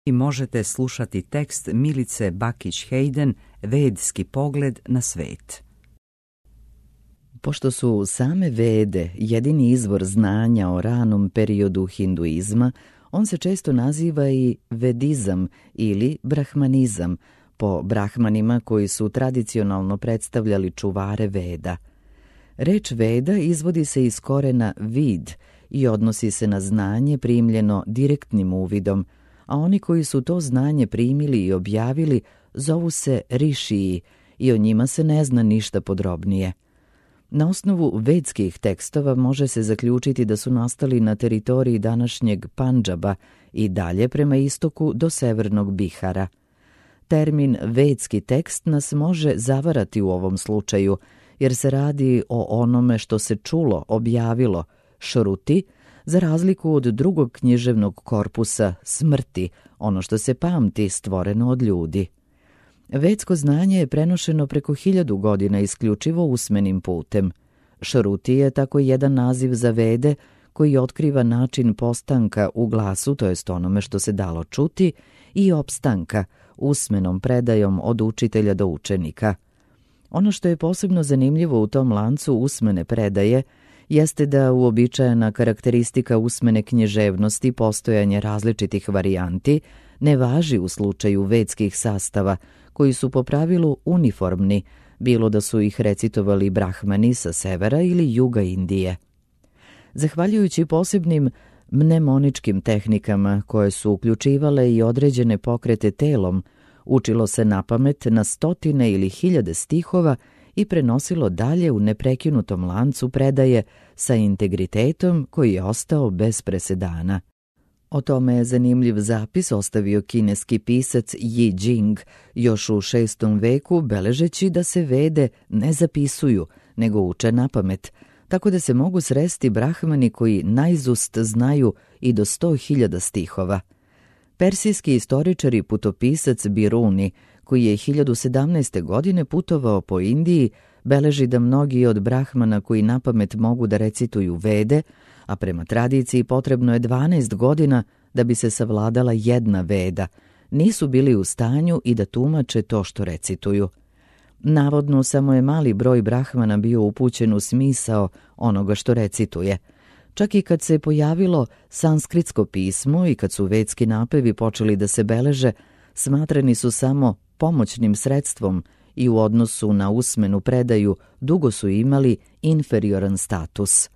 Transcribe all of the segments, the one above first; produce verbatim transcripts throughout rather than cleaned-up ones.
i možete slušati tekst Milice Bakić-Hayden Vedski pogled na svet. Pošto su same Vede jedini izvor znanja o ranom periodu hinduizma, on se često naziva i vedizam ili brahmanizam, po brahmanima koji su tradicionalno predstavljali čuvare Veda. Reč Veda izvodi se iz korena vid i odnosi se na znanje primljeno direktnim uvidom, a oni koji su to znanje primili i objavili zovu se rišiji i o njima se ne zna ništa podrobnije. Na osnovu vedskih tekstova može se zaključiti da su nastali na teritoriji današnjeg Pandžaba i dalje prema istoku do severnog Bihara. Termin vedski tekst nas može zavarati u ovom slučaju, jer se radi o onome što se čulo, objavilo, šruti, za razliku od drugog književnog korpusa, smrti, ono što se pamti, stvoreno od ljudi. Vedsko znanje je prenošeno preko hiljadu godina isključivo usmenim putem. Šruti je tako jedan naziv za Vede koji otkriva način postanka u glasu, to jest onome što se dalo čuti, i opstanka, usmenom predajom od učitelja do učenika. Ono što je posebno zanimljivo u tom lancu usmene predaje jeste da uobičajena karakteristika usmene književnosti, postojanje različitih varijanti, ne važi u slučaju vedskih sastava, koji su po pravilu uniformni, bilo da su ih recitovali brahmani sa severa ili juga Indije. Zahvaljujući posebnim mnemoničkim tehnikama koje su uključivale i određene pokrete telom, učilo se napamet na stotine ili hiljade stihova i prenosilo dalje u neprekinutom lancu predaje sa integritetom koji je ostao bez presedana. O tome je zanimljiv zapis ostavio kineski pisac Yi Jing još u šestom veku, beležeći da se Vede ne zapisuju, nego uče napamet, tako da se mogu sresti brahmani koji naizust znaju i do sto hiljada stihova. Persijski istoričar i putopisac Biruni, koji je hiljadu sedamnaeste. godine putovao po Indiji, beleži da mnogi od brahmana koji napamet mogu da recituju Vede, a prema tradiciji potrebno je dvanaest godina da bi se savladala jedna Veda, nisu bili u stanju i da tumače to što recituju. Navodno, samo je mali broj brahmana bio upućen u smisao onoga što recituje. Čak i kad se pojavilo sanskritsko pismo i kad su vedski napevi počeli da se beleže, smatrani su samo pomoćnim sredstvom i u odnosu na usmenu predaju dugo su imali inferioran status.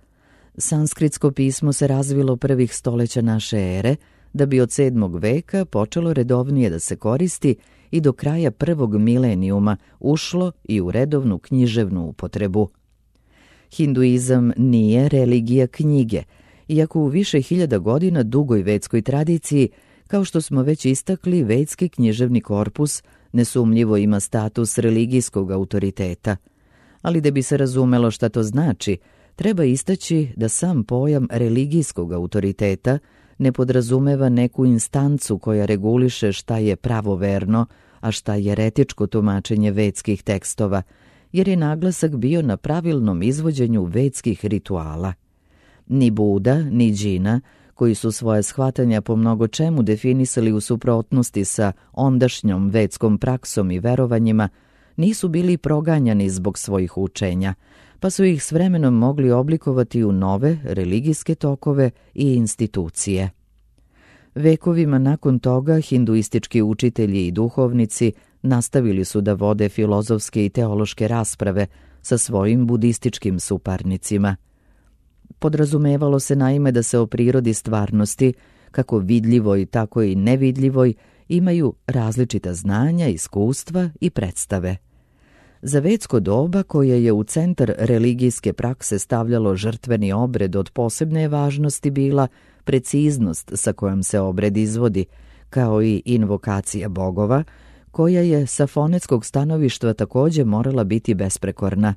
Sanskritsko pismo se razvilo prvih stoleća naše ere, da bi od sedmog veka počelo redovnije da se koristi i do kraja prvog milenijuma ušlo i u redovnu književnu upotrebu. Hinduizam nije religija knjige, iako u više hiljada godina dugoj vedskoj tradiciji, kao što smo već istakli, vedski književni korpus nesumnjivo ima status religijskog autoriteta. Ali da bi se razumelo šta to znači, treba istaći da sam pojam religijskog autoriteta ne podrazumeva neku instancu koja reguliše šta je pravoverno, a šta je eretičko tumačenje vedskih tekstova, jer je naglasak bio na pravilnom izvođenju vedskih rituala. Ni Buda, ni Džina, koji su svoje shvatanja po mnogo čemu definisali u suprotnosti sa ondašnjom vedskom praksom i verovanjima, nisu bili proganjani zbog svojih učenja, pa su ih s vremenom mogli oblikovati u nove religijske tokove i institucije. Vekovima nakon toga hinduistički učitelji i duhovnici nastavili su da vode filozofske i teološke rasprave sa svojim budističkim suparnicima. Podrazumevalo se naime da se o prirodi stvarnosti, kako vidljivoj, tako i nevidljivoj, imaju različita znanja, iskustva i predstave. Za vedsko doba, koje je u centar religijske prakse stavljalo žrtveni obred, od posebne važnosti bila preciznost sa kojom se obred izvodi, kao i invokacija bogova, koja je sa fonetskog stanovišta također morala biti besprekorna.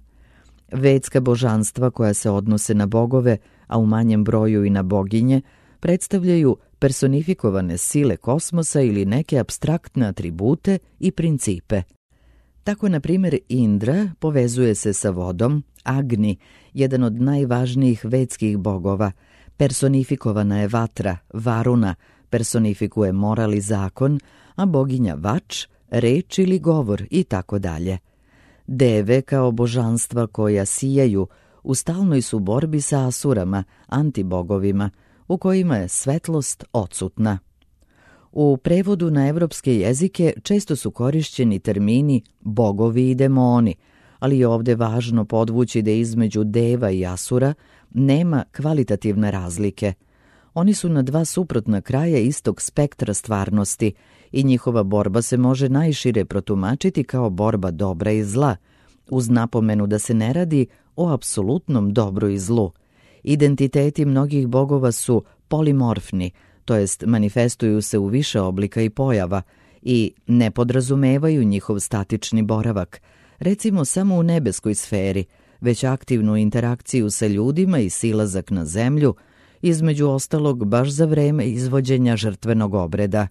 Vedska božanstva koja se odnose na bogove, a u manjem broju i na boginje, predstavljaju personifikovane sile kosmosa ili neke apstraktne atribute i principe. Tako, na primjer, Indra povezuje se sa vodom, Agni, jedan od najvažnijih vedskih bogova, personifikovana je vatra, Varuna, personifikuje moral i zakon, a boginja Vač, reč ili govor i tako dalje. Deve kao božanstva koja sijaju u stalnoj su borbi sa asurama, antibogovima, u kojima je svetlost odsutna. U prevodu na evropske jezike često su korišćeni termini bogovi i demoni, ali je ovde važno podvući da između deva i asura nema kvalitativne razlike. Oni su na dva suprotna kraja istog spektra stvarnosti i njihova borba se može najšire protumačiti kao borba dobra i zla, uz napomenu da se ne radi o apsolutnom dobru i zlu. Identiteti mnogih bogova su polimorfni, to jest manifestuju se u više oblika i pojava i ne podrazumevaju njihov statični boravak, recimo samo u nebeskoj sferi, već aktivnu interakciju sa ljudima i silazak na zemlju, između ostalog baš za vreme izvođenja žrtvenog obreda.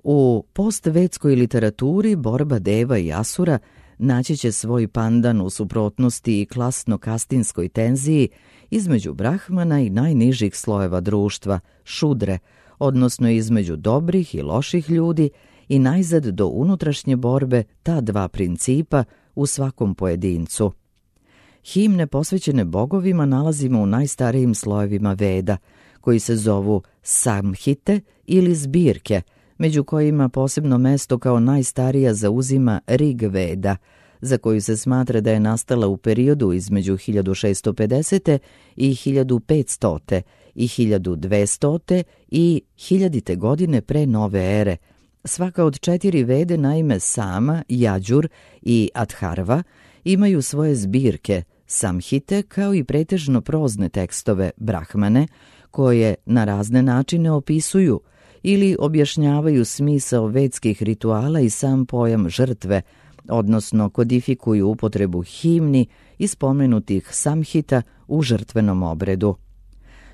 U postvedskoj literaturi borba deva i asura naći će svoj pandan u suprotnosti i klasno-kastinskoj tenziji između brahmana i najnižih slojeva društva, šudre, odnosno između dobrih i loših ljudi i najzad do unutrašnje borbe ta dva principa u svakom pojedincu. Himne posvećene bogovima nalazimo u najstarijim slojevima Veda, koji se zovu samhite ili zbirke, među kojima posebno mesto kao najstarija zauzima Rig Veda, za koju se smatra da je nastala u periodu između hiljadu šessto pedeset. i hiljadu petsto. i hiljadu dvesta. i hiljadite godine pre nove ere. Svaka od četiri Vede, naime Sama, Jađur i Atharva, imaju svoje zbirke, samhite, kao i pretežno prozne tekstove, brahmane, koje na razne načine opisuju ili objašnjavaju smisao vedskih rituala i sam pojam žrtve, odnosno kodifikuju upotrebu himni i spomenutih samhita u žrtvenom obredu.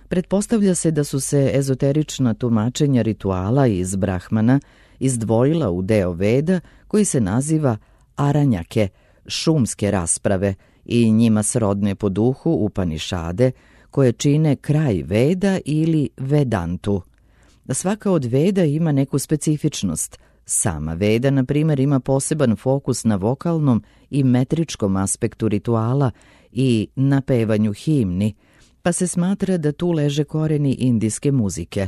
Pretpostavlja se da su se ezoterična tumačenja rituala iz brahmana izdvojila u deo Veda koji se naziva aranjake, šumske rasprave, i njima srodne po duhu Upanišade, koje čine kraj Veda ili Vedantu. Svaka od Veda ima neku specifičnost. Sama Veda, na primjer, ima poseban fokus na vokalnom i metričkom aspektu rituala i na pevanju himni, pa se smatra da tu leže koreni indijske muzike.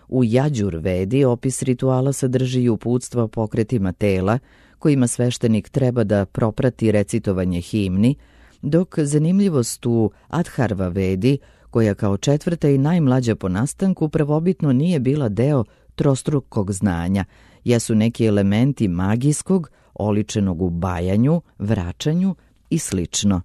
U Jađur Vedi opis rituala sadrži i uputstva o pokretima tela, kojima sveštenik treba da proprati recitovanje himni, dok zanimljivost u Atharva Vedi, koja kao četvrta i najmlađa po nastanku prvobitno nije bila deo trostrukog znanja, jesu neki elementi magijskog, oličenog u bajanju, vraćanju i slično.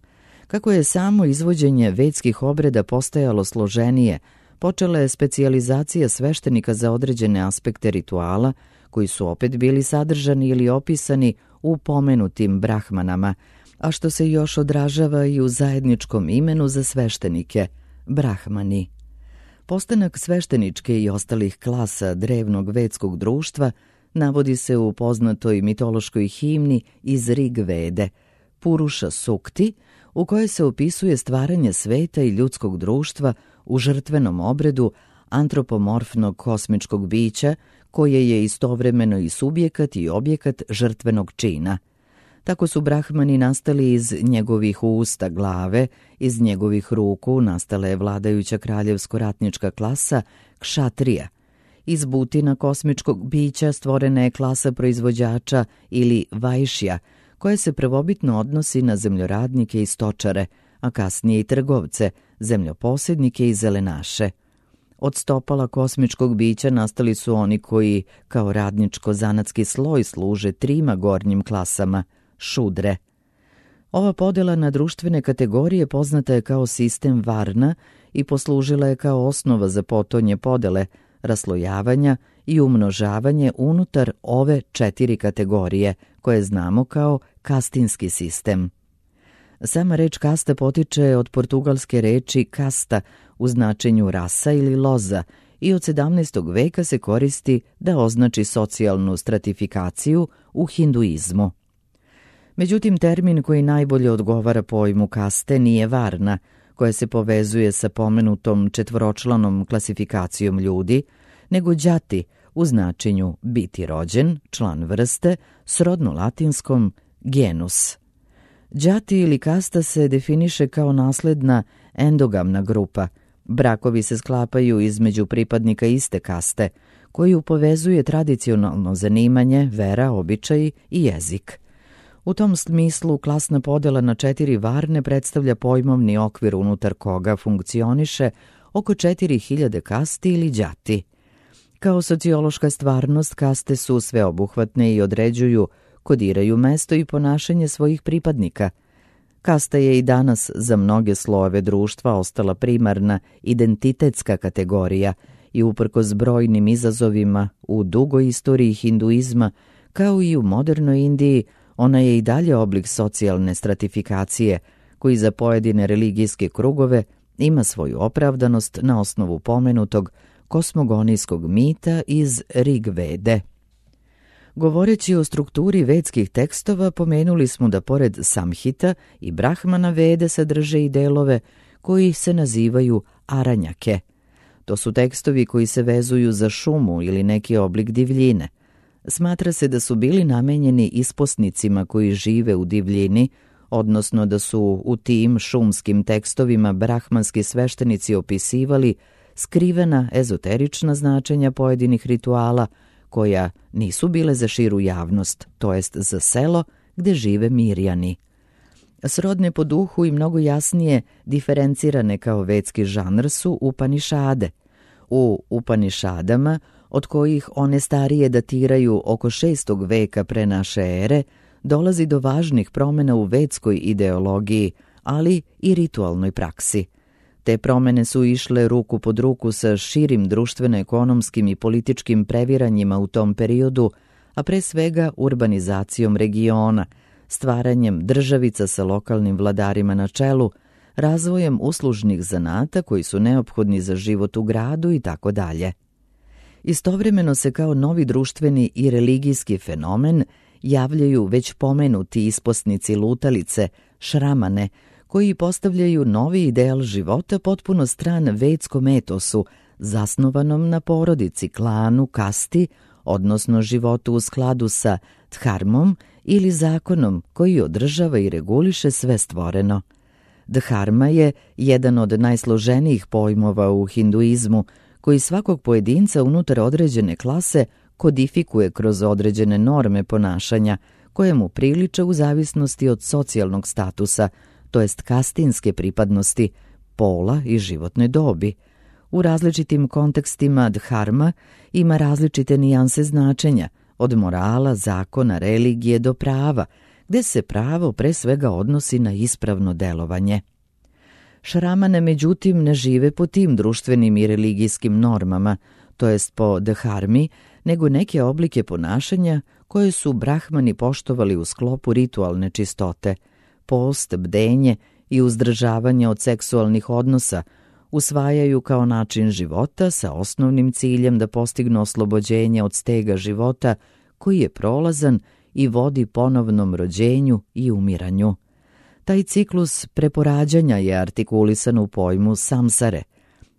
Kako je samo izvođenje vedskih obreda postajalo složenije, počela je specijalizacija sveštenika za određene aspekte rituala, koji su opet bili sadržani ili opisani u pomenutim brahmanama, a što se još odražava i u zajedničkom imenu za sveštenike – brahmani. Postanak svešteničke i ostalih klasa drevnog vedskog društva navodi se u poznatoj mitološkoj himni iz Rig Vede, Puruša Sukti, u kojoj se opisuje stvaranje sveta i ljudskog društva u žrtvenom obredu antropomorfnog kosmičkog bića, koje je istovremeno i subjekat i objekat žrtvenog čina. Tako su brahmani nastali iz njegovih usta, glave, iz njegovih ruku nastala je vladajuća kraljevsko-ratnička klasa kšatrija. Iz butina kosmičkog bića stvorena je klasa proizvođača ili vajšija, koja se prvobitno odnosi na zemljoradnike i stočare, a kasnije i trgovce, zemljoposjednike i zelenaše. Od stopala kosmičkog bića nastali su oni koji, kao radničko-zanatski sloj, služe trima gornjim klasama, šudre. Ova podela na društvene kategorije poznata je kao sistem Varna i poslužila je kao osnova za potonje podele, raslojavanja i umnožavanje unutar ove četiri kategorije, koje znamo kao kastinski sistem. Sama reč kasta potiče od portugalske reči kasta u značenju rasa ili loza i od sedamnaestog veka se koristi da označi socijalnu stratifikaciju u hinduizmu. Međutim, termin koji najbolje odgovara pojmu kaste nije varna, koja se povezuje sa pomenutom četvoročlanom klasifikacijom ljudi, nego đati u značenju biti rođen, član vrste, srodno latinskom genus. Đati ili kasta se definiše kao nasledna endogamna grupa. Brakovi se sklapaju između pripadnika iste kaste, koju povezuje tradicionalno zanimanje, vera, običaji i jezik. U tom smislu klasna podela na četiri varne predstavlja pojmovni okvir unutar koga funkcioniše oko četiri hiljade kasti ili đati. Kao sociološka stvarnost, kaste su sveobuhvatne i određuju, kodiraju mesto i ponašanje svojih pripadnika. Kasta je i danas za mnoge slojeve društva ostala primarna identitetska kategorija i uprkos brojnim izazovima u dugoj istoriji hinduizma, kao i u modernoj Indiji, ona je i dalje oblik socijalne stratifikacije, koji za pojedine religijske krugove ima svoju opravdanost na osnovu pomenutog kosmogonijskog mita iz Rig Vede. Govoreći o strukturi vedskih tekstova, pomenuli smo da pored Samhita i Brahmana Vede sadrže i delove koji se nazivaju aranjake. To su tekstovi koji se vezuju za šumu ili neki oblik divljine. Smatra se da su bili namenjeni isposnicima koji žive u divljini, odnosno da su u tim šumskim tekstovima brahmanski sveštenici opisivali skrivena ezoterična značenja pojedinih rituala koja nisu bile za širu javnost, to jest za selo gde žive Mirjani. Srodne po duhu i mnogo jasnije diferencirane kao vedski žanr su Upanišade. U Upanišadama, od kojih one starije datiraju oko šestog veka pre naše ere, dolazi do važnih promjena u vedskoj ideologiji, ali i ritualnoj praksi. Te promjene su išle ruku pod ruku sa širim društveno-ekonomskim i političkim previranjima u tom periodu, a pre svega urbanizacijom regiona, stvaranjem državica sa lokalnim vladarima na čelu, razvojem uslužnih zanata koji su neophodni za život u gradu i tako dalje. Istovremeno se kao novi društveni i religijski fenomen javljaju već pomenuti isposnici lutalice, šramane, koji postavljaju novi ideal života potpuno stran vedskom etosu, zasnovanom na porodici, klanu, kasti, odnosno životu u skladu sa dharmom ili zakonom koji održava i reguliše sve stvoreno. Dharma je jedan od najsloženijih pojmova u hinduizmu, koji svakog pojedinca unutar određene klase kodifikuje kroz određene norme ponašanja, koje mu priliče u zavisnosti od socijalnog statusa, to jest kastinske pripadnosti, pola i životne dobi. U različitim kontekstima dharma ima različite nijanse značenja, od morala, zakona, religije do prava, gde se pravo pre svega odnosi na ispravno delovanje. Šramane, međutim, ne žive po tim društvenim i religijskim normama, to jest po dharmi, nego neke oblike ponašanja koje su brahmani poštovali u sklopu ritualne čistote, post, bdenje i uzdržavanje od seksualnih odnosa, usvajaju kao način života sa osnovnim ciljem da postignu oslobođenje od stega života koji je prolazan i vodi ponovnom rođenju i umiranju. Taj ciklus preporađanja je artikulisan u pojmu samsare.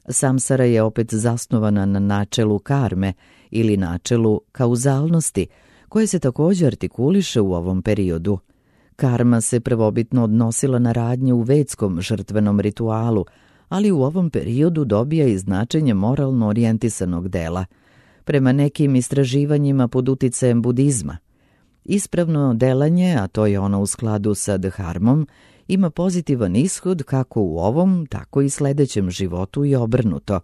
Samsara je opet zasnovana na načelu karme ili načelu kauzalnosti, koje se također artikuliše u ovom periodu. Karma se prvobitno odnosila na radnje u vedskom žrtvenom ritualu, ali u ovom periodu dobija i značenje moralno orijentisanog dela, prema nekim istraživanjima pod uticajem budizma. Ispravno delanje, a to je ono u skladu sa dharmom, ima pozitivan ishod kako u ovom, tako i sledećem životu i obrnuto.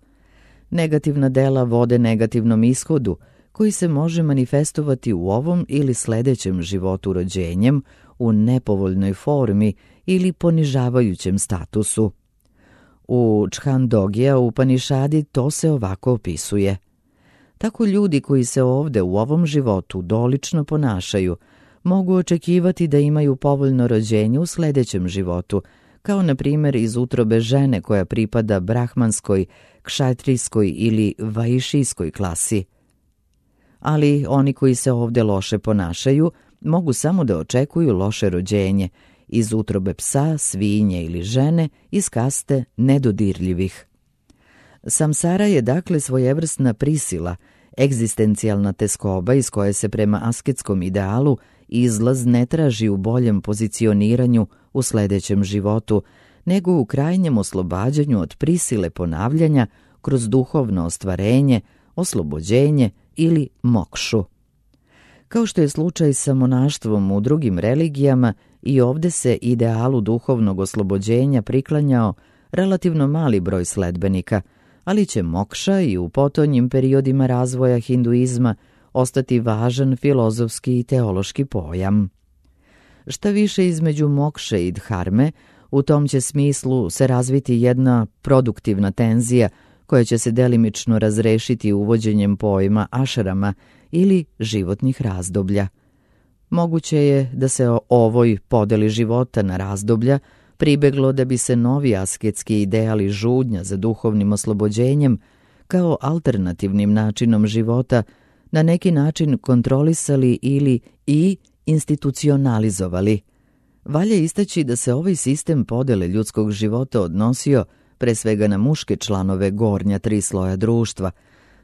Negativna dela vode negativnom ishodu, koji se može manifestovati u ovom ili sledećem životu rođenjem, u nepovoljnoj formi ili ponižavajućem statusu. U Čhandogija Upanišadi to se ovako opisuje. Tako ljudi koji se ovde u ovom životu dolično ponašaju, mogu očekivati da imaju povoljno rođenje u sledećem životu, kao na primjer iz utrobe žene koja pripada brahmanskoj, kšatrijskoj ili vaišijskoj klasi. Ali oni koji se ovde loše ponašaju mogu samo da očekuju loše rođenje iz utrobe psa, svinje ili žene iz kaste nedodirljivih. Samsara je dakle svojevrsna prisila, egzistencijalna teskoba iz koje se prema asketskom idealu izlaz ne traži u boljem pozicioniranju u sljedećem životu, nego u krajnjem oslobađanju od prisile ponavljanja kroz duhovno ostvarenje, oslobođenje ili mokšu. Kao što je slučaj sa monaštvom u drugim religijama, i ovdje se idealu duhovnog oslobođenja priklanjao relativno mali broj sledbenika, ali će mokša i u potonjim periodima razvoja hinduizma ostati važan filozofski i teološki pojam. Šta više, između mokše i dharme, u tom će smislu se razviti jedna produktivna tenzija koja će se delimično razrešiti uvođenjem pojma ašrama ili životnih razdoblja. Moguće je da se o ovoj podeli života na razdoblja pribeglo da bi se novi asketski ideali žudnja za duhovnim oslobođenjem kao alternativnim načinom života na neki način kontrolisali ili i institucionalizovali. Valja istaći da se ovaj sistem podele ljudskog života odnosio pre svega na muške članove gornja tri sloja društva,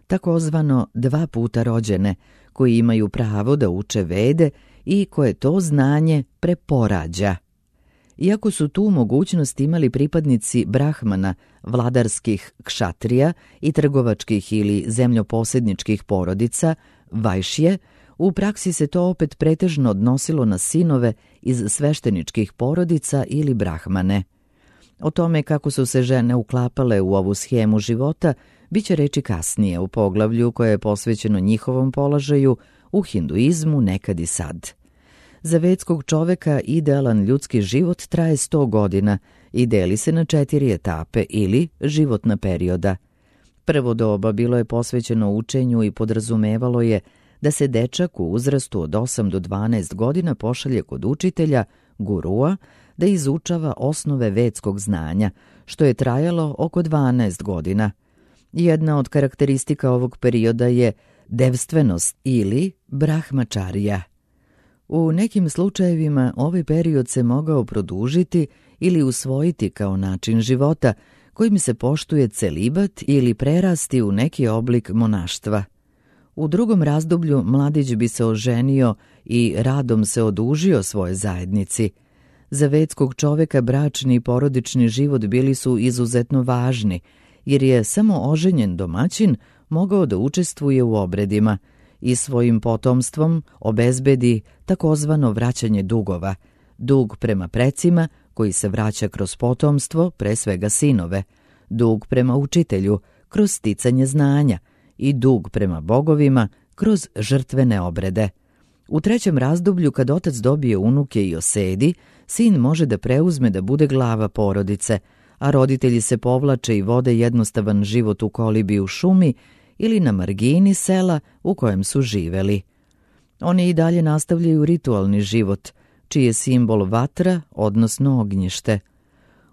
takozvano dva puta rođene, koji imaju pravo da uče vede i koje to znanje preporađa. Iako su tu mogućnost imali pripadnici brahmana, vladarskih kšatrija i trgovačkih ili zemljoposjedničkih porodica, vajšje, u praksi se to opet pretežno odnosilo na sinove iz svešteničkih porodica ili brahmane. O tome kako su se žene uklapale u ovu schemu života biće reči kasnije u poglavlju koje je posvećeno njihovom položaju u hinduizmu nekad i sad. Za vedskog čoveka idealan ljudski život traje sto godina i deli se na četiri etape ili životna perioda. Prvo doba bilo je posvećeno učenju i podrazumevalo je da se dečak u uzrastu od osam do dvanaest godina pošalje kod učitelja, gurua, da izučava osnove vedskog znanja, što je trajalo oko dvanaest godina. Jedna od karakteristika ovog perioda je devstvenost ili brahmačarija. U nekim slučajevima ovaj period se mogao produžiti ili usvojiti kao način života kojim se poštuje celibat ili prerasti u neki oblik monaštva. U drugom razdoblju mladić bi se oženio i radom se odužio svoje zajednici. Za vedskog čoveka bračni i porodični život bili su izuzetno važni, jer je samo oženjen domaćin mogao da učestvuje u obredima i svojim potomstvom obezbedi takozvano vraćanje dugova, dug prema precima koji se vraća kroz potomstvo, pre svega sinove, dug prema učitelju kroz sticanje znanja i dug prema bogovima kroz žrtvene obrede. U trećem razdoblju, kad otac dobije unuke i osedi, sin može da preuzme da bude glava porodice, a roditelji se povlače i vode jednostavan život u kolibi u šumi ili na margini sela u kojem su živeli. Oni i dalje nastavljaju ritualni život, čiji je simbol vatra, odnosno ognjište.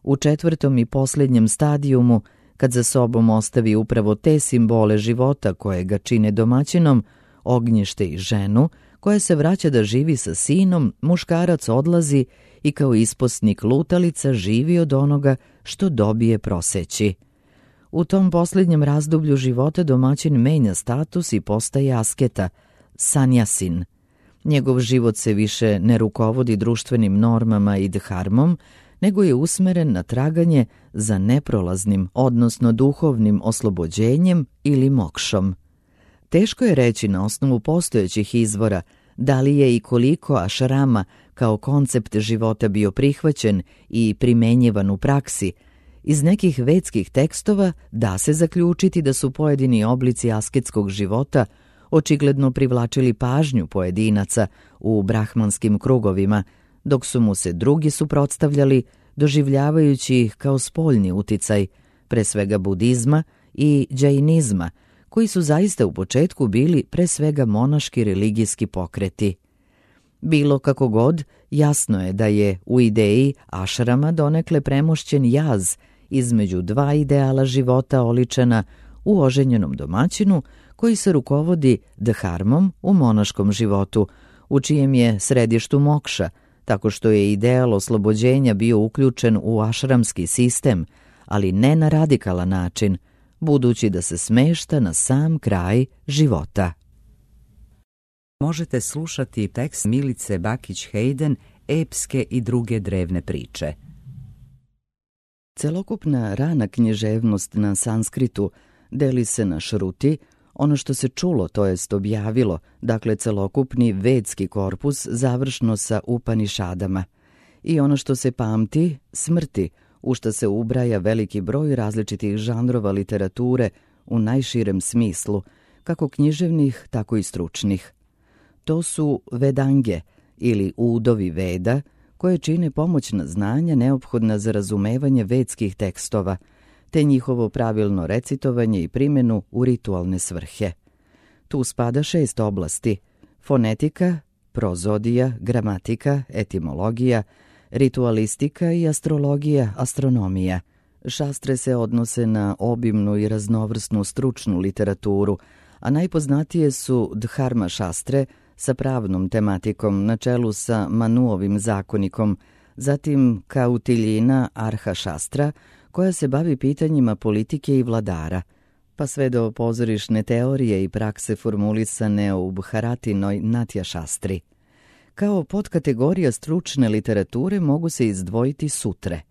U četvrtom i posljednjem stadijumu, kad za sobom ostavi upravo te simbole života koje ga čine domaćinom, ognjište i ženu, koja se vraća da živi sa sinom, muškarac odlazi i kao isposnik lutalica živi od onoga što dobije proseći. U tom posljednjem razdoblju života domaćin menja status i postaje asketa, sanjasin. Njegov život se više ne rukovodi društvenim normama i dharmom, nego je usmeren na traganje za neprolaznim, odnosno duhovnim oslobođenjem ili mokšom. Teško je reći na osnovu postojećih izvora da li je i koliko ašrama kao koncept života bio prihvaćen i primenjivan u praksi. Iz nekih vedskih tekstova da se zaključiti da su pojedini oblici asketskog života očigledno privlačili pažnju pojedinaca u brahmanskim krugovima, dok su mu se drugi suprotstavljali, doživljavajući ih kao spoljni uticaj, pre svega budizma i džainizma, koji su zaista u početku bili pre svega monaški religijski pokreti. Bilo kako god, jasno je da je u ideji ašrama donekle premošćen jaz između dva ideala života oličena u oženjenom domaćinu koji se rukovodi dharmom u monaškom životu, u čijem je središtu mokša, tako što je ideal oslobođenja bio uključen u ašramski sistem, ali ne na radikalan način, budući da se smešta na sam kraj života. Možete slušati tekst Milice Bakić-Hayden, epske i druge drevne priče. Celokupna rana književnost na sanskritu deli se na šruti, ono što se čulo, to jest objavilo, dakle celokupni vedski korpus završno sa Upanišadama, i ono što se pamti, smrti, u što se ubraja veliki broj različitih žanrova literature u najširem smislu, kako književnih, tako i stručnih. To su vedange ili udovi veda, koje čine pomoćna znanja neophodna za razumevanje vedskih tekstova, te njihovo pravilno recitovanje i primjenu u ritualne svrhe. Tu spada šest oblasti: fonetika, prozodija, gramatika, etimologija, ritualistika i astrologija, astronomija. Šastre se odnose na obimnu i raznovrsnu stručnu literaturu, a najpoznatije su dharma šastre sa pravnom tematikom na čelu sa Manuovim zakonikom, zatim Kautiljina Arha šastra, koja se bavi pitanjima politike i vladara, pa sve do pozorišne teorije i prakse formulisane u Bharatinoj Natja šastri. Kao podkategorija stručne literature mogu se izdvojiti sutre.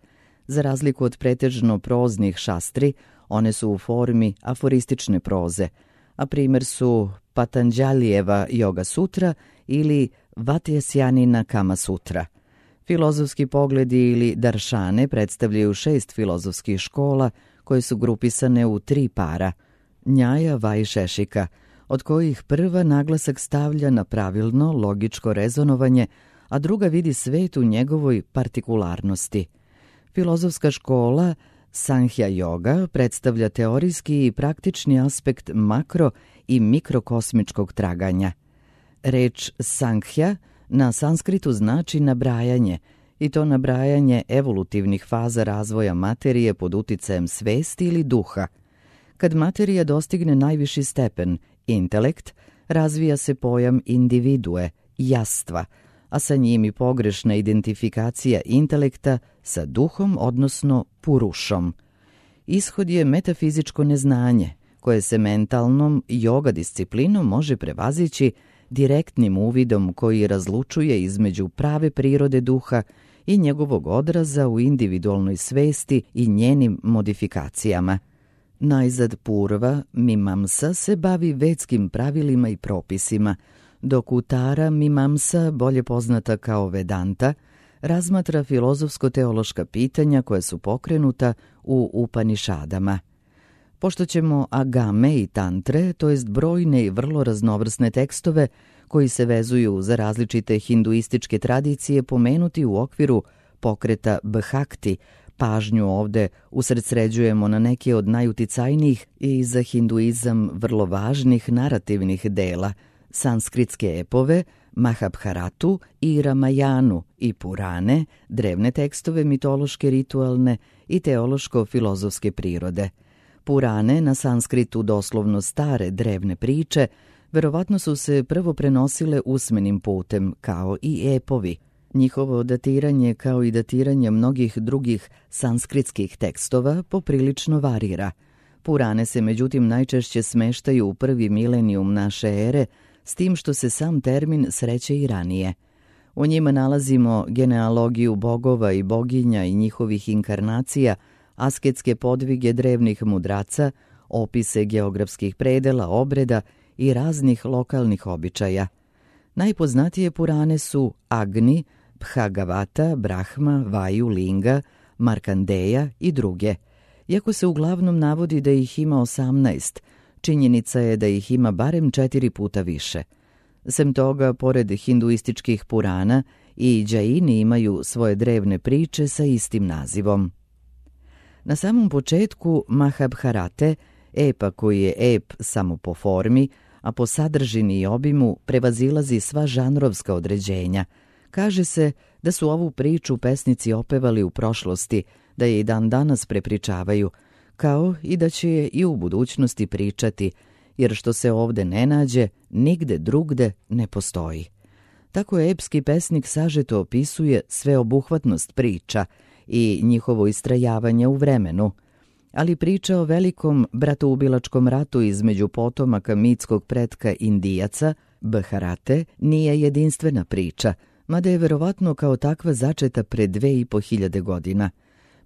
Za razliku od pretežno proznih šastri, one su u formi aforistične proze, a primjer su Patanđalijeva Yoga sutra ili Vatjasjanina Kama sutra. Filozofski pogledi ili daršane predstavljaju šest filozofskih škola koje su grupisane u tri para, Njaja, Vajšešika, od kojih prva naglasak stavlja na pravilno, logičko rezonovanje, a druga vidi svet u njegovoj partikularnosti. Filozofska škola Sankhya Yoga predstavlja teorijski i praktični aspekt makro i mikrokosmičkog traganja. Reč Sankhya na sanskritu znači nabrajanje, i to nabrajanje evolutivnih faza razvoja materije pod uticajem svesti ili duha. Kad materija dostigne najviši stepen, intelekt, razvija se pojam individue, jastva, a sa njim i pogrešna identifikacija intelekta sa duhom, odnosno purušom. Ishod je metafizičko neznanje, koje se mentalnom yoga disciplinom može prevazići direktnim uvidom koji razlučuje između prave prirode duha i njegovog odraza u individualnoj svesti i njenim modifikacijama. Najzad Purva Mimamsa se bavi vedskim pravilima i propisima, dok Utara Mimamsa, bolje poznata kao Vedanta, razmatra filozofsko-teološka pitanja koja su pokrenuta u Upanišadama. Pošto ćemo agame i tantre, to jest brojne i vrlo raznovrsne tekstove koji se vezuju za različite hinduističke tradicije, pomenuti u okviru pokreta Bhakti, pažnju ovde usredsređujemo na neke od najuticajnijih i za hinduizam vrlo važnih narativnih dela, sanskritske epove, Mahabharatu i Ramajanu i Purane, drevne tekstove mitološke, ritualne i teološko-filozofske prirode. Purane, na sanskritu doslovno stare drevne priče, verovatno su se prvo prenosile usmenim putem, kao i epovi. Njihovo datiranje, kao i datiranje mnogih drugih sanskritskih tekstova, poprilično varira. Purane se međutim najčešće smeštaju u prvi milenijum naše ere, s tim što se sam termin sreće i ranije. U njima nalazimo genealogiju bogova i boginja i njihovih inkarnacija, asketske podvige drevnih mudraca, opise geografskih predela, obreda i raznih lokalnih običaja. Najpoznatije Purane su Agni, Bhagavata, Brahma, Vaju, Linga, Markandeja i druge. Iako se uglavnom navodi da ih ima osamnaest, činjenica je da ih ima barem četiri puta više. Sem toga, pored hinduističkih Purana, i Džaini imaju svoje drevne priče sa istim nazivom. Na samom početku Mahabharate, epa koji je ep samo po formi, a po sadržini i obimu prevazilazi sva žanrovska određenja. Kaže se da su ovu priču pesnici opevali u prošlosti, da je i dan danas prepričavaju, kao i da će je i u budućnosti pričati, jer što se ovde ne nađe, nigde drugde ne postoji. Tako epski pesnik sažeto opisuje sveobuhvatnost priča i njihovo istrajavanje u vremenu. ali priča o velikom bratoubilačkom ratu između potomaka mitskog pretka Indijaca, Bharate, nije jedinstvena priča, mada je verovatno kao takva začeta pre dve i po hiljade godina.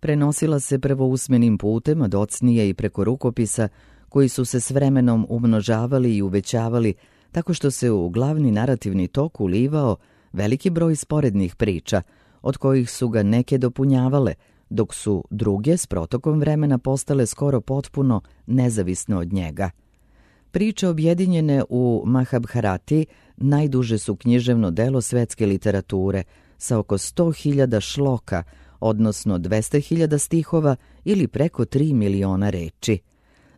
Prenosila se prvo usmenim putem, a docnije i preko rukopisa, koji su se s vremenom umnožavali i uvećavali, tako što se u glavni narativni tok ulivao veliki broj sporednih priča, od kojih su ga neke dopunjavale, dok su druge s protokom vremena postale skoro potpuno nezavisne od njega. Priče objedinjene u Mahabharati najduže su književno delo svetske literature, sa oko sto hiljada šloka, odnosno dvesta hiljada stihova ili preko tri miliona reči.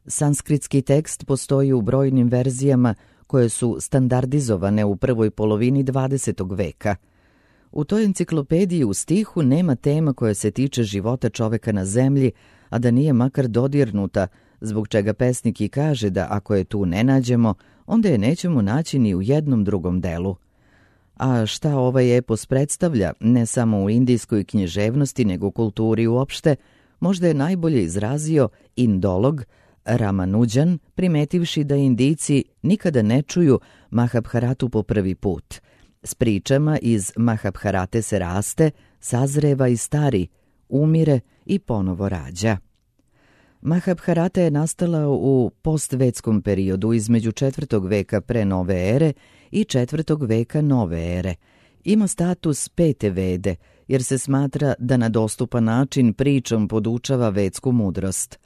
Sanskritski tekst postoji u brojnim verzijama koje su standardizovane u prvoj polovini dvadesetog veka. U toj enciklopediji u stihu nema tema koja se tiče života čoveka na zemlji, a da nije makar dodirnuta, zbog čega pesnik i kaže da ako je tu ne nađemo, onda je nećemo naći ni u jednom drugom delu. A šta ovaj epos predstavlja, ne samo u indijskoj književnosti, nego u kulturi uopšte, možda je najbolje izrazio indolog Ramanujan, primetivši da Indijci nikada ne čuju Mahabharatu po prvi put. S pričama iz Mahabharate se raste, sazreva i stari, umire i ponovo rađa. Mahabharata je nastala u postvetskom periodu između četvrtog veka pre nove ere i četvrtog veka nove ere. Ima status pete vede, jer se smatra da na dostupan način pričom podučava vedsku mudrost.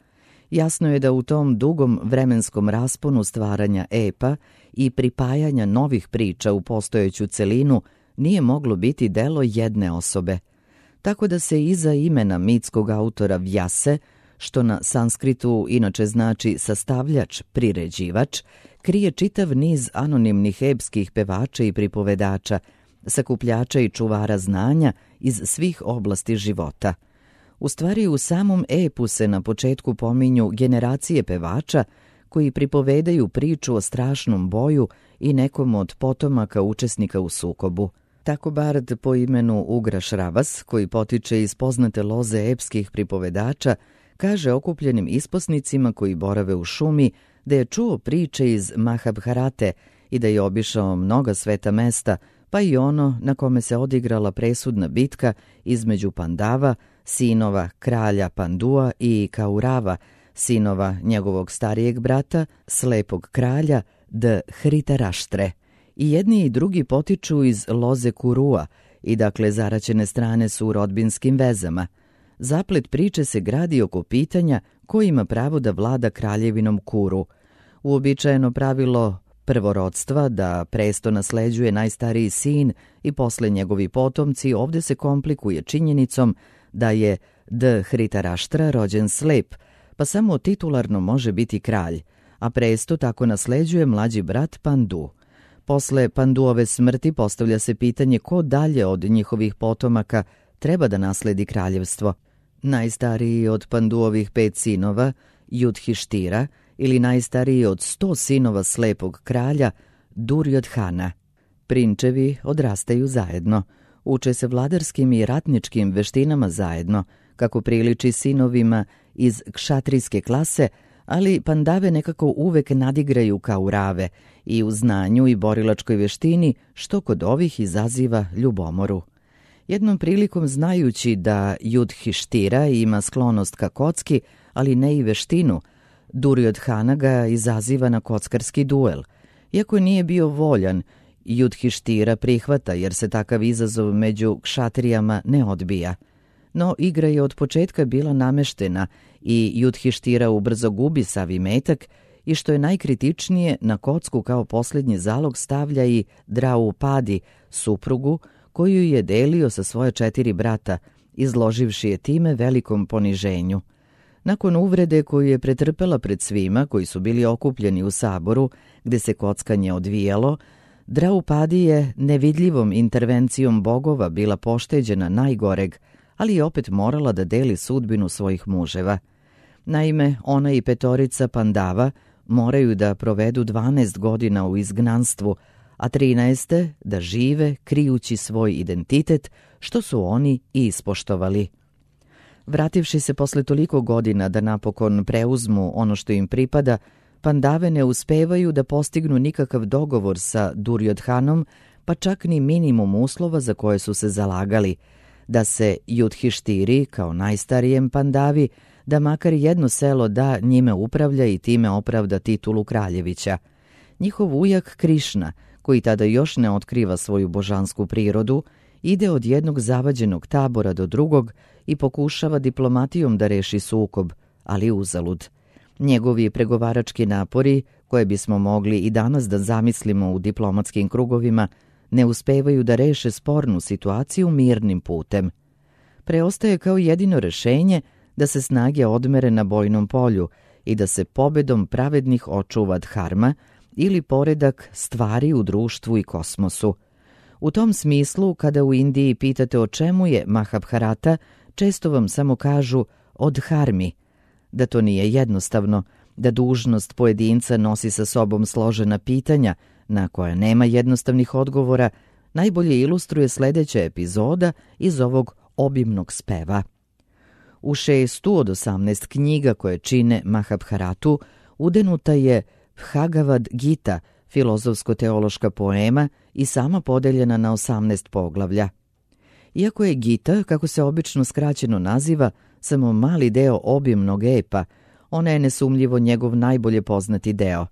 Jasno je da u tom dugom vremenskom rasponu stvaranja epa i pripajanja novih priča u postojeću celinu nije moglo biti delo jedne osobe. Tako da se iza imena mitskog autora Vjase, što na sanskritu inače znači sastavljač, priređivač, krije čitav niz anonimnih epskih pevača i pripovedača, sakupljača i čuvara znanja iz svih oblasti života. U stvari, u samom epu se na početku pominju generacije pevača koji pripovedaju priču o strašnom boju i nekom od potomaka učesnika u sukobu. Tako bard po imenu Ugraš Ravas, koji potiče iz poznate loze epskih pripovedača, kaže okupljenim isposnicima koji borave u šumi da je čuo priče iz Mahabharate i da je obišao mnoga sveta mesta, pa i ono na kome se odigrala presudna bitka između Pandava, sinova kralja Pandua, i Kaurava, sinova njegovog starijeg brata, slepog kralja Dhritaraštre. I jedni i drugi potiču iz loze Kurua i dakle zaraćene strane su u rodbinskim vezama. Zaplet priče se gradi oko pitanja ko ima pravo da vlada kraljevinom Kuru. Uobičajeno pravilo prvorodstva, da presto nasleđuje najstariji sin i posle njegovi potomci, ovde se komplikuje činjenicom da je Dhritaraštra rođen slep, pa samo titularno može biti kralj, a presto tako nasleđuje mlađi brat Pandu. Posle Panduove smrti postavlja se pitanje ko dalje od njihovih potomaka treba da nasledi kraljevstvo. Najstariji od Panduovih pet sinova, Judhištira, ili najstariji od sto sinova slepog kralja, Duryodhana. Prinčevi odrastaju zajedno, uče se vladarskim i ratničkim veštinama zajedno, kako priliči sinovima iz kšatrijske klase, ali Pandave nekako uvek nadigraju Kaurave i u znanju i borilačkoj veštini, što kod ovih izaziva ljubomoru. Jednom prilikom, znajući da Judhištira ima sklonost ka kocki, ali ne i veštinu, Duryodhana ga izaziva na kockarski duel. Iako nije bio voljan, Judhištira prihvata jer se takav izazov među kšatrijama ne odbija. No igra je od početka bila nameštena i Judhištira ubrzo gubi sav imetak i što je najkritičnije, na kocku kao posljednji zalog stavlja i Draupadi, suprugu, koju je delio sa svoje četiri brata, izloživši je time velikom poniženju. Nakon uvrede koju je pretrpela pred svima koji su bili okupljeni u saboru, gde se kockanje odvijalo, Draupadi je nevidljivom intervencijom bogova bila pošteđena najgoreg, ali je opet morala da deli sudbinu svojih muževa. Naime, ona i petorica Pandava moraju da provedu dvanaest godina u izgnanstvu, a trinaeste da žive krijući svoj identitet, što su oni i ispoštovali. Vrativši se posle toliko godina da napokon preuzmu ono što im pripada, Pandave ne uspevaju da postignu nikakav dogovor sa Duryodhanom, pa čak ni minimum uslova za koje su se zalagali, da se Yudhištiri, kao najstarijem Pandavi, da makar jedno selo da njime upravlja i time opravda titulu kraljevića. Njihov ujak Krišna, koji tada još ne otkriva svoju božansku prirodu, ide od jednog zavađenog tabora do drugog i pokušava diplomatijom da reši sukob, ali uzalud. Njegovi pregovarački napori, koje bismo mogli i danas da zamislimo u diplomatskim krugovima, ne uspevaju da reše spornu situaciju mirnim putem. Preostaje kao jedino rešenje da se snage odmere na bojnom polju i da se pobedom pravednih očuva dharma ili poredak stvari u društvu i kosmosu. U tom smislu, kada u Indiji pitate o čemu je Mahabharata, često vam samo kažu o dharmi. Da to nije jednostavno, da dužnost pojedinca nosi sa sobom složena pitanja na koja nema jednostavnih odgovora, najbolje ilustruje sledeća epizoda iz ovog obimnog speva. U šestu od osamnaest knjiga koje čine Mahabharatu udenuta je Bhagavad Gita, filozofsko-teološka poema i sama podeljena na osamnaest poglavlja. Iako je Gita, kako se obično skraćeno naziva, samo mali deo obimnog epa, ona je nesumljivo njegov najbolje poznati deo.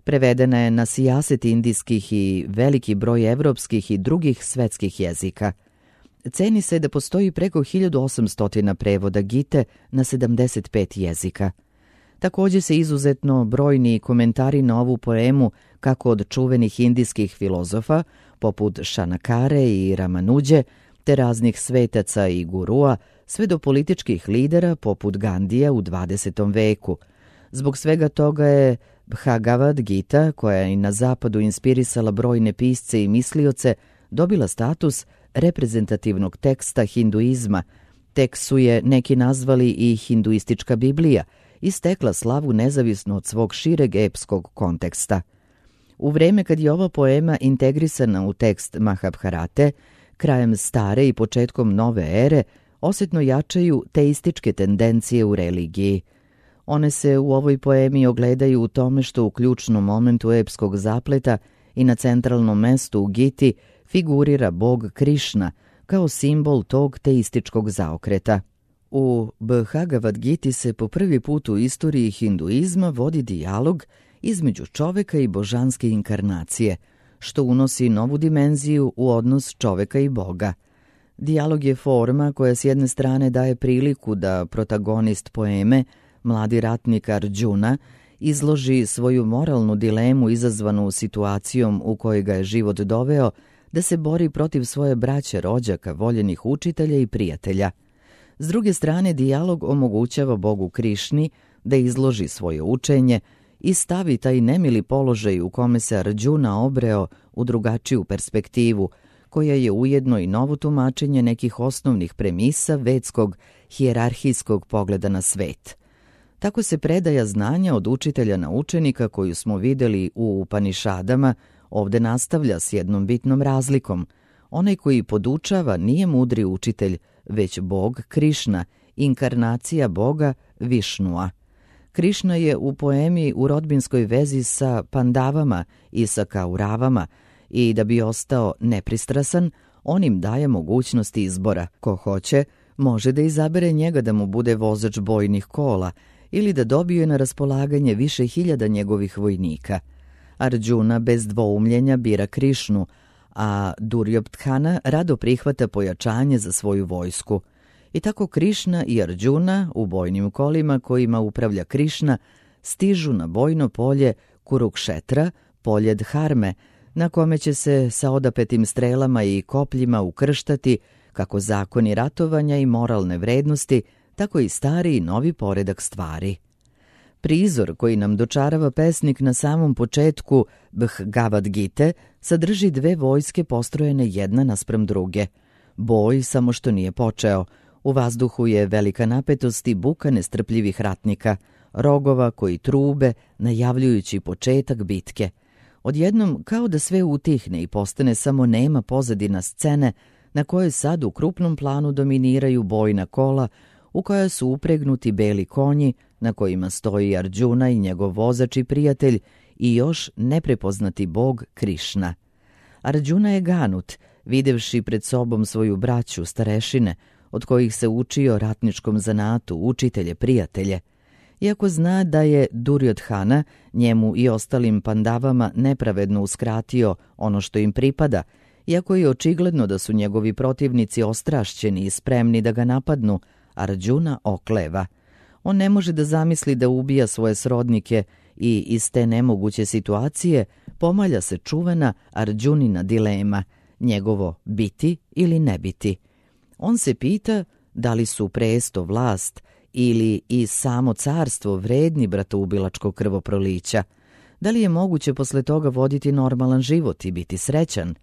Prevedena je na sijaset indijskih i veliki broj evropskih i drugih svetskih jezika. Ceni se da postoji preko hiljadu osamsto prevoda Gite na sedamdeset pet jezika. Također se izuzetno brojni komentari na ovu poemu, kako od čuvenih indijskih filozofa, poput Šanakare i Ramanuđe, te raznih svetaca i gurua, sve do političkih lidera poput Gandija u dvadesetom veku. Zbog svega toga je Bhagavad Gita, koja je i na zapadu inspirisala brojne pisce i mislioce, dobila status reprezentativnog teksta hinduizma, tek su je neki nazvali i hinduistička Biblija, i stekla slavu nezavisno od svog šireg epskog konteksta. U vreme kad je ova poema integrisana u tekst Mahabharate, krajem stare i početkom nove ere, osjetno jačaju teističke tendencije u religiji. One se u ovoj poemi ogledaju u tome što u ključnom momentu epskog zapleta i na centralnom mestu u Giti figurira bog Krišna kao simbol tog teističkog zaokreta. U Bhagavad Giti se po prvi put u istoriji hinduizma vodi dijalog između čoveka i božanske inkarnacije, što unosi novu dimenziju u odnos čoveka i Boga. Dijalog je forma koja s jedne strane daje priliku da protagonist poeme, mladi ratnik Arjuna, izloži svoju moralnu dilemu izazvanu situacijom u kojoj ga je život doveo da se bori protiv svoje braće, rođaka, voljenih učitelja i prijatelja. S druge strane, dijalog omogućava Bogu Krišni da izloži svoje učenje i stavi taj nemili položaj u kome se Arjuna obreo u drugačiju perspektivu, koja je ujedno i novo tumačenje nekih osnovnih premisa vedskog hijerarhijskog pogleda na svet. Tako se predaja znanja od učitelja na učenika koju smo videli u Upanišadama ovde nastavlja s jednom bitnom razlikom. Onaj koji podučava nije mudri učitelj, već Bog Krišna, inkarnacija Boga Višnua. Krišna je u poemi u rodbinskoj vezi sa Pandavama i sa Kauravama i da bi ostao nepristrasan, on im daje mogućnost izbora. Ko hoće, može da izabere njega da mu bude vozač bojnih kola ili da dobije na raspolaganje više hiljada njegovih vojnika. Arjuna bez dvoumljenja bira Krišnu, a Duryodhana rado prihvata pojačanje za svoju vojsku. I tako Krišna i Arjuna u bojnim kolima kojima upravlja Krišna stižu na bojno polje Kurukšetra, polje Dharme, na kome će se sa odapetim strelama i kopljima ukrštati kako zakoni ratovanja i moralne vrednosti, tako i stari i novi poredak stvari. Prizor koji nam dočarava pesnik na samom početku Bhagavad Gite sadrži dve vojske postrojene jedna naspram druge. Boj samo što nije počeo. U vazduhu je velika napetost i buka nestrpljivih ratnika, rogova koji trube, najavljujući početak bitke. Odjednom kao da sve utihne i postane samo nema pozadina scene na kojoj sad u krupnom planu dominiraju bojna kola u koja su upregnuti beli konji na kojima stoji Arđuna i njegov vozač i prijatelj i još neprepoznati bog Krišna. Arđuna je ganut, videvši pred sobom svoju braću, starešine, od kojih se učio ratničkom zanatu, učitelje, prijatelje. Iako zna da je Duryodhana njemu i ostalim pandavama nepravedno uskratio ono što im pripada, iako je očigledno da su njegovi protivnici ostrašćeni i spremni da ga napadnu, Arđuna okleva. On ne može da zamisli da ubija svoje srodnike i iz te nemoguće situacije pomalja se čuvena Arđunina dilema, njegovo biti ili ne biti. On se pita da li su presto, vlast ili i samo carstvo vredni bratoubilačkog krvoprolića, da li je moguće posle toga voditi normalan život i biti srećan.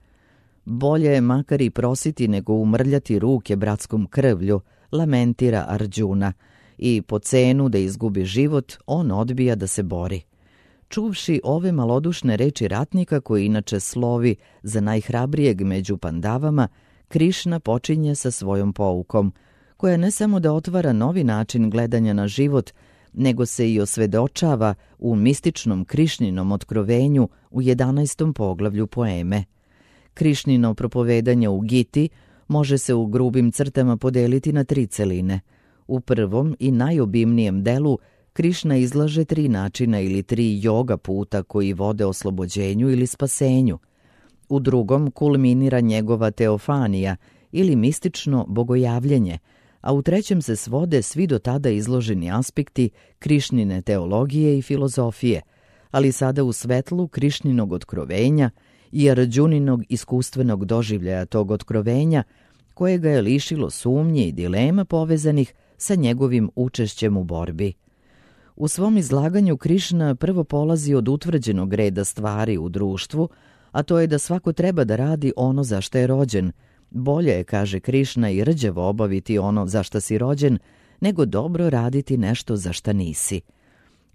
Bolje je makar i prositi nego umrljati ruke bratskom krvlju, lamentira Arđuna, i po cenu da izgubi život on odbija da se bori. Čuvši ove malodušne reči ratnika, koji inače slovi za najhrabrijeg među pandavama, Krišna počinje sa svojom poukom, koja ne samo da otvara novi način gledanja na život, nego se i osvedočava u mističnom Krišninom otkrovenju u jedanaestom poglavlju poeme. Krišnino propovedanje u Giti može se u grubim crtama podeliti na tri celine. U prvom i najobimnijem delu Krišna izlaže tri načina ili tri joga puta koji vode oslobođenju ili spasenju. U drugom kulminira njegova teofanija ili mistično bogojavljenje, a u trećem se svode svi do tada izloženi aspekti Krišnine teologije i filozofije, ali sada u svetlu Krišninog otkrovenja i Arđuninog iskustvenog doživljaja tog otkrovenja, koje ga je lišilo sumnje i dilema povezanih sa njegovim učešćem u borbi. U svom izlaganju Krišna prvo polazi od utvrđenog reda stvari u društvu, a to je da svako treba da radi ono za što je rođen. Bolje je, kaže Krišna, i rđevo obaviti ono za što si rođen, nego dobro raditi nešto za šta nisi.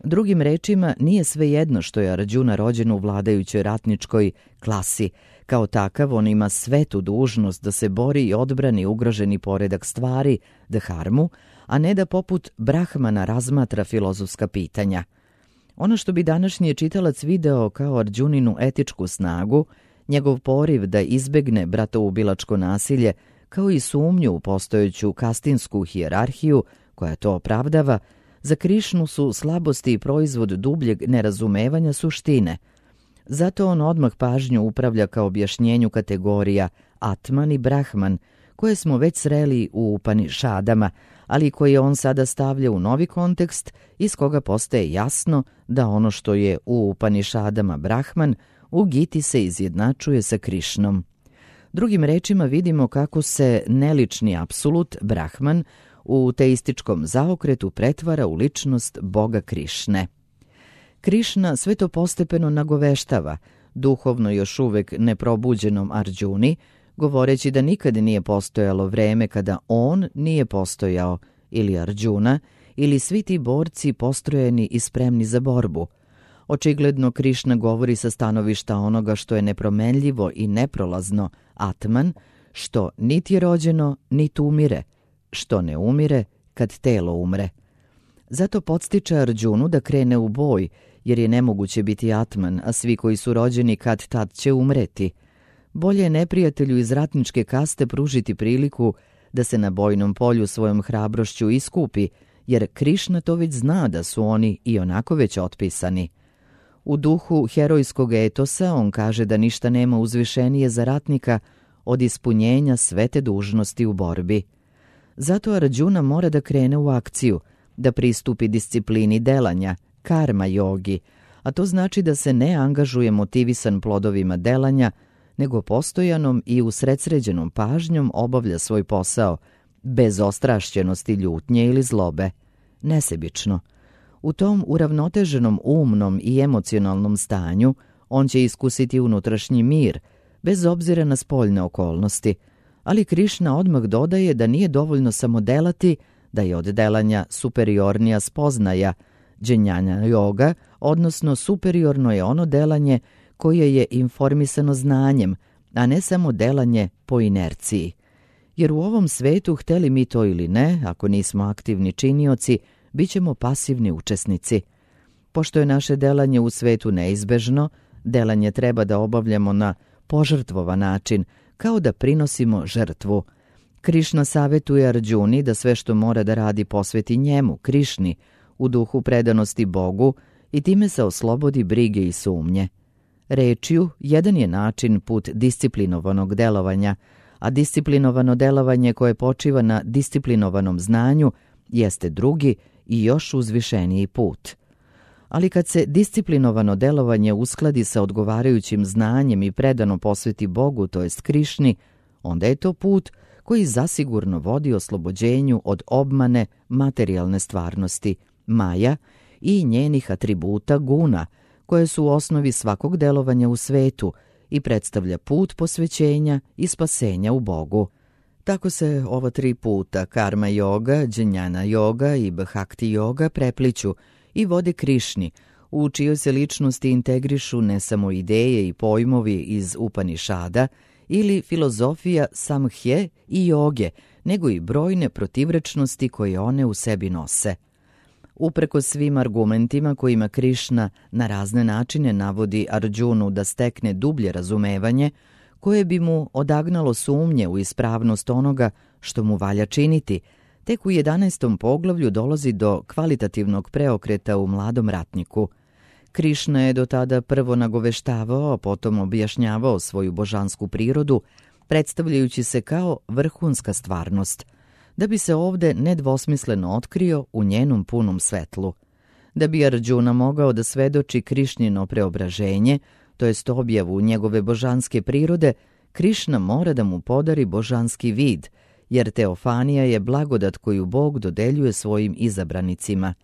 Drugim rečima, nije svejedno što je Arđuna rođen u vladajućoj ratničkoj klasi. Kao takav, on ima svetu dužnost da se bori i odbrani ugroženi poredak stvari, dharmu, a ne da poput Brahmana razmatra filozofska pitanja. Ono što bi današnji čitalac video kao Arđuninu etičku snagu, njegov poriv da izbegne bratoubilačko nasilje, kao i sumnju u postojeću kastinsku hijerarhiju koja to opravdava, za Krišnu su slabosti i proizvod dubljeg nerazumevanja suštine. Zato on odmah pažnju upravlja ka objašnjenju kategorija Atman i Brahman, koje smo već sreli u Upanišadama, ali koje on sada stavlja u novi kontekst, iz koga postaje jasno da ono što je u Upanišadama Brahman, u Giti se izjednačuje sa Krišnom. Drugim rečima vidimo kako se nelični apsolut, Brahman, u teističkom zaokretu pretvara u ličnost Boga Krišne. Krišna sve to postepeno nagoveštava, duhovno još uvek neprobuđenom Arđuni, govoreći da nikad nije postojalo vreme kada on nije postojao, ili Arđuna, ili svi ti borci postrojeni i spremni za borbu. Očigledno Krišna govori sa stanovišta onoga što je nepromenljivo i neprolazno, Atman, što niti je rođeno, niti umire, što ne umire kad telo umre. Zato podstiče Arđunu da krene u boj, jer je nemoguće biti Atman, a svi koji su rođeni kad tad će umreti. Bolje je neprijatelju iz ratničke kaste pružiti priliku da se na bojnom polju svojom hrabrošću iskupi, jer Krišna to već zna da su oni i onako već otpisani. U duhu herojskog etosa on kaže da ništa nema uzvišenije za ratnika od ispunjenja svete dužnosti u borbi. Zato Arđuna mora da krene u akciju, da pristupi disciplini delanja, karma jogi, a to znači da se ne angažuje motivisan plodovima delanja, nego postojanom i usredsređenom pažnjom obavlja svoj posao, bez ostrašćenosti, ljutnje ili zlobe, nesebično. U tom uravnoteženom umnom i emocionalnom stanju on će iskusiti unutrašnji mir, bez obzira na spoljne okolnosti, ali Krišna odmah dodaje da nije dovoljno samo delati, da je od delanja superiornija spoznaja, dženjana joga, odnosno superiorno je ono delanje koje je informisano znanjem, a ne samo delanje po inerciji. jer u ovom svetu, hteli mi to ili ne, ako nismo aktivni činioci, bit ćemo pasivni učesnici. Pošto je naše delanje u svetu neizbežno, delanje treba da obavljamo na požrtvovan način, kao da prinosimo žrtvu. Krišna savetuje Arđuni da sve što mora da radi posveti njemu, Krišni, u duhu predanosti Bogu i time se oslobodi brige i sumnje. Rečju, jedan je način put disciplinovanog delovanja, a disciplinovano delovanje koje počiva na disciplinovanom znanju jeste drugi i još uzvišeniji put. Ali kad se disciplinovano delovanje uskladi sa odgovarajućim znanjem i predano posveti Bogu, to jest Krišni, onda je to put koji zasigurno vodi oslobođenju od obmane materijalne stvarnosti, maja i njenih atributa guna, koje su u osnovi svakog delovanja u svetu i predstavlja put posvećenja i spasenja u Bogu. Tako se ova tri puta, karma yoga, džnjana yoga i bhakti yoga, prepliću i vode Krišni, u čijoj se ličnosti integrišu ne samo ideje i pojmovi iz Upanišada ili filozofija samhje i joge, nego i brojne protivrečnosti koje one u sebi nose. Upreko svim argumentima kojima Krišna na razne načine navodi Arđunu da stekne dublje razumevanje, koje bi mu odagnalo sumnje u ispravnost onoga što mu valja činiti, tek u jedanaestom poglavlju dolazi do kvalitativnog preokreta u mladom ratniku. Krišna je do tada prvo nagoveštavao, a potom objašnjavao svoju božansku prirodu, predstavljajući se kao vrhunska stvarnost, da bi se ovde nedvosmisleno otkrio u njenom punom svetlu. Da bi Arđuna mogao da svedoči Krišnino preobraženje, to jest objavu njegove božanske prirode, Krišna mora da mu podari božanski vid, jer teofanija je blagodat koju Bog dodeljuje svojim izabranicima.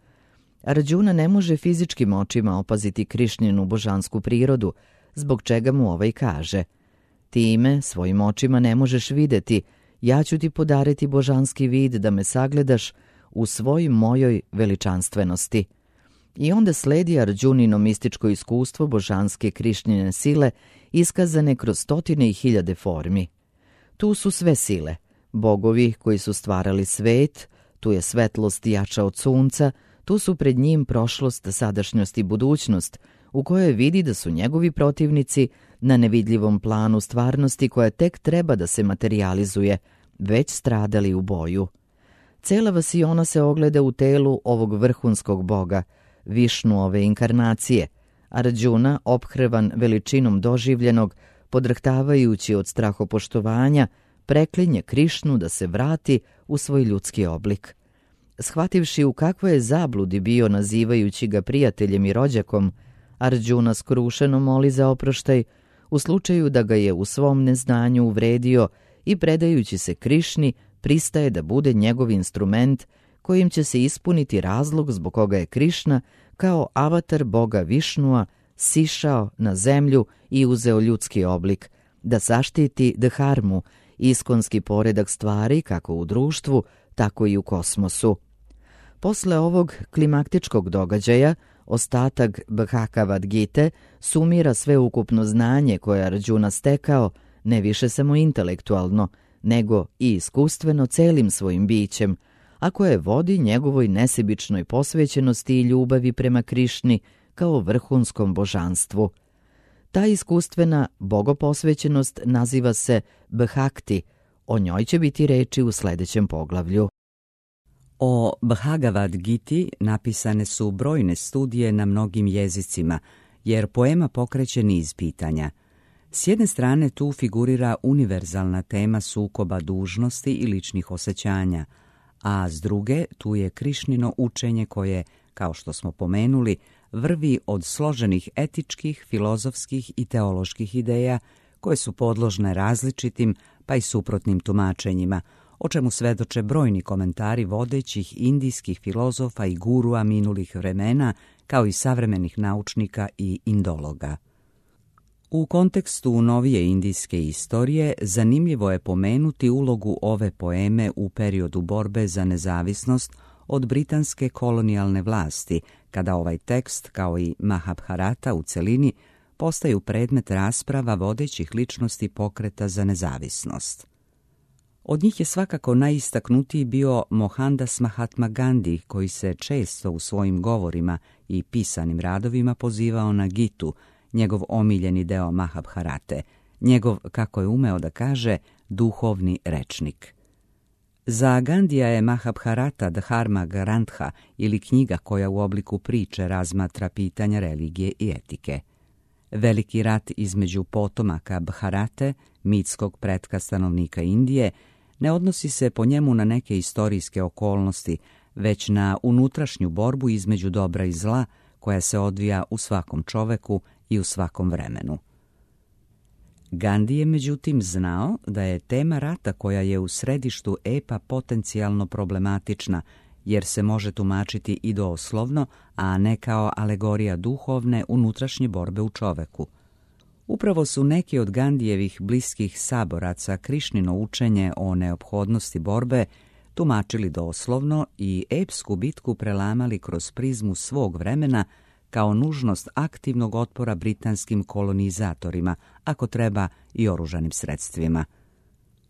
Arđuna ne može fizičkim očima opaziti Krišninu božansku prirodu, zbog čega mu ovaj kaže: ti me svojim očima ne možeš videti, ja ću ti podariti božanski vid da me sagledaš u svoj mojoj veličanstvenosti. I onda sledi Arđunino mističko iskustvo božanske Krišnine sile, iskazane kroz stotine i hiljade formi. Tu su sve sile, bogovi koji su stvarali svet, tu je svetlost jača od sunca, tu su pred njim prošlost, sadašnjost i budućnost, u kojoj vidi da su njegovi protivnici na nevidljivom planu stvarnosti koja tek treba da se materijalizuje, već stradali u boju. Cela vasiona se ogleda u telu ovog vrhunskog boga, Višnu ove inkarnacije, Arđuna, ophrvan veličinom doživljenog, podrhtavajući od strahopoštovanja, preklinje Krišnu da se vrati u svoj ljudski oblik. Shvativši u kakvoj je zabludi bio nazivajući ga prijateljem i rođakom, Arđuna skrušeno moli za oproštaj u slučaju da ga je u svom neznanju uvredio i predajući se Krišni pristaje da bude njegov instrument kojim će se ispuniti razlog zbog koga je Krišna kao avatar boga Višnua sišao na zemlju i uzeo ljudski oblik, da zaštiti dharmu, iskonski poredak stvari kako u društvu, tako i u kosmosu. Posle ovog klimaktičkog događaja, ostatak Bhagavad Gite sumira sveukupno znanje koje Arđuna stekao, ne više samo intelektualno, nego i iskustveno celim svojim bićem, a koje vodi njegovoj nesebičnoj posvećenosti i ljubavi prema Krišni kao vrhunskom božanstvu. Ta iskustvena bogoposvećenost naziva se Bhakti, o njoj će biti reči u sljedećem poglavlju. O Bhagavad Giti napisane su brojne studije na mnogim jezicima, jer poema pokreće niz pitanja. S jedne strane tu figurira univerzalna tema sukoba dužnosti i ličnih osjećanja, a s druge tu je Krišnino učenje koje, kao što smo pomenuli, vrvi od složenih etičkih, filozofskih i teoloških ideja koje su podložne različitim pa i suprotnim tumačenjima, o čemu svedoče brojni komentari vodećih indijskih filozofa i gurua minulih vremena, kao i savremenih naučnika i indologa. U kontekstu novije indijske istorije zanimljivo je pomenuti ulogu ove poeme u periodu borbe za nezavisnost od britanske kolonijalne vlasti, kada ovaj tekst, kao i Mahabharata u celini, postaju predmet rasprava vodećih ličnosti pokreta za nezavisnost. Od njih je svakako najistaknutiji bio Mohandas Mahatma Gandhi, koji se često u svojim govorima i pisanim radovima pozivao na Gitu, njegov omiljeni deo Mahabharate, njegov, kako je umeo da kaže, duhovni rečnik. Za Gandija je Mahabharata Dharma Grantha ili knjiga koja u obliku priče razmatra pitanja religije i etike. Veliki rat između potomaka Bharate, mitskog pretka stanovnika Indije, ne odnosi se po njemu na neke istorijske okolnosti, već na unutrašnju borbu između dobra i zla koja se odvija u svakom čoveku i u svakom vremenu. Gandhi je međutim znao da je tema rata koja je u središtu epa potencijalno problematična, jer se može tumačiti i doslovno, a ne kao alegorija duhovne unutrašnje borbe u čoveku. Upravo su neki od Gandijevih bliskih saboraca Krišnino učenje o neophodnosti borbe tumačili doslovno i epsku bitku prelamali kroz prizmu svog vremena kao nužnost aktivnog otpora britanskim kolonizatorima, ako treba i oružanim sredstvima.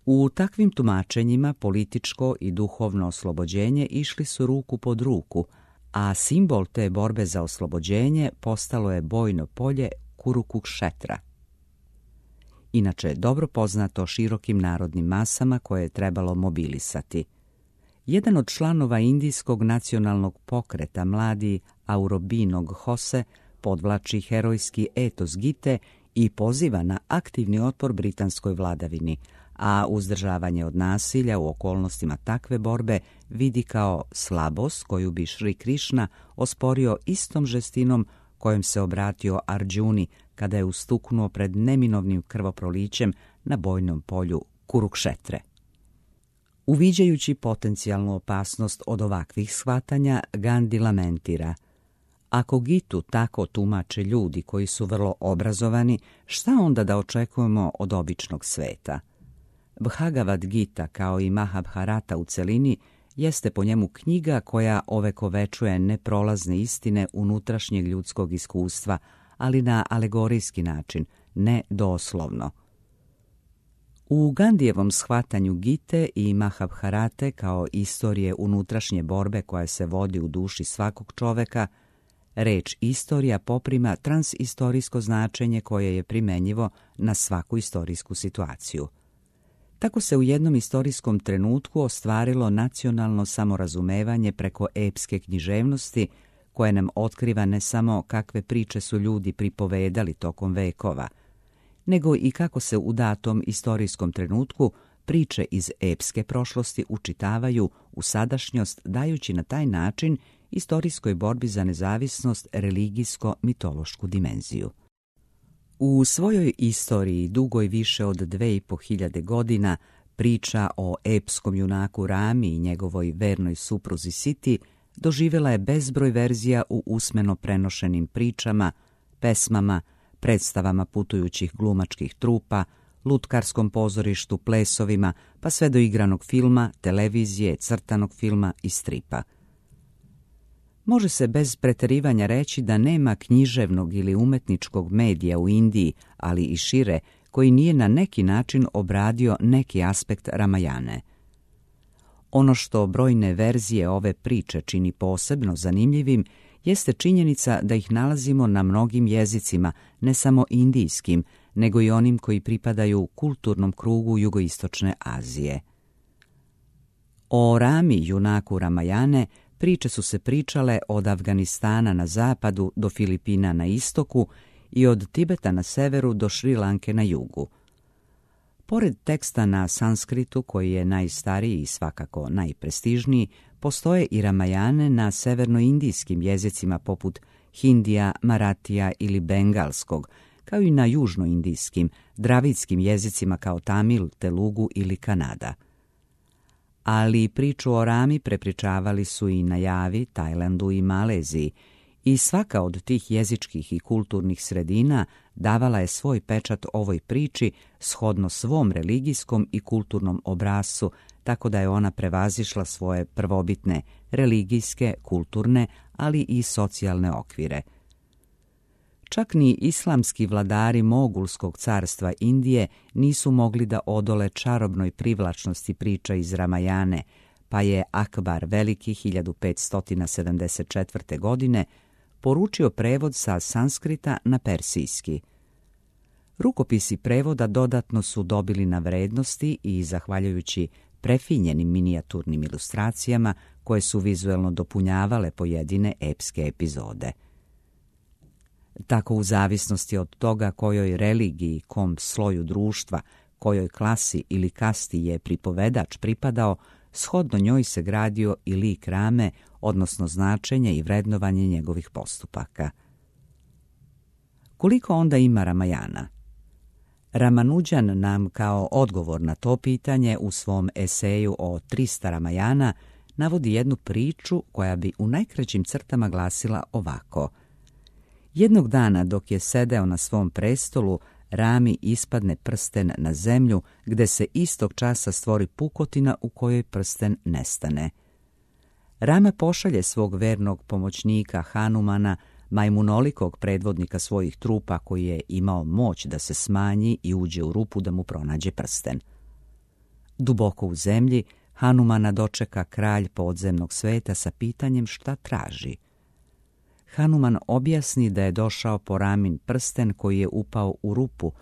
U takvim tumačenjima političko i duhovno oslobođenje išli su ruku pod ruku, a simbol te borbe za oslobođenje postalo je bojno polje Kurukukšetra. Inače, dobro poznato širokim narodnim masama koje je trebalo mobilisati. Jedan od članova indijskog nacionalnog pokreta, mladi Aurobinog Hose, podvlači herojski etos Gite i poziva na aktivni otpor britanskoj vladavini, a uzdržavanje od nasilja u okolnostima takve borbe vidi kao slabost koju bi Šri Krišna osporio istom žestinom kojom se obratio Arđuni kada je ustuknuo pred neminovnim krvoprolićem na bojnom polju Kurukšetre. Uviđajući potencijalnu opasnost od ovakvih shvatanja, Gandhi lamentira: ako Gitu tako tumače ljudi koji su vrlo obrazovani, šta onda da očekujemo od običnog sveta? Bhagavad Gita, kao i Mahabharata u celini, jeste po njemu knjiga koja ovekovečuje neprolazne istine unutrašnjeg ljudskog iskustva, ali na alegorijski način, ne doslovno. U Gandijevom shvatanju Gite i Mahabharate kao istorije unutrašnje borbe koja se vodi u duši svakog čoveka, reč istorija poprima transistorijsko značenje koje je primenjivo na svaku istorijsku situaciju. Tako se u jednom istorijskom trenutku ostvarilo nacionalno samorazumevanje preko epske književnosti, koje nam otkriva ne samo kakve priče su ljudi pripovedali tokom vekova, nego i kako se u datom istorijskom trenutku priče iz epske prošlosti učitavaju u sadašnjost, dajući na taj način istorijskoj borbi za nezavisnost religijsko-mitološku dimenziju. U svojoj istoriji, dugoj više od dve i po hiljade godina, priča o epskom junaku Rami i njegovoj vernoj supruzi Siti doživjela je bezbroj verzija u usmeno prenošenim pričama, pesmama, predstavama putujućih glumačkih trupa, lutkarskom pozorištu, plesovima, pa sve do igranog filma, televizije, crtanog filma i stripa. Može se bez preterivanja reći da nema književnog ili umetničkog medija u Indiji, ali i šire, koji nije na neki način obradio neki aspekt Ramajane. Ono što brojne verzije ove priče čini posebno zanimljivim jeste činjenica da ih nalazimo na mnogim jezicima, ne samo indijskim, nego i onim koji pripadaju kulturnom krugu jugoistočne Azije. O Rami, junaku Ramajane, priče su se pričale od Afganistana na zapadu do Filipina na istoku i od Tibeta na severu do Šri Lanke na jugu. Pored teksta na sanskritu, koji je najstariji i svakako najprestižniji, postoje i Ramajane na severnoindijskim jezicima poput Hindija, Maratija ili Bengalskog, kao i na južnoindijskim, dravidskim jezicima kao Tamil, Telugu ili Kanada. Ali priču o Rami prepričavali su i na Javi, Tajlandu i Maleziji, i svaka od tih jezičkih i kulturnih sredina davala je svoj pečat ovoj priči shodno svom religijskom i kulturnom obrascu, tako da je ona prevazišla svoje prvobitne religijske, kulturne, ali i socijalne okvire. Čak ni islamski vladari Mogulskog carstva Indije nisu mogli da odole čarobnoj privlačnosti priča iz Ramajane, pa je Akbar Veliki hiljadu petsto sedamdeset četvrte. godine poručio prevod sa sanskrita na persijski. Rukopisi prevoda dodatno su dobili na vrednosti i, zahvaljujući prefinjenim minijaturnim ilustracijama koje su vizuelno dopunjavale pojedine epske epizode. Tako, u zavisnosti od toga kojoj religiji, kom sloju društva, kojoj klasi ili kasti je pripovedač pripadao, shodno njoj se gradio i lik Rame, odnosno značenje i vrednovanje njegovih postupaka. Koliko onda ima Ramajana? Ramanujan nam kao odgovor na to pitanje u svom eseju o trista Ramajana navodi jednu priču koja bi u najkraćim crtama glasila ovako. Jednog dana, dok je sedeo na svom prestolu, Rami ispadne prsten na zemlju, gde se istog časa stvori pukotina u kojoj prsten nestane. Rama pošalje svog vernog pomoćnika Hanumana, majmunolikog predvodnika svojih trupa, koji je imao moć da se smanji i uđe u rupu da mu pronađe prsten. Duboko u zemlji Hanumana dočeka kralj podzemnog sveta sa pitanjem šta traži. Hanuman objasni da je došao po Ramin prsten koji je upao u rupu,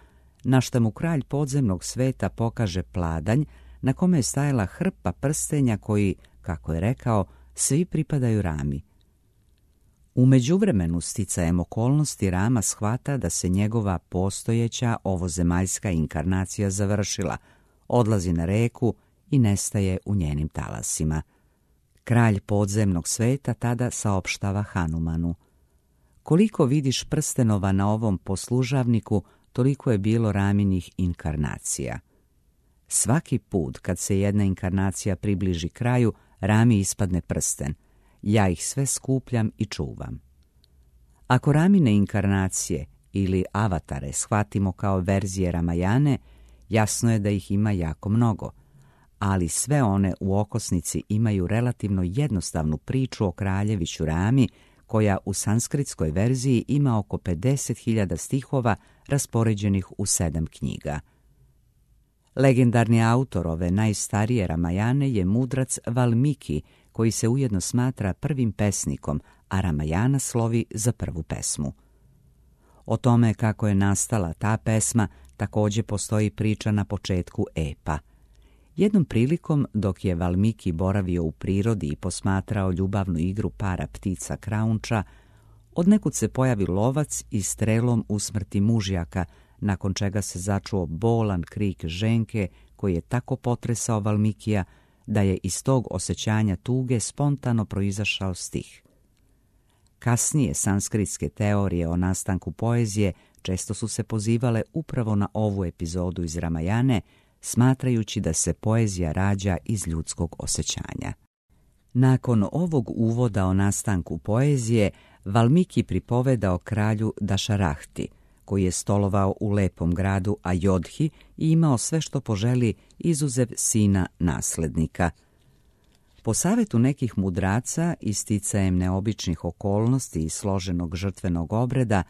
na šta mu kralj podzemnog sveta pokaže pladanj na kome je stajala hrpa prstenja koji, kako je rekao, svi pripadaju Rami. U međuvremenu, sticajem okolnosti, Rama shvata da se njegova postojeća ovozemaljska inkarnacija završila, odlazi na reku i nestaje u njenim talasima. Kralj podzemnog sveta tada saopštava Hanumanu: koliko vidiš prstenova na ovom poslužavniku, toliko je bilo Raminih inkarnacija. Svaki put kad se jedna inkarnacija približi kraju, Rami ispadne prsten. Ja ih sve skupljam i čuvam. Ako Ramine inkarnacije ili avatare shvatimo kao verzije Ramajane, jasno je da ih ima jako mnogo, ali sve one u okosnici imaju relativno jednostavnu priču o kraljeviću Rami, koja u sanskritskoj verziji ima oko pedeset hiljada stihova raspoređenih u sedam knjiga. Legendarni autor ove najstarije Ramajane je mudrac Valmiki, koji se ujedno smatra prvim pesnikom, a Ramajana slovi za prvu pesmu. O tome kako je nastala ta pesma također postoji priča na početku epa. Jednom prilikom, dok je Valmiki boravio u prirodi i posmatrao ljubavnu igru para ptica kraunča, odnekud se pojavi lovac i strelom usmrti mužjaka, nakon čega se začuo bolan krik ženke koji je tako potresao Valmikija da je iz tog osjećanja tuge spontano proizašao stih. Kasnije sanskritske teorije o nastanku poezije često su se pozivale upravo na ovu epizodu iz Ramajane, smatrajući da se poezija rađa iz ljudskog osjećanja. Nakon ovog uvoda o nastanku poezije, Valmiki pripoveda o kralju Dašarahti, koji je stolovao u lepom gradu Ajodhi i imao sve što poželi izuzev sina naslednika. Po savjetu nekih mudraca i sticajem neobičnih okolnosti i složenog žrtvenog obreda,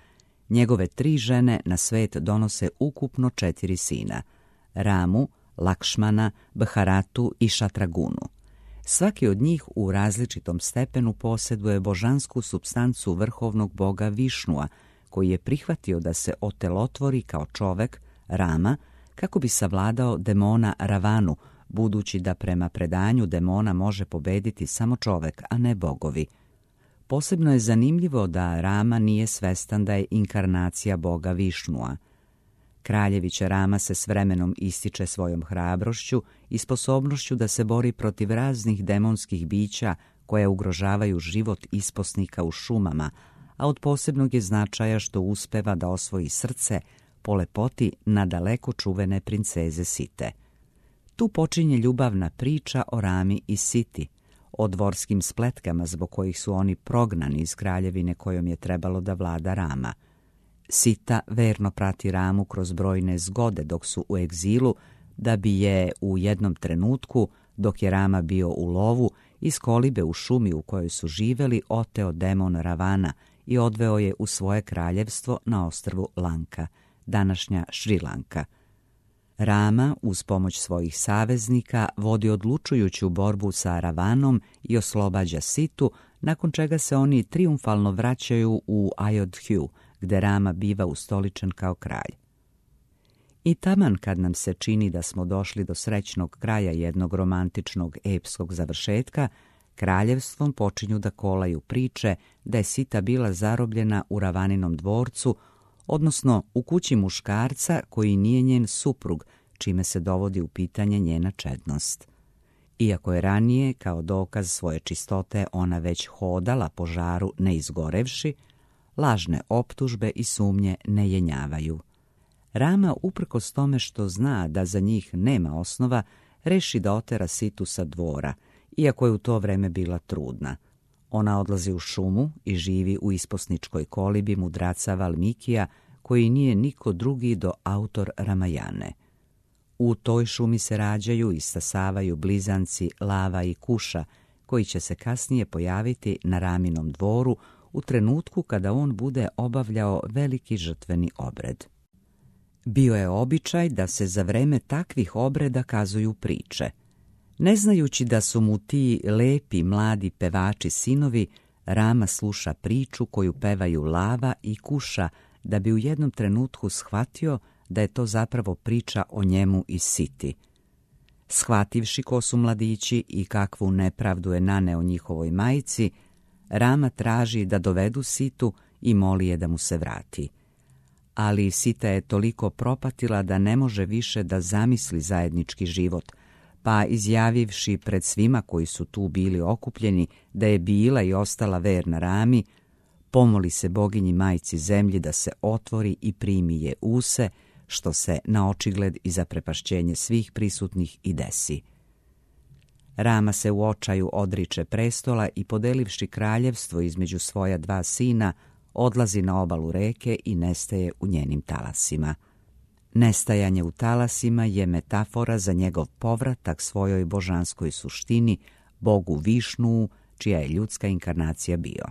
njegove tri žene na svet donose ukupno četiri sina: Ramu, Lakšmana, Bharatu i Šatragunu. Svaki od njih u različitom stepenu posjeduje božansku supstancu vrhovnog boga Višnua, koji je prihvatio da se otelotvori kao čovek, Rama, kako bi savladao demona Ravanu, budući da prema predanju demona može pobediti samo čovek, a ne bogovi. Posebno je zanimljivo da Rama nije svestan da je inkarnacija boga Višnua. Kraljević Rama se s vremenom ističe svojom hrabrošću i sposobnošću da se bori protiv raznih demonskih bića koje ugrožavaju život isposnika u šumama, a od posebnog je značaja što uspeva da osvoji srce po lepoti nadaleko čuvene princeze Site. Tu počinje ljubavna priča o Rami i Siti, o dvorskim spletkama zbog kojih su oni prognani iz kraljevine kojom je trebalo da vlada Rama. Sita verno prati Ramu kroz brojne zgode dok su u egzilu, da bi je u jednom trenutku, dok je Rama bio u lovu, iz kolibe u šumi u kojoj su živeli oteo demon Ravana i odveo je u svoje kraljevstvo na ostrvu Lanka, današnja Šrilanka. Rama, uz pomoć svojih saveznika, vodi odlučujuću borbu sa Ravanom i oslobađa Situ, nakon čega se oni trijumfalno vraćaju u Ayodhju, gde Rama biva ustoličen kao kralj. I taman kad nam se čini da smo došli do srećnog kraja jednog romantičnog epskog završetka, kraljevstvom počinju da kolaju priče da je Sita bila zarobljena u Ravaninom dvorcu, odnosno u kući muškarca koji nije njen suprug, čime se dovodi u pitanje njena čednost. Iako je ranije, kao dokaz svoje čistote, ona već hodala po žaru ne izgorevši, lažne optužbe i sumnje ne jenjavaju. Rama, uprkos tome što zna da za njih nema osnova, reši da otera Situ sa dvora, iako je u to vreme bila trudna. Ona odlazi u šumu i živi u isposničkoj kolibi mudraca Valmikija, koji nije niko drugi do autor Ramajane. U toj šumi se rađaju i stasavaju blizanci Lava i Kuša, koji će se kasnije pojaviti na Raminom dvoru u trenutku kada on bude obavljao veliki žrtveni obred. Bio je običaj da se za vreme takvih obreda kazuju priče. Ne znajući da su mu ti lepi mladi pevači sinovi, Rama sluša priču koju pevaju Lava i Kuša, da bi u jednom trenutku shvatio da je to zapravo priča o njemu i Siti. Shvativši ko su mladići i kakvu nepravdu je naneo njihovoj majci, Rama traži da dovedu Situ i moli je da mu se vrati. Ali Sita je toliko propatila da ne može više da zamisli zajednički život, pa izjavivši pred svima koji su tu bili okupljeni da je bila i ostala verna Rami, pomoli se boginji majci zemlji da se otvori i primi je use, što se na očigled i zaprepašćenje svih prisutnih i desi. Rama se u očaju odriče prestola i, podelivši kraljevstvo između svoja dva sina, odlazi na obalu reke i nestaje u njenim talasima. Nestajanje u talasima je metafora za njegov povratak svojoj božanskoj suštini, bogu Višnuu, čija je ljudska inkarnacija bio.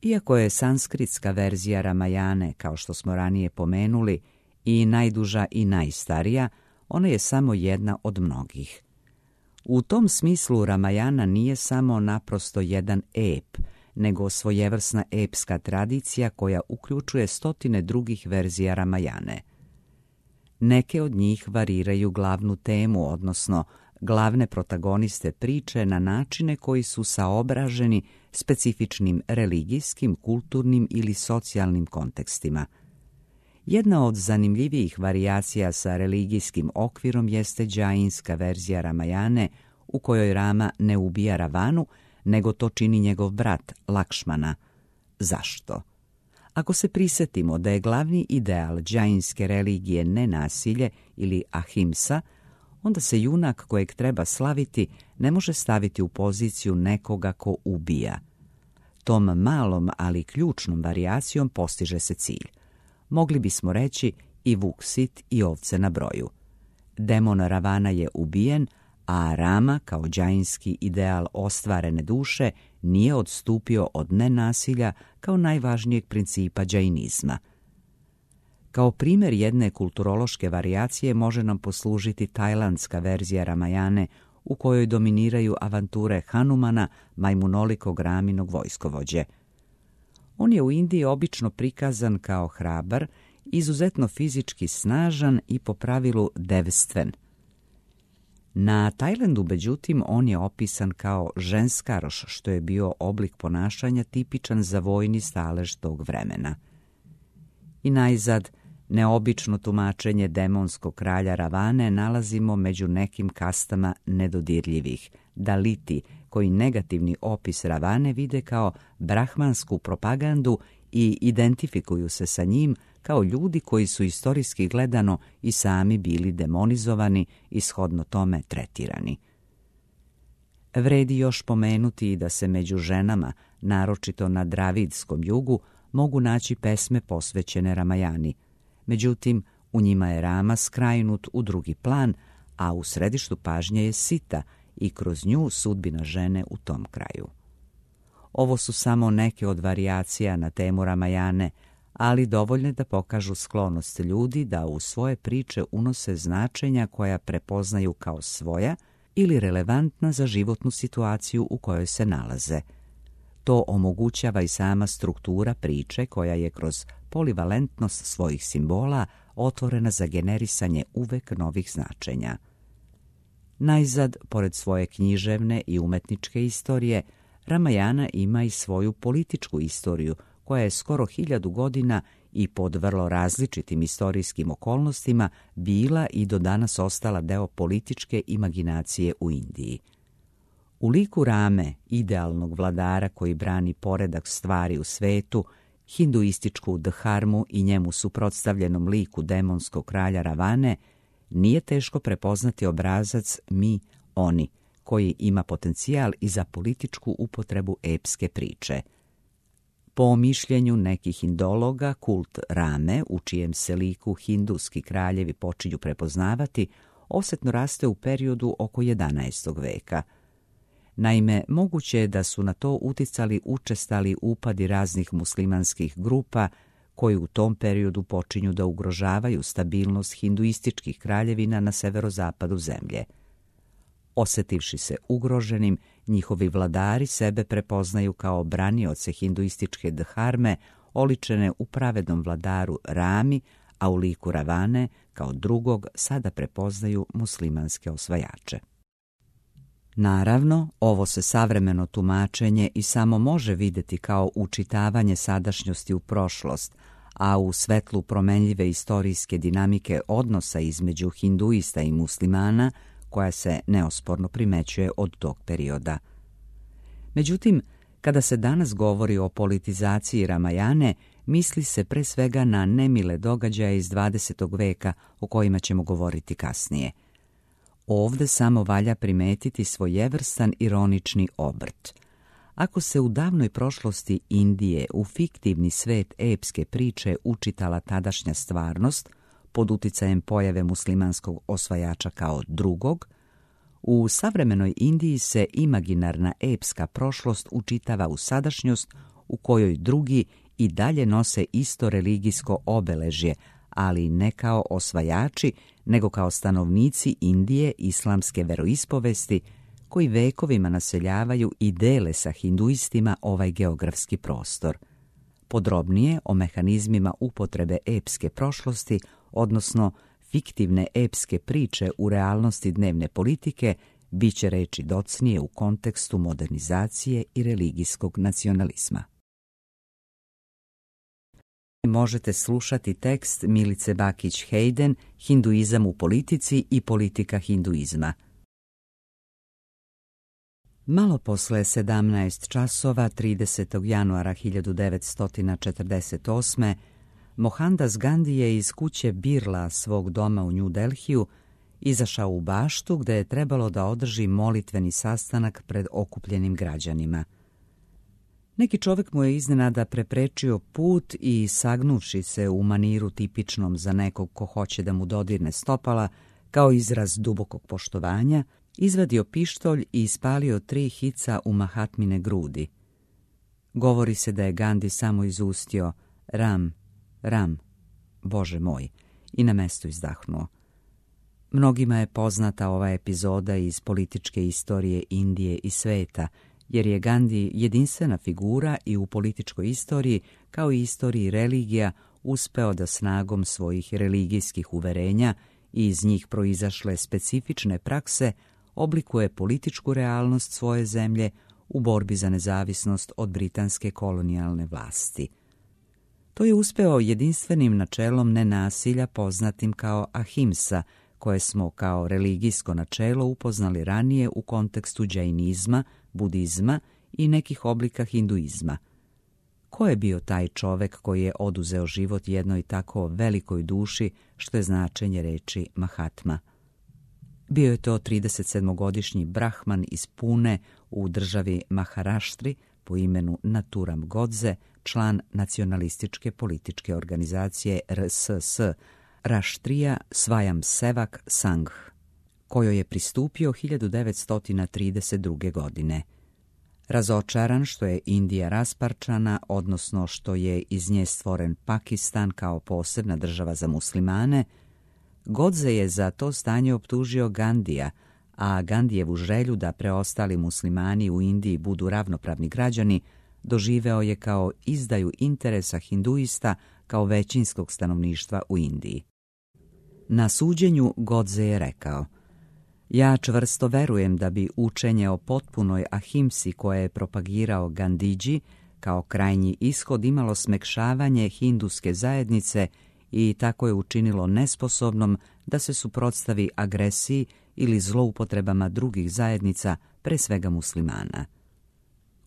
Iako je sanskritska verzija Ramajane, kao što smo ranije pomenuli, i najduža i najstarija, ona je samo jedna od mnogih. U tom smislu Ramajana nije samo naprosto jedan ep, nego svojevrsna epska tradicija koja uključuje stotine drugih verzija Ramajane. Neke od njih variraju glavnu temu, odnosno glavne protagoniste priče na načine koji su saobraženi specifičnim religijskim, kulturnim ili socijalnim kontekstima. Jedna od zanimljivijih varijacija sa religijskim okvirom jeste džainska verzija Ramajane, u kojoj Rama ne ubija Ravanu, nego to čini njegov brat Lakšmana. Zašto? Ako se prisjetimo da je glavni ideal džainske religije nenasilje ili ahimsa, onda se junak kojeg treba slaviti ne može staviti u poziciju nekoga ko ubija. Tom malom, ali ključnom varijacijom postiže se cilj. Mogli bismo reći i vuk sit i ovce na broju. Demon Ravana je ubijen, a Rama, kao džainski ideal ostvarene duše, nije odstupio od nenasilja kao najvažnijeg principa džainizma. Kao primjer jedne kulturološke varijacije može nam poslužiti tajlandska verzija Ramajane, u kojoj dominiraju avanture Hanumana, majmunolikog Raminog vojskovođe. On je u Indiji obično prikazan kao hrabar, izuzetno fizički snažan i po pravilu devstven. Na Tajlandu, međutim, on je opisan kao ženskaroš, što je bio oblik ponašanja tipičan za vojni stalež tog vremena. I najzad, neobično tumačenje demonskog kralja Ravane nalazimo među nekim kastama nedodirljivih, daliti, koji negativni opis Ravane vide kao brahmansku propagandu i identifikuju se sa njim kao ljudi koji su istorijski gledano i sami bili demonizovani i shodno tome tretirani. Vredi još pomenuti da se među ženama, naročito na Dravidskom jugu, mogu naći pesme posvećene Ramajani. Međutim, u njima je Rama skrajnut u drugi plan, a u središtu pažnje je Sita i kroz nju sudbina žene u tom kraju. Ovo su samo neke od varijacija na temu Ramajane, ali dovoljne da pokažu sklonost ljudi da u svoje priče unose značenja koja prepoznaju kao svoja ili relevantna za životnu situaciju u kojoj se nalaze. To omogućava i sama struktura priče koja je kroz polivalentnost svojih simbola otvorena za generisanje uvek novih značenja. Najzad, pored svoje književne i umetničke istorije, Ramajana ima i svoju političku istoriju, koja je skoro hiljadu godina i pod vrlo različitim istorijskim okolnostima bila i do danas ostala deo političke imaginacije u Indiji. U liku Rame, idealnog vladara koji brani poredak stvari u svetu, hinduističku dharmu i njemu suprotstavljenom liku demonskog kralja Ravane, nije teško prepoznati obrazac mi, oni, koji ima potencijal i za političku upotrebu epske priče. Po mišljenju nekih indologa, kult Rame, u čijem se liku hinduski kraljevi počinju prepoznavati, osetno raste u periodu oko jedanaestog veka. Naime, moguće je da su na to uticali učestali upadi raznih muslimanskih grupa koji u tom periodu počinju da ugrožavaju stabilnost hinduističkih kraljevina na severozapadu zemlje. Osetivši se ugroženim, njihovi vladari sebe prepoznaju kao branioce hinduističke dharme, oličene u pravednom vladaru Rami, a u liku Ravane kao drugog sada prepoznaju muslimanske osvajače. Naravno, ovo se savremeno tumačenje i samo može vidjeti kao učitavanje sadašnjosti u prošlost, a u svetlu promenljive istorijske dinamike odnosa između hinduista i muslimana, koja se neosporno primećuje od tog perioda. Međutim, kada se danas govori o politizaciji Ramajane, misli se pre svega na nemile događaje iz dvadesetog veka o kojima ćemo govoriti kasnije. Ovde samo valja primetiti svojevrstan ironični obrt. Ako se u davnoj prošlosti Indije u fiktivni svet epske priče učitala tadašnja stvarnost, pod uticajem pojave muslimanskog osvajača kao drugog, u savremenoj Indiji se imaginarna epska prošlost učitava u sadašnjost u kojoj drugi i dalje nose isto religijsko obeležje, ali ne kao osvajači, nego kao stanovnici Indije islamske veroispovesti koji vekovima naseljavaju i dele sa hinduistima ovaj geografski prostor. Podrobnije o mehanizmima upotrebe epske prošlosti, odnosno fiktivne epske priče u realnosti dnevne politike, bit će reči docnije u kontekstu modernizacije i religijskog nacionalizma. Možete slušati tekst Milice Bakić-Hayden, Hinduizam u politici i politika hinduizma. Malo posle sedamnaest časova tridesetog januara hiljadu devetsto četrdeset osme. Mohandas Gandhi je iz kuće Birla svog doma u New Delhiju izašao u baštu gde je trebalo da održi molitveni sastanak pred okupljenim građanima. Neki čovjek mu je iznenada preprečio put i, sagnuvši se u maniru tipičnom za nekog ko hoće da mu dodirne stopala, kao izraz dubokog poštovanja, izvadio pištolj i ispalio tri hica u Mahatmine grudi. Govori se da je Gandhi samo izustio Ram, Ram, Bože moj, i na mestu izdahnuo. Mnogima je poznata ova epizoda iz političke istorije Indije i sveta, jer je Gandhi jedinstvena figura i u političkoj istoriji, kao i istoriji religija, uspeo da snagom svojih religijskih uverenja i iz njih proizašle specifične prakse oblikuje političku realnost svoje zemlje u borbi za nezavisnost od britanske kolonijalne vlasti. To je uspeo jedinstvenim načelom nenasilja poznatim kao ahimsa, koje smo kao religijsko načelo upoznali ranije u kontekstu džainizma, budizma i nekih oblika hinduizma. Ko je bio taj čovek koji je oduzeo život jednoj tako velikoj duši, što je značenje reči Mahatma? Bio je to tridesetsedmogodišnji brahman iz Pune u državi Maharaštri po imenu Naturam Godze, član nacionalističke političke organizacije R S S, Raštrija Svajam Sevak Sangh, kojoj je pristupio hiljadu devetsto trideset druge. godine. Razočaran što je Indija rasparčana, odnosno što je iz nje stvoren Pakistan kao posebna država za muslimane, Godse je za to stanje optužio Gandija, a Gandijevu želju da preostali muslimani u Indiji budu ravnopravni građani doživeo je kao izdaju interesa hinduista kao većinskog stanovništva u Indiji. Na suđenju Godse je rekao: ja čvrsto verujem da bi učenje o potpunoj ahimsi koje je propagirao Gandhiji kao krajnji ishod imalo smekšavanje hinduske zajednice i tako je učinilo nesposobnom da se suprotstavi agresiji ili zloupotrebama drugih zajednica, pre svega muslimana.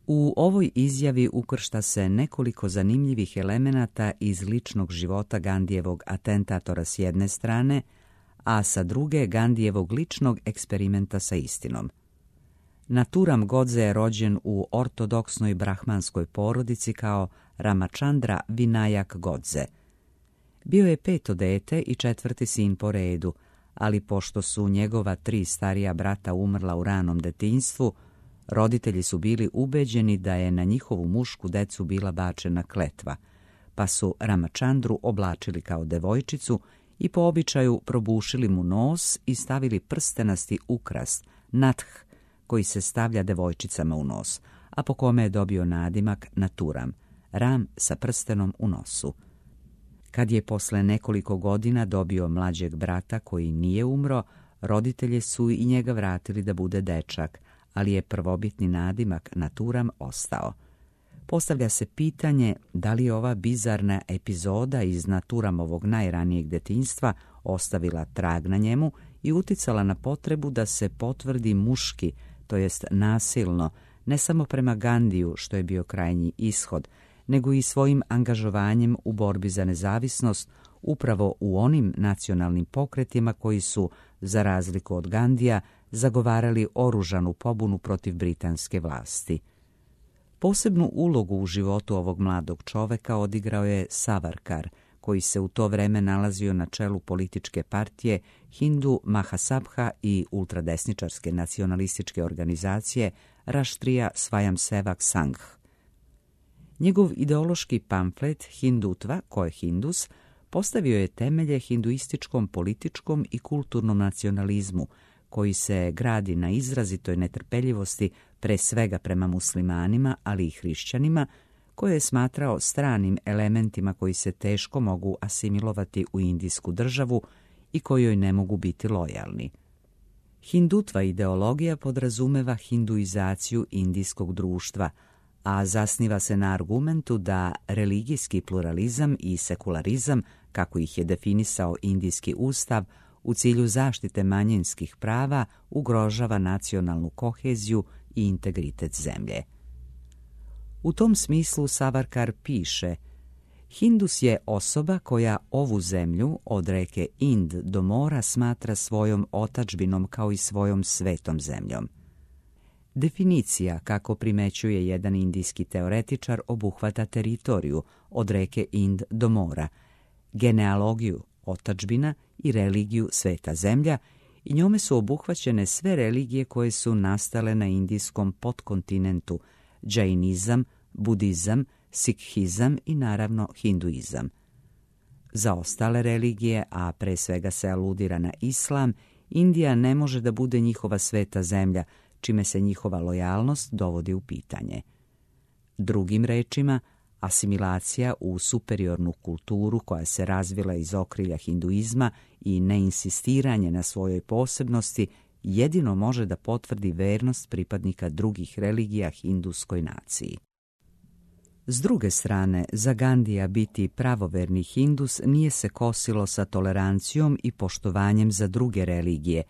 U ovoj izjavi ukršta se nekoliko zanimljivih elemenata iz ličnog života Gandijevog atentatora s jedne strane, a sa druge Gandijevog ličnog eksperimenta sa istinom. Naturam Godse je rođen u ortodoksnoj brahmanskoj porodici kao Ramachandra Vinayak Godse. Bio je peto dete i četvrti sin po redu, ali pošto su njegova tri starija brata umrla u ranom detinjstvu, roditelji su bili ubeđeni da je na njihovu mušku decu bila bačena kletva, pa su Ramachandru oblačili kao devojčicu i po običaju probušili mu nos i stavili prstenasti ukras, nath, koji se stavlja devojčicama u nos, a po kome je dobio nadimak Naturam, ram sa prstenom u nosu. Kad je posle nekoliko godina dobio mlađeg brata koji nije umro, roditelji su i njega vratili da bude dečak, ali je prvobitni nadimak Naturam ostao. Postavlja se pitanje da li je ova bizarna epizoda iz Naturamovog najranijeg detinjstva ostavila trag na njemu i uticala na potrebu da se potvrdi muški, to jest nasilno, ne samo prema Gandiju, što je bio krajnji ishod, nego i svojim angažovanjem u borbi za nezavisnost upravo u onim nacionalnim pokretima koji su, za razliku od Gandija, zagovarali oružanu pobunu protiv britanske vlasti. Posebnu ulogu u životu ovog mladog čoveka odigrao je Savarkar, koji se u to vreme nalazio na čelu političke partije Hindu Mahasabha i ultradesničarske nacionalističke organizacije Raštrija Svayamsevak Sangh. Njegov ideološki pamflet Hindutva, ko je Hindus, postavio je temelje hinduističkom političkom i kulturnom nacionalizmu, koji se gradi na izrazitoj netrpeljivosti pre svega prema muslimanima, ali i hrišćanima, koje je smatrao stranim elementima koji se teško mogu asimilovati u indijsku državu i kojoj ne mogu biti lojalni. Hindutva ideologija podrazumeva hinduizaciju indijskog društva, a zasniva se na argumentu da religijski pluralizam i sekularizam, kako ih je definisao indijski ustav, u cilju zaštite manjinskih prava ugrožava nacionalnu koheziju i integritet zemlje. U tom smislu Savarkar piše: Hindus je osoba koja ovu zemlju od reke Ind do mora smatra svojom otadžbinom kao i svojom svetom zemljom. Definicija, kako primećuje jedan indijski teoretičar, obuhvata teritoriju od reke Ind do mora, genealogiju otadžbina i religiju sveta zemlja, i njome su obuhvaćene sve religije koje su nastale na indijskom podkontinentu: džainizam, budizam, sikhizam i naravno hinduizam. Za ostale religije, a pre svega se aludira na islam, Indija ne može da bude njihova sveta zemlja, čime se njihova lojalnost dovodi u pitanje. Drugim rečima, asimilacija u superiornu kulturu koja se razvila iz okrilja hinduizma i neinsistiranje na svojoj posebnosti jedino može da potvrdi vernost pripadnika drugih religija hinduskoj naciji. S druge strane, za Gandija biti pravoverni hindus nije se kosilo sa tolerancijom i poštovanjem za druge religije,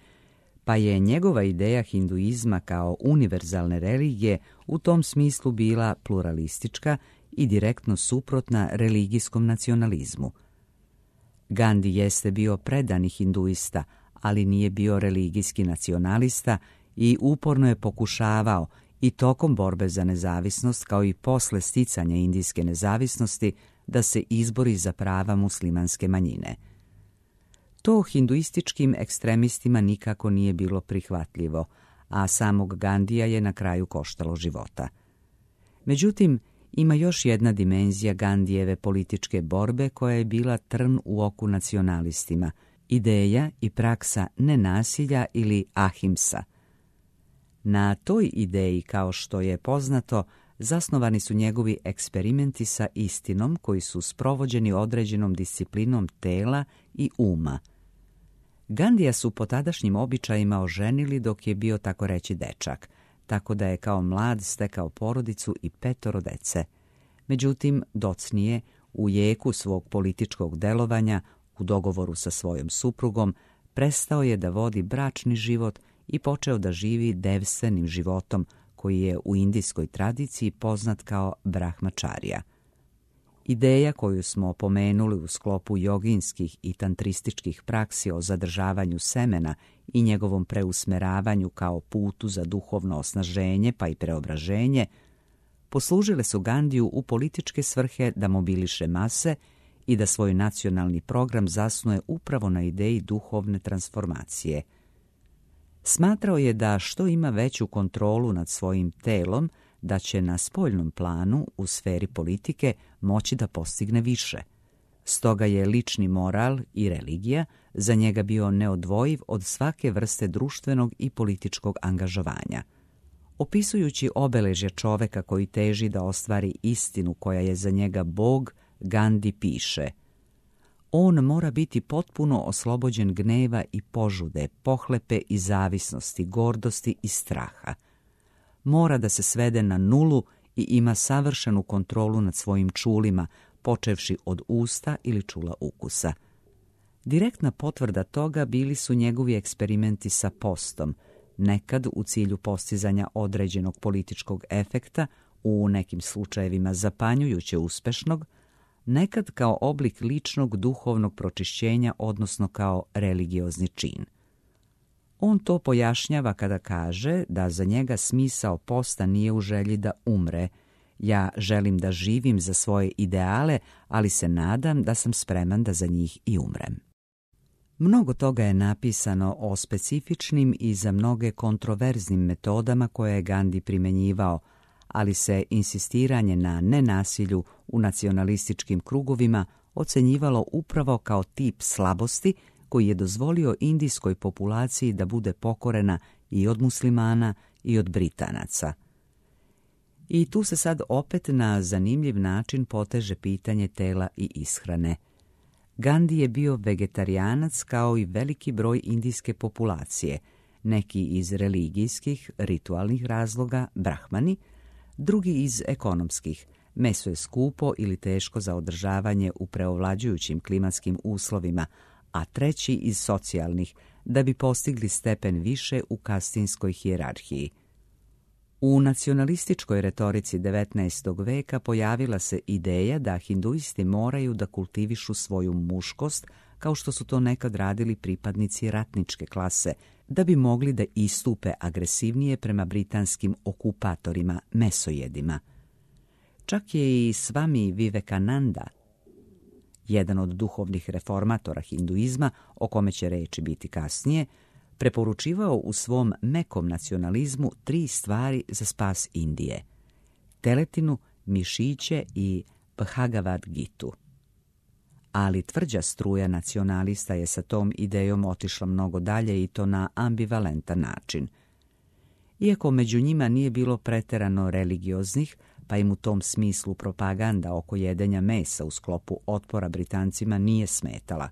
pa je njegova ideja hinduizma kao univerzalne religije u tom smislu bila pluralistička i direktno suprotna religijskom nacionalizmu. Gandhi jeste bio predani hinduista, ali nije bio religijski nacionalista i uporno je pokušavao i tokom borbe za nezavisnost, kao i posle sticanja indijske nezavisnosti, da se izbori za prava muslimanske manjine. To hinduističkim ekstremistima nikako nije bilo prihvatljivo, a samog Gandija je na kraju koštalo života. Međutim, ima još jedna dimenzija Gandijeve političke borbe koja je bila trn u oku nacionalistima, ideja i praksa nenasilja ili ahimsa. Na toj ideji, kao što je poznato, zasnovani su njegovi eksperimenti sa istinom koji su sprovođeni određenom disciplinom tela i uma. Gandija su po tadašnjim običajima oženili dok je bio tako reći dečak, tako da je kao mlad stekao porodicu i petoro dece. Međutim, docnije, u jeku svog političkog delovanja, u dogovoru sa svojom suprugom, prestao je da vodi bračni život i počeo da živi devstvenim životom koji je u indijskoj tradiciji poznat kao brahmačarija. Ideja koju smo pomenuli u sklopu joginskih i tantrističkih praksi o zadržavanju semena i njegovom preusmeravanju kao putu za duhovno osnaženje pa i preobraženje, poslužile su Gandiju u političke svrhe da mobiliše mase i da svoj nacionalni program zasnuje upravo na ideji duhovne transformacije. Smatrao je da što ima veću kontrolu nad svojim telom, da će na spoljnom planu, u sferi politike, moći da postigne više. Stoga je lični moral i religija za njega bio neodvojiv od svake vrste društvenog i političkog angažovanja. Opisujući obeležje čoveka koji teži da ostvari istinu koja je za njega Bog, Gandhi piše: on mora biti potpuno oslobođen gneva i požude, pohlepe i zavisnosti, gordosti i straha. Mora da se svede na nulu i ima savršenu kontrolu nad svojim čulima, počevši od usta ili čula ukusa. Direktna potvrda toga bili su njegovi eksperimenti sa postom, nekad u cilju postizanja određenog političkog efekta, u nekim slučajevima zapanjujuće uspešnog, nekad kao oblik ličnog duhovnog pročišćenja, odnosno kao religiozni čin. On to pojašnjava kada kaže da za njega smisao posta nije u želji da umre. Ja želim da živim za svoje ideale, ali se nadam da sam spreman da za njih i umrem. Mnogo toga je napisano o specifičnim i za mnoge kontroverznim metodama koje je Gandhi primenjivao, ali se insistiranje na nenasilju u nacionalističkim krugovima ocenjivalo upravo kao tip slabosti koji je dozvolio indijskoj populaciji da bude pokorena i od muslimana i od Britanaca. I tu se sad opet na zanimljiv način poteže pitanje tela i ishrane. Gandhi je bio vegetarijanac kao i veliki broj indijske populacije, neki iz religijskih, ritualnih razloga, brahmani, drugi iz ekonomskih, meso je skupo ili teško za održavanje u preovlađujućim klimatskim uslovima, a treći iz socijalnih, da bi postigli stepen više u kastinskoj hijerarhiji. U nacionalističkoj retorici devetnaestog veka pojavila se ideja da hinduisti moraju da kultivišu svoju muškost, kao što su to nekad radili pripadnici ratničke klase, da bi mogli da istupe agresivnije prema britanskim okupatorima, mesojedima. Čak je i Swami Vivekananda, jedan od duhovnih reformatora hinduizma, o kome će reći biti kasnije, preporučivao u svom mekom nacionalizmu tri stvari za spas Indije: teletinu, mišiće i Bhagavad Gitu. Ali tvrđa struja nacionalista je sa tom idejom otišla mnogo dalje i to na ambivalentan način. Iako među njima nije bilo preterano religioznih, pa im u tom smislu propaganda oko jedenja mesa u sklopu otpora Britancima nije smetala.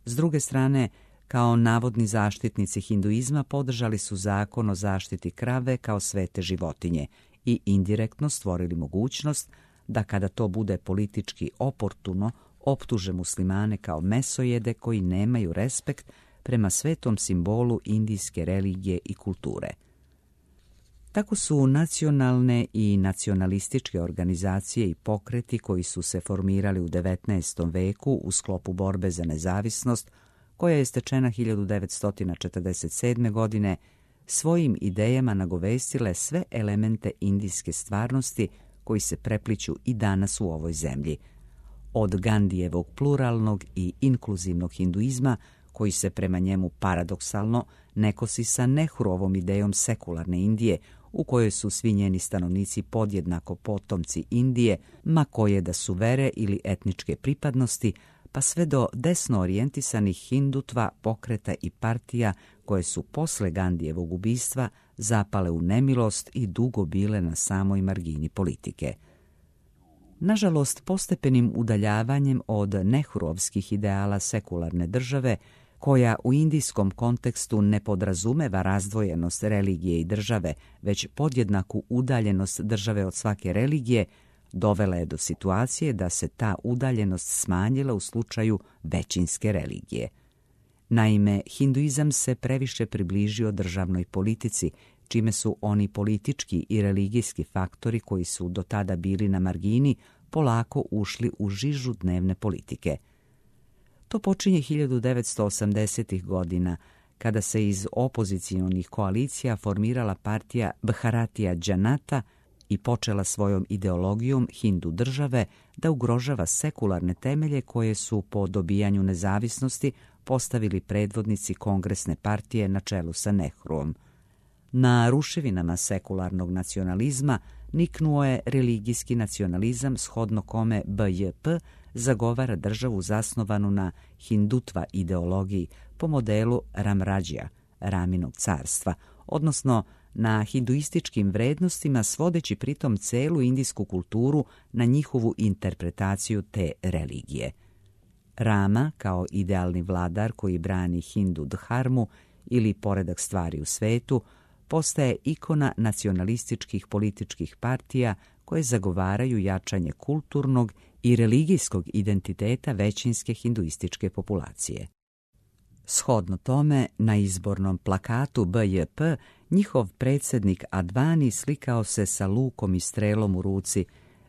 S druge strane, kao navodni zaštitnici hinduizma podržali su zakon o zaštiti krave kao svete životinje i indirektno stvorili mogućnost da kada to bude politički oportuno optuže muslimane kao mesojede koji nemaju respekt prema svetom simbolu indijske religije i kulture. Tako su nacionalne i nacionalističke organizacije i pokreti koji su se formirali u devetnaestom veku u sklopu borbe za nezavisnost, koja je stečena hiljadu devetsto četrdeset sedme. godine, svojim idejama nagovestile sve elemente indijske stvarnosti koji se prepliću i danas u ovoj zemlji. Od Gandijevog pluralnog i inkluzivnog hinduizma, koji se prema njemu paradoksalno ne kosi sa Nehruovom idejom sekularne Indije, u kojoj su svi njeni stanovnici podjednako potomci Indije, ma koje da su vere ili etničke pripadnosti, pa sve do desno orijentisanih hindutva, pokreta i partija koje su posle Gandijevog ubistva zapale u nemilost i dugo bile na samoj margini politike. Nažalost, postepenim udaljavanjem od nehruovskih ideala sekularne države, koja u indijskom kontekstu ne podrazumeva razdvojenost religije i države, već podjednaku udaljenost države od svake religije, dovela je do situacije da se ta udaljenost smanjila u slučaju većinske religije. Naime, hinduizam se previše približio državnoj politici, čime su oni politički i religijski faktori koji su do tada bili na margini polako ušli u žižu dnevne politike. To počinje hiljadu devetsto osamdesetih godina, kada se iz opozicionih koalicija formirala partija Bharatija Janata i počela svojom ideologijom hindu države da ugrožava sekularne temelje koje su po dobijanju nezavisnosti postavili predvodnici kongresne partije na čelu sa Nehruom. Na ruševinama sekularnog nacionalizma niknuo je religijski nacionalizam, shodno kome B J P zagovara državu zasnovanu na hindutva ideologiji po modelu Ramrađija, Raminog carstva, odnosno na hinduističkim vrednostima, svodeći pritom celu indijsku kulturu na njihovu interpretaciju te religije. Rama, kao idealni vladar koji brani hindu dharmu ili poredak stvari u svetu, postaje ikona nacionalističkih političkih partija koje zagovaraju jačanje kulturnog i religijskog identiteta većinske hinduističke populacije. Shodno tome, na izbornom plakatu B J P njihov predsjednik Advani slikao se sa lukom i strelom u ruci,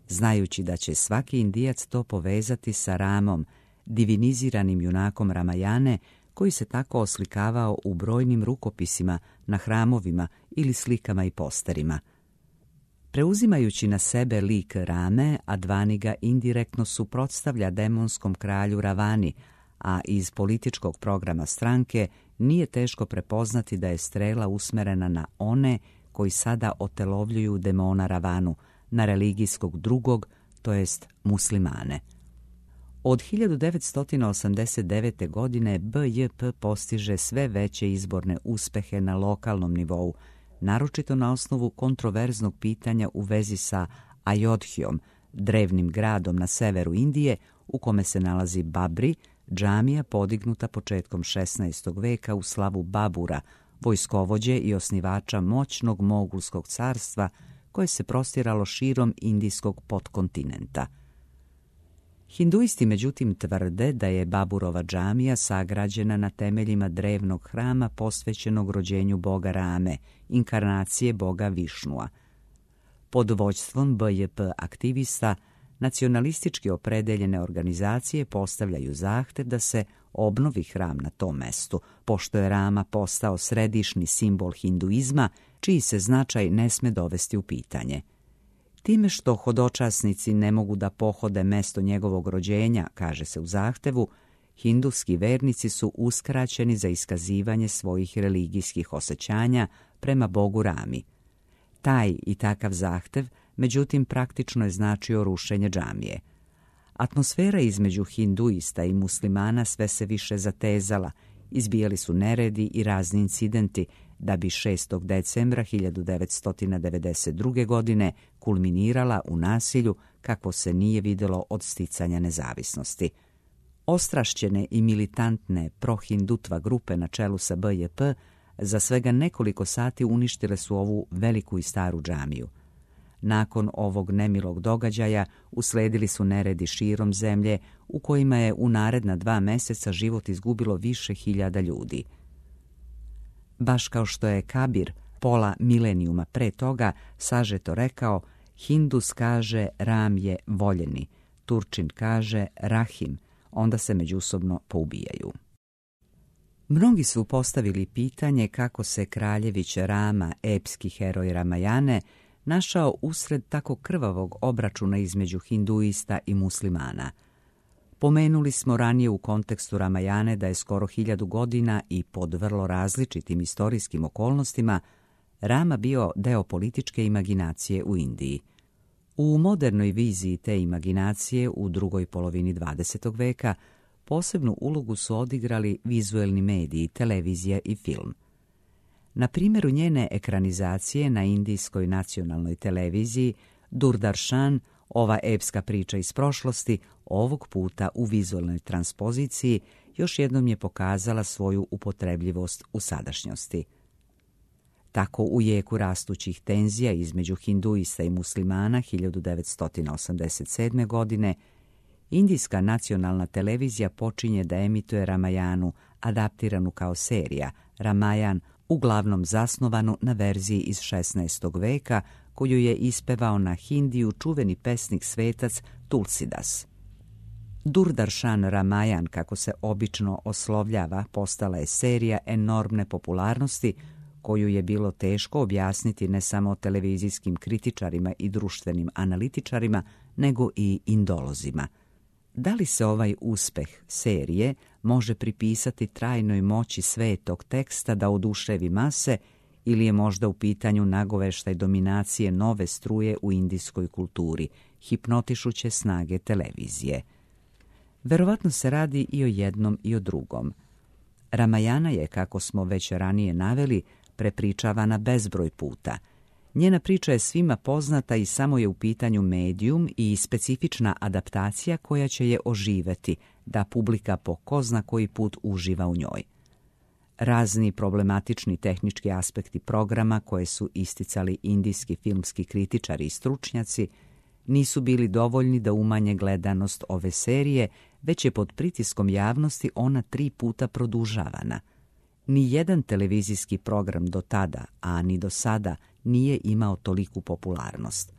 znajući da će svaki Indijac to povezati sa Ramom, diviniziranim junakom Ramajane, koji se tako oslikavao u brojnim rukopisima na hramovima ili slikama i posterima. Preuzimajući na sebe lik Rame, Advani ga indirektno suprotstavlja demonskom kralju Ravani, a iz političkog programa stranke nije teško prepoznati da je strela usmerena na one koji sada otelovljuju demona Ravanu, na religijskog drugog, to jest muslimane. Od hiljadu devetsto osamdeset devete. godine B J P postiže sve veće izborne uspehe na lokalnom nivou, naročito na osnovu kontroverznog pitanja u vezi sa Ajodhijom, drevnim gradom na severu Indije u kome se nalazi Babri, džamija podignuta početkom šesnaestog veka u slavu Babura, vojskovođe i osnivača moćnog mogulskog carstva koje se prostiralo širom indijskog podkontinenta. Hinduisti međutim tvrde da je Baburova džamija sagrađena na temeljima drevnog hrama posvećenog rođenju boga Rame, inkarnacije boga Višnua. Pod vođstvom B J P aktivista nacionalistički opredeljene organizacije postavljaju zahtev da se obnovi hram na tom mestu, pošto je Rama postao središnji simbol hinduizma, čiji se značaj ne sme dovesti u pitanje. Time što hodočasnici ne mogu da pohode mesto njegovog rođenja, kaže se u zahtevu, hinduski vernici su uskraćeni za iskazivanje svojih religijskih osjećanja prema bogu Rami. Taj i takav zahtev, međutim, praktično je značio rušenje džamije. Atmosfera između hinduista i muslimana sve se više zatezala, izbijali su neredi i razni incidenti, da bi šestog decembra hiljadu devetsto devedeset druge. godine kulminirala u nasilju kako se nije vidjelo od sticanja nezavisnosti. Ostrašćene i militantne prohindutva grupe na čelu sa B J P za svega nekoliko sati uništile su ovu veliku i staru džamiju. Nakon ovog nemilog događaja usledili su neredi širom zemlje u kojima je u naredna dva mjeseca život izgubilo više hiljada ljudi. Baš kao što je Kabir pola milenijuma pre toga sažeto rekao, Hindus kaže Ram je voljeni, Turčin kaže Rahim, onda se međusobno poubijaju. Mnogi su postavili pitanje kako se kraljević Rama, epski heroj Ramajane, našao usred tako krvavog obračuna između hinduista i muslimana. Pomenuli smo ranije u kontekstu Ramajane da je skoro hiljadu godina i pod vrlo različitim istorijskim okolnostima Rama bio deo političke imaginacije u Indiji. U modernoj viziji te imaginacije u drugoj polovini dvadesetog veka posebnu ulogu su odigrali vizuelni mediji, televizija i film. Na primjeru njene ekranizacije na indijskoj nacionalnoj televiziji Doordarshan, ova epska priča iz prošlosti, ovog puta u vizualnoj transpoziciji, još jednom je pokazala svoju upotrebljivost u sadašnjosti. Tako u jeku rastućih tenzija između hinduista i muslimana hiljadu devetsto osamdeset sedme. godine indijska nacionalna televizija počinje da emituje Ramayanu, adaptiranu kao serija, Ramayan, uglavnom zasnovanu na verziji iz šesnaestog. veka, koju je ispevao na hindiju čuveni pesnik svetac Tulsidas. Doordarshan Ramayan, kako se obično oslovljava, postala je serija enormne popularnosti koju je bilo teško objasniti ne samo televizijskim kritičarima i društvenim analitičarima, nego i indolozima. Da li se ovaj uspeh serije može pripisati trajnoj moći svetog teksta da oduševi mase ili je možda u pitanju nagoveštaj dominacije nove struje u indijskoj kulturi, hipnotišuće snage televizije? Verovatno se radi i o jednom i o drugom. Ramayana je, kako smo već ranije naveli, prepričavana bezbroj puta. Njena priča je svima poznata i samo je u pitanju medijum i specifična adaptacija koja će je oživeti, da publika po ko zna koji put uživa u njoj. Razni problematični tehnički aspekti programa koje su isticali indijski filmski kritičari i stručnjaci nisu bili dovoljni da umanje gledanost ove serije, već je pod pritiskom javnosti ona tri puta produžavana. Ni jedan televizijski program do tada, a ni do sada, nije imao toliku popularnost.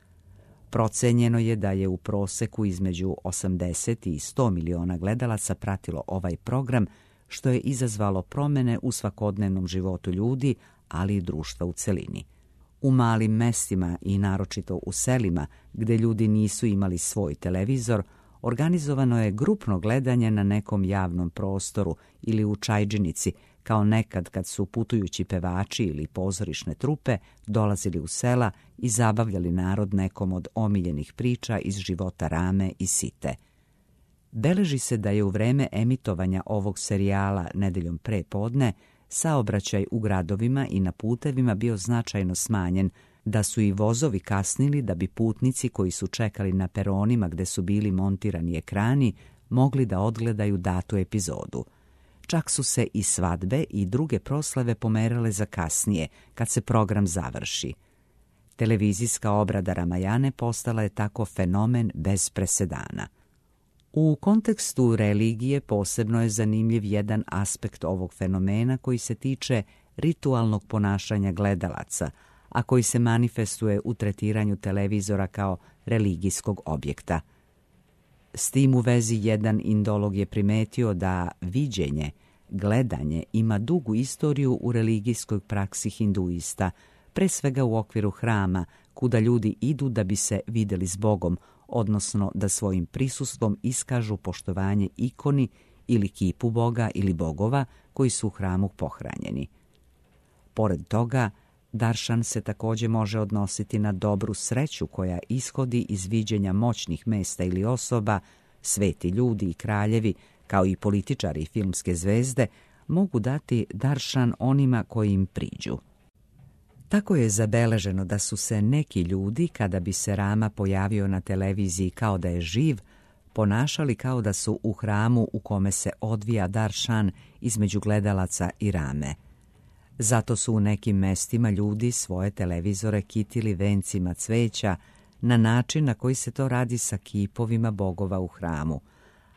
Procenjeno je da je u proseku između osamdeset i sto miliona gledalaca pratilo ovaj program, što je izazvalo promjene u svakodnevnom životu ljudi, ali i društva u celini. U malim mestima i naročito u selima, gde ljudi nisu imali svoj televizor, organizovano je grupno gledanje na nekom javnom prostoru ili u čajdžinici, kao nekad kad su putujući pevači ili pozorišne trupe dolazili u sela i zabavljali narod nekom od omiljenih priča iz života Rame i Site. Beleži se da je u vreme emitovanja ovog serijala nedeljom pre podne saobraćaj u gradovima i na putevima bio značajno smanjen, da su i vozovi kasnili da bi putnici koji su čekali na peronima gde su bili montirani ekrani mogli da odgledaju datu epizodu. Čak su se i svadbe i druge proslave pomerale za kasnije, kad se program završi. Televizijska obrada Ramayane postala je tako fenomen bez presedana. U kontekstu religije posebno je zanimljiv jedan aspekt ovog fenomena koji se tiče ritualnog ponašanja gledalaca, a koji se manifestuje u tretiranju televizora kao religijskog objekta. S tim u vezi jedan indolog je primetio da viđenje, gledanje ima dugu istoriju u religijskoj praksi hinduista, pre svega u okviru hrama, kuda ljudi idu da bi se videli s Bogom, odnosno da svojim prisustvom iskažu poštovanje ikoni ili kipu Boga ili bogova koji su u hramu pohranjeni. Pored toga, darshan se također može odnositi na dobru sreću koja ishodi iz viđenja moćnih mesta ili osoba. Sveti ljudi i kraljevi, kao i političari i filmske zvezde, mogu dati darshan onima koji im priđu. Tako je zabeleženo da su se neki ljudi, kada bi se Rama pojavio na televiziji kao da je živ, ponašali kao da su u hramu u kome se odvija darshan između gledalaca i Rame. Zato su u nekim mestima ljudi svoje televizore kitili vencima cveća na način na koji se to radi sa kipovima bogova u hramu,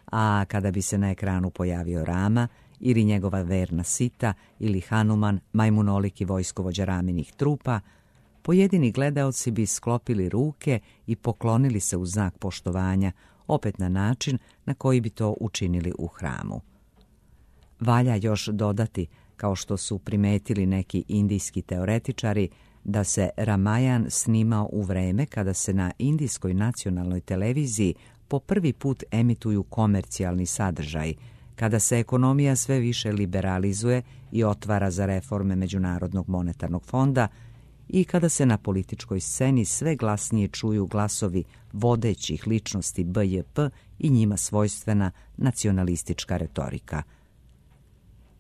a kada bi se na ekranu pojavio Rama ili njegova verna Sita ili Hanuman, majmunoliki vojskovođa Raminih trupa, pojedini gledaoci bi sklopili ruke i poklonili se u znak poštovanja, opet na način na koji bi to učinili u hramu. Valja još dodati, kao što su primetili neki indijski teoretičari, da se Ramayan snimao u vreme kada se na indijskoj nacionalnoj televiziji po prvi put emituju komercijalni sadržaj, kada se ekonomija sve više liberalizuje i otvara za reforme Međunarodnog monetarnog fonda i kada se na političkoj sceni sve glasnije čuju glasovi vodećih ličnosti B J P i njima svojstvena nacionalistička retorika.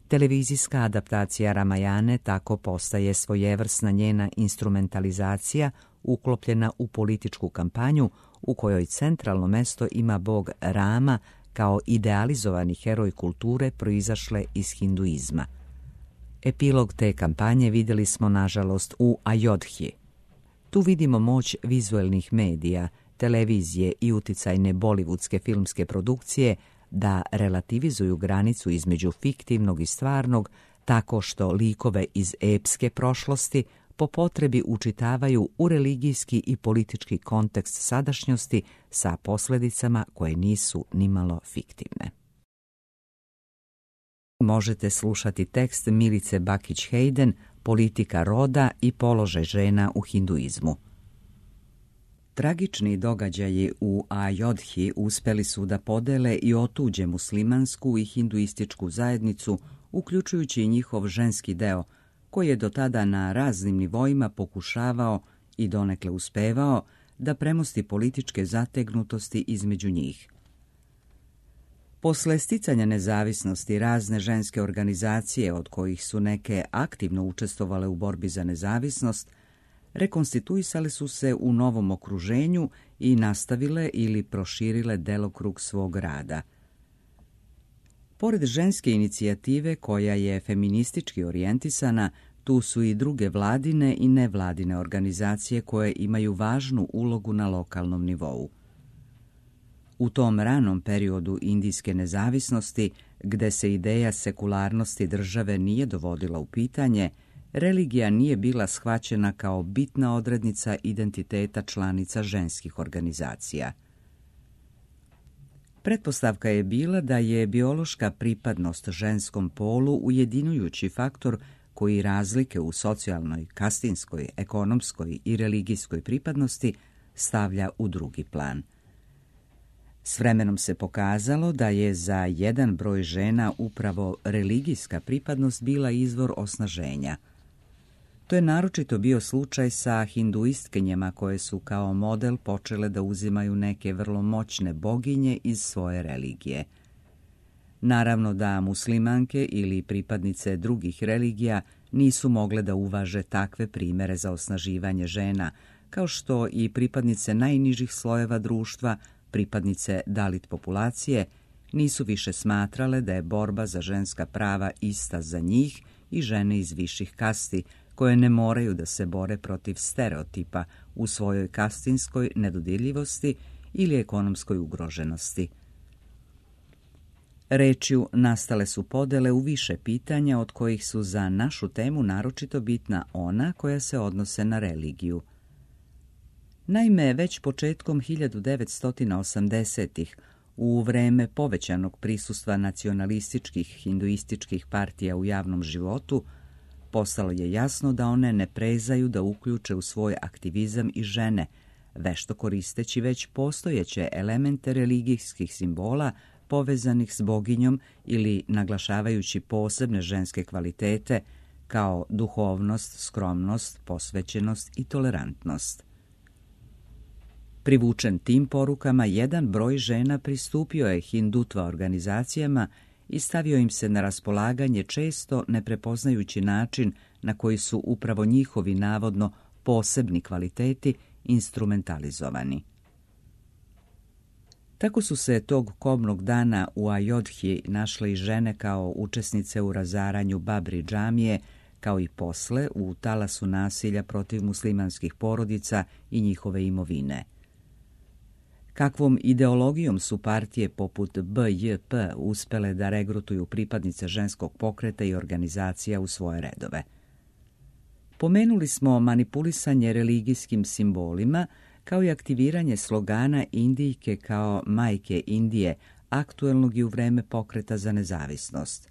Televizijska adaptacija Ramajane tako postaje svojevrsna njena instrumentalizacija uklopljena u političku kampanju u kojoj centralno mesto ima bog Rama kao idealizovani heroj kulture proizašle iz hinduizma. Epilog te kampanje vidjeli smo nažalost u Ajodhi. Tu vidimo moć vizuelnih medija, televizije i uticajne bolivudske filmske produkcije da relativizuju granicu između fiktivnog i stvarnog tako što likove iz epske prošlosti po potrebi učitavaju u religijski i politički kontekst sadašnjosti sa posljedicama koje nisu nimalo fiktivne. Možete slušati tekst Milice Bakić-Hayden, Politika roda i položaj žena u hinduizmu. Tragični događaji u Ajodhi uspjeli su da podele i otuđe muslimansku i hinduističku zajednicu, uključujući i njihov ženski deo, koji je do tada na raznim nivoima pokušavao i donekle uspevao da premosti političke zategnutosti između njih. Posle sticanja nezavisnosti razne ženske organizacije, od kojih su neke aktivno učestvovale u borbi za nezavisnost, rekonstituisale su se u novom okruženju i nastavile ili proširile delokrug svog rada. Pored ženske inicijative koja je feministički orijentisana, tu su i druge vladine i nevladine organizacije koje imaju važnu ulogu na lokalnom nivou. U tom ranom periodu indijske nezavisnosti, gde se ideja sekularnosti države nije dovodila u pitanje, religija nije bila shvaćena kao bitna odrednica identiteta članica ženskih organizacija. Pretpostavka je bila da je biološka pripadnost ženskom polu ujedinjujući faktor koji razlike u socijalnoj, kastinskoj, ekonomskoj i religijskoj pripadnosti stavlja u drugi plan. S vremenom se pokazalo da je za jedan broj žena upravo religijska pripadnost bila izvor osnaženja. To je naročito bio slučaj sa hinduistkinjama koje su kao model počele da uzimaju neke vrlo moćne boginje iz svoje religije. Naravno da muslimanke ili pripadnice drugih religija nisu mogle da uvaže takve primere za osnaživanje žena, kao što i pripadnice najnižih slojeva društva, pripadnice dalit populacije, nisu više smatrale da je borba za ženska prava ista za njih i žene iz viših kasti, koje ne moraju da se bore protiv stereotipa u svojoj kastinskoj nedodirljivosti ili ekonomskoj ugroženosti. Rečju nastale su podele u više pitanja, od kojih su za našu temu naročito bitna ona koja se odnose na religiju. Naime, već početkom hiljadu devetsto osamdesetih, u vreme povećanog prisustva nacionalističkih hinduističkih partija u javnom životu, postalo je jasno da one ne prezaju da uključe u svoj aktivizam i žene, vešto koristeći već postojeće elemente religijskih simbola povezanih s boginjom ili naglašavajući posebne ženske kvalitete kao duhovnost, skromnost, posvećenost i tolerantnost. Privučen tim porukama, jedan broj žena pristupio je hindutva organizacijama i stavio im se na raspolaganje često ne prepoznajući način na koji su upravo njihovi navodno posebni kvaliteti instrumentalizovani. Tako su se tog kobnog dana u Ajodhi našle i žene kao učesnice u razaranju Babri džamije, kao i posle u talasu nasilja protiv muslimanskih porodica i njihove imovine. Kakvom ideologijom su partije poput B J P uspele da regrutuju pripadnice ženskog pokreta i organizacija u svoje redove? Pomenuli smo manipulisanje religijskim simbolima, kao i aktiviranje slogana Indijke kao majke Indije, aktuelnog i u vreme pokreta za nezavisnost.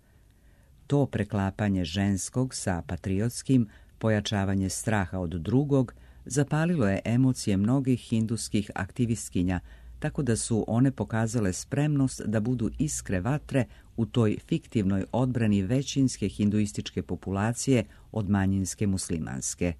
To preklapanje ženskog sa patriotskim, pojačavanje straha od drugog, zapalilo je emocije mnogih hinduskih aktivistkinja, tako da su one pokazale spremnost da budu iskre vatre u toj fiktivnoj odbrani većinske hinduističke populacije od manjinske muslimanske.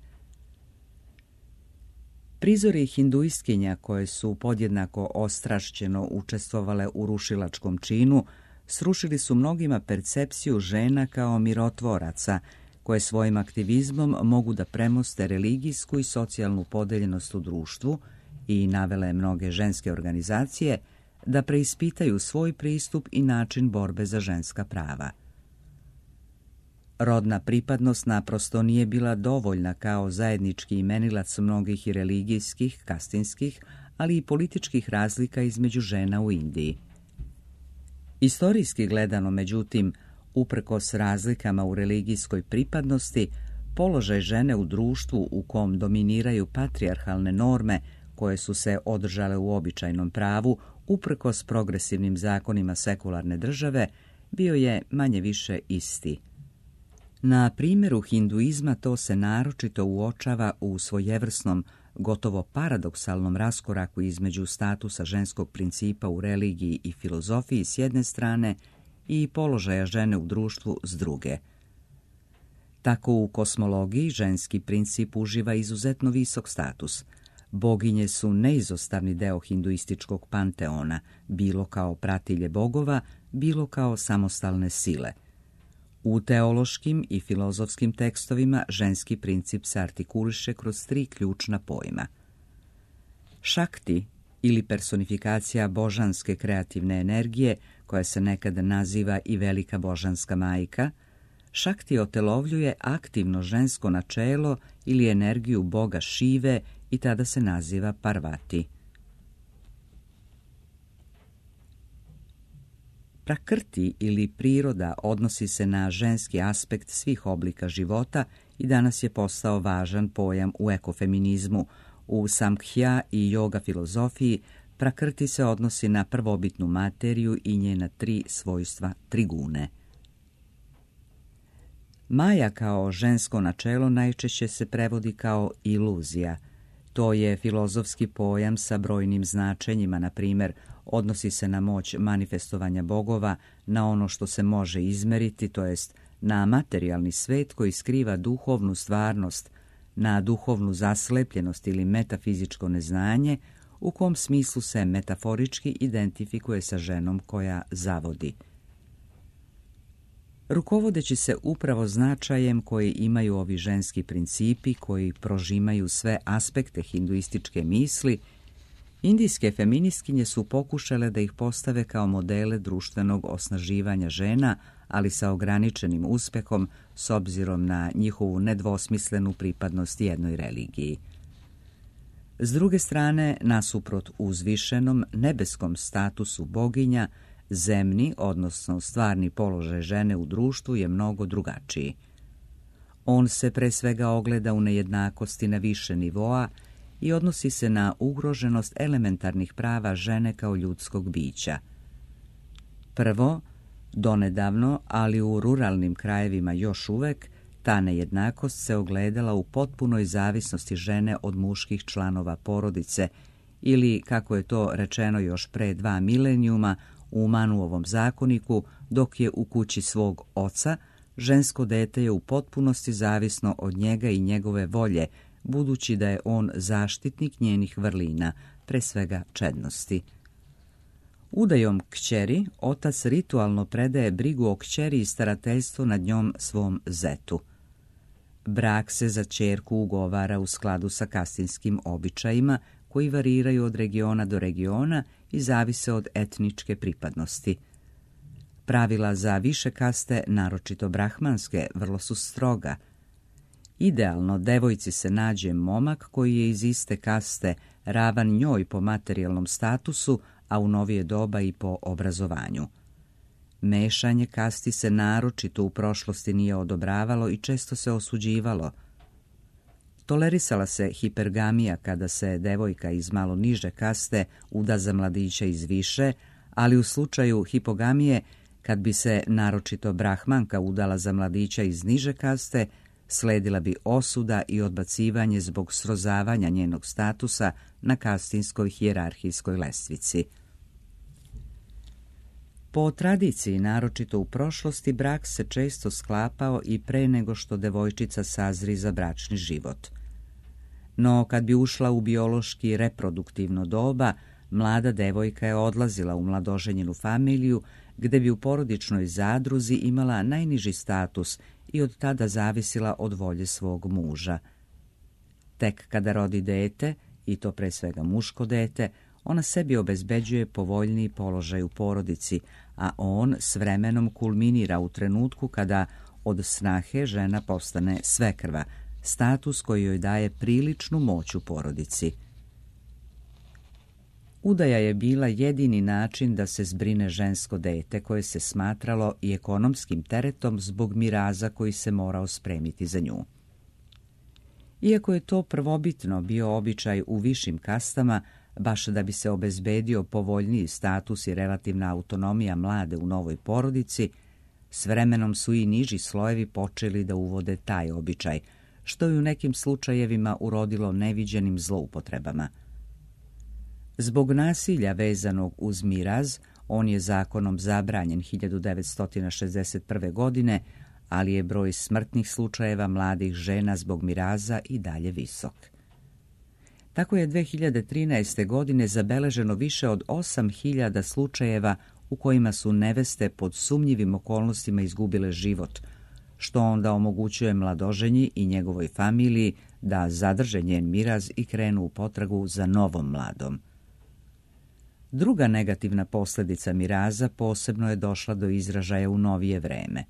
Prizori hinduistkinja koje su podjednako ostrašćeno učestvovale u rušilačkom činu srušili su mnogima percepciju žena kao mirotvoraca, koje svojim aktivizmom mogu da premoste religijsku i socijalnu podeljenost u društvu i navele mnoge ženske organizacije da preispitaju svoj pristup i način borbe za ženska prava. Rodna pripadnost naprosto nije bila dovoljna kao zajednički imenilac mnogih i religijskih, kastinskih, ali i političkih razlika između žena u Indiji. Istorijski gledano, međutim, uprkos razlikama u religijskoj pripadnosti, položaj žene u društvu u kom dominiraju patrijarhalne norme koje su se održale u običajnom pravu, uprkos progresivnim zakonima sekularne države, bio je manje-više isti. Na primjeru hinduizma to se naročito uočava u svojevrsnom, gotovo paradoksalnom raskoraku između statusa ženskog principa u religiji i filozofiji s jedne strane i položaja žene u društvu s druge. Tako u kosmologiji ženski princip uživa izuzetno visok status. Boginje su neizostavni deo hinduističkog panteona, bilo kao pratilje bogova, bilo kao samostalne sile. U teološkim i filozofskim tekstovima ženski princip se artikuliše kroz tri ključna pojma. Šakti, ili personifikacija božanske kreativne energije, koja se nekada naziva i velika božanska majka, Šakti otelovljuje aktivno žensko načelo ili energiju boga Šive i tada se naziva Parvati. Prakrti ili priroda odnosi se na ženski aspekt svih oblika života i danas je postao važan pojam u ekofeminizmu. U samkhya i yoga filozofiji prakrti se odnosi na prvobitnu materiju i njena tri svojstva trigune. Maja kao žensko načelo najčešće se prevodi kao iluzija. To je filozofski pojam sa brojnim značenjima, na primjer, odnosi se na moć manifestovanja bogova, na ono što se može izmeriti, to jest na materijalni svet koji skriva duhovnu stvarnost, na duhovnu zaslepljenost ili metafizičko neznanje, u kom smislu se metaforički identifikuje sa ženom koja zavodi. Rukovodeći se upravo značajem koji imaju ovi ženski principi koji prožimaju sve aspekte hinduističke misli, indijske feministkinje su pokušale da ih postave kao modele društvenog osnaživanja žena, ali sa ograničenim uspehom s obzirom na njihovu nedvosmislenu pripadnost jednoj religiji. S druge strane, nasuprot uzvišenom nebeskom statusu boginja, zemni, odnosno stvarni položaj žene u društvu je mnogo drugačiji. On se pre svega ogleda u nejednakosti na više nivoa i odnosi se na ugroženost elementarnih prava žene kao ljudskog bića. Prvo, donedavno, ali u ruralnim krajevima još uvek, ta nejednakost se ogledala u potpunoj zavisnosti žene od muških članova porodice ili, kako je to rečeno još pre dva milenijuma, u Manuovom zakoniku, dok je u kući svog oca, žensko dete je u potpunosti zavisno od njega i njegove volje, budući da je on zaštitnik njenih vrlina, pre svega čednosti. Udajom kćeri, otac ritualno predaje brigu o kćeri i starateljstvo nad njom svom zetu. Brak se za ćerku ugovara u skladu sa kastinskim običajima, koji variraju od regiona do regiona i zavise od etničke pripadnosti. Pravila za više kaste, naročito brahmanske, vrlo su stroga. Idealno devojci se nađe momak koji je iz iste kaste, ravan njoj po materijalnom statusu, a u novije doba i po obrazovanju. Mešanje kasti se naročito u prošlosti nije odobravalo i često se osuđivalo. Tolerisala se hipergamija kada se devojka iz malo niže kaste uda za mladića iz više, ali u slučaju hipogamije, kad bi se naročito brahmanka udala za mladića iz niže kaste, sledila bi osuda i odbacivanje zbog srozavanja njenog statusa na kastinskoj hijerarhijskoj lestvici. Po tradiciji, naročito u prošlosti, brak se često sklapao i pre nego što devojčica sazri za bračni život. No kad bi ušla u biološki reproduktivno doba, mlada devojka je odlazila u mladoženjenu familiju, gde bi u porodičnoj zadruzi imala najniži status i od tada zavisila od volje svog muža. Tek kada rodi dete, i to pre svega muško dete, ona sebi obezbeđuje povoljniji položaj u porodici, a on s vremenom kulminira u trenutku kada od snahe žena postane svekrva, status koji joj daje priličnu moć u porodici. Udaja je bila jedini način da se zbrine žensko dete koje se smatralo i ekonomskim teretom zbog miraza koji se morao spremiti za nju. Iako je to prvobitno bio običaj u višim kastama, baš da bi se obezbedio povoljniji status i relativna autonomija mlade u novoj porodici, s vremenom su i niži slojevi počeli da uvode taj običaj, što je u nekim slučajevima urodilo neviđenim zloupotrebama. Zbog nasilja vezanog uz miraz, on je zakonom zabranjen hiljadu devetsto šezdeset prve. godine, ali je broj smrtnih slučajeva mladih žena zbog miraza i dalje visok. Tako je dve hiljade trinaeste. godine zabeleženo više od osam hiljada slučajeva u kojima su neveste pod sumnjivim okolnostima izgubile život, što onda omogućuje mladoženji i njegovoj familiji da zadrže njen miraz i krenu u potragu za novom mladom. Druga negativna posljedica miraza posebno je došla do izražaja u novije vreme.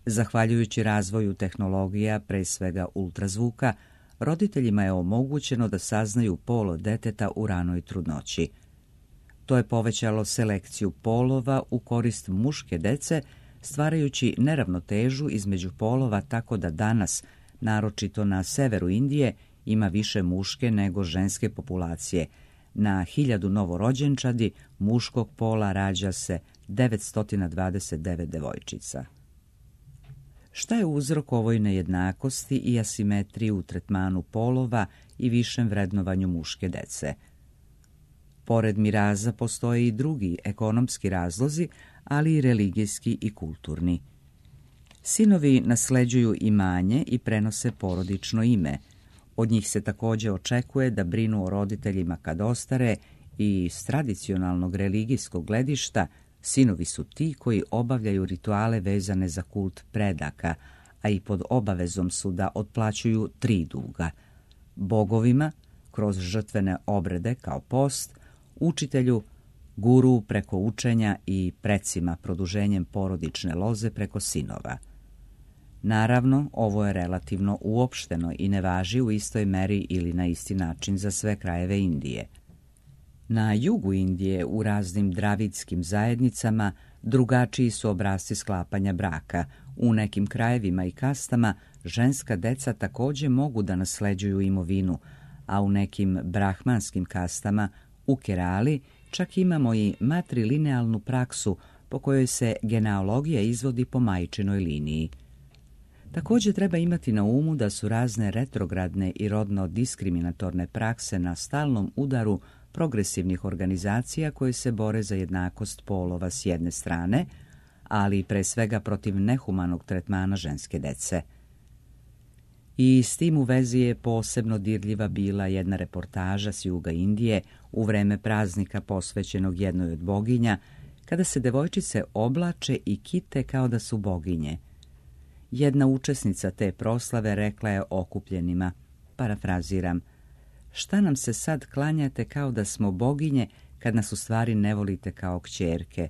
Zahvaljujući razvoju tehnologija, pre svega ultrazvuka, roditeljima je omogućeno da saznaju polo deteta u ranoj trudnoći. To je povećalo selekciju polova u korist muške dece, stvarajući neravnotežu između polova tako da danas, naročito na severu Indije, ima više muške nego ženske populacije. Na hiljadu novorođenčadi muškog pola rađa se devetsto dvadeset devet devojčica. Šta je uzrok ovoj nejednakosti i asimetriji u tretmanu polova i višem vrednovanju muške dece? Pored miraza postoje i drugi ekonomski razlozi, ali i religijski i kulturni. Sinovi nasleđuju imanje i prenose porodično ime. Od njih se također očekuje da brinu o roditeljima kad ostare i s tradicionalnog religijskog gledišta sinovi su ti koji obavljaju rituale vezane za kult predaka, a i pod obavezom su da otplaćuju tri duga. Bogovima, kroz žrtvene obrede kao post, učitelju, guru preko učenja i precima produženjem porodične loze preko sinova. Naravno, ovo je relativno uopšteno i ne važi u istoj meri ili na isti način za sve krajeve Indije. Na jugu Indije, u raznim dravidskim zajednicama, drugačiji su obrasci sklapanja braka. U nekim krajevima i kastama ženska deca također mogu da nasleđuju imovinu, a u nekim brahmanskim kastama, u Kerali, čak imamo i matrilinealnu praksu po kojoj se genealogija izvodi po majčinoj liniji. Također treba imati na umu da su razne retrogradne i rodno diskriminatorne prakse na stalnom udaru progresivnih organizacija koje se bore za jednakost polova s jedne strane, ali pre svega protiv nehumanog tretmana ženske dece. I s tim u vezi je posebno dirljiva bila jedna reportaža s juga Indije u vreme praznika posvećenog jednoj od boginja, kada se devojčice oblače i kite kao da su boginje. Jedna učesnica te proslave rekla je okupljenima, parafraziram, šta nam se sad klanjate kao da smo boginje kad nas u stvari ne volite kao kćerke?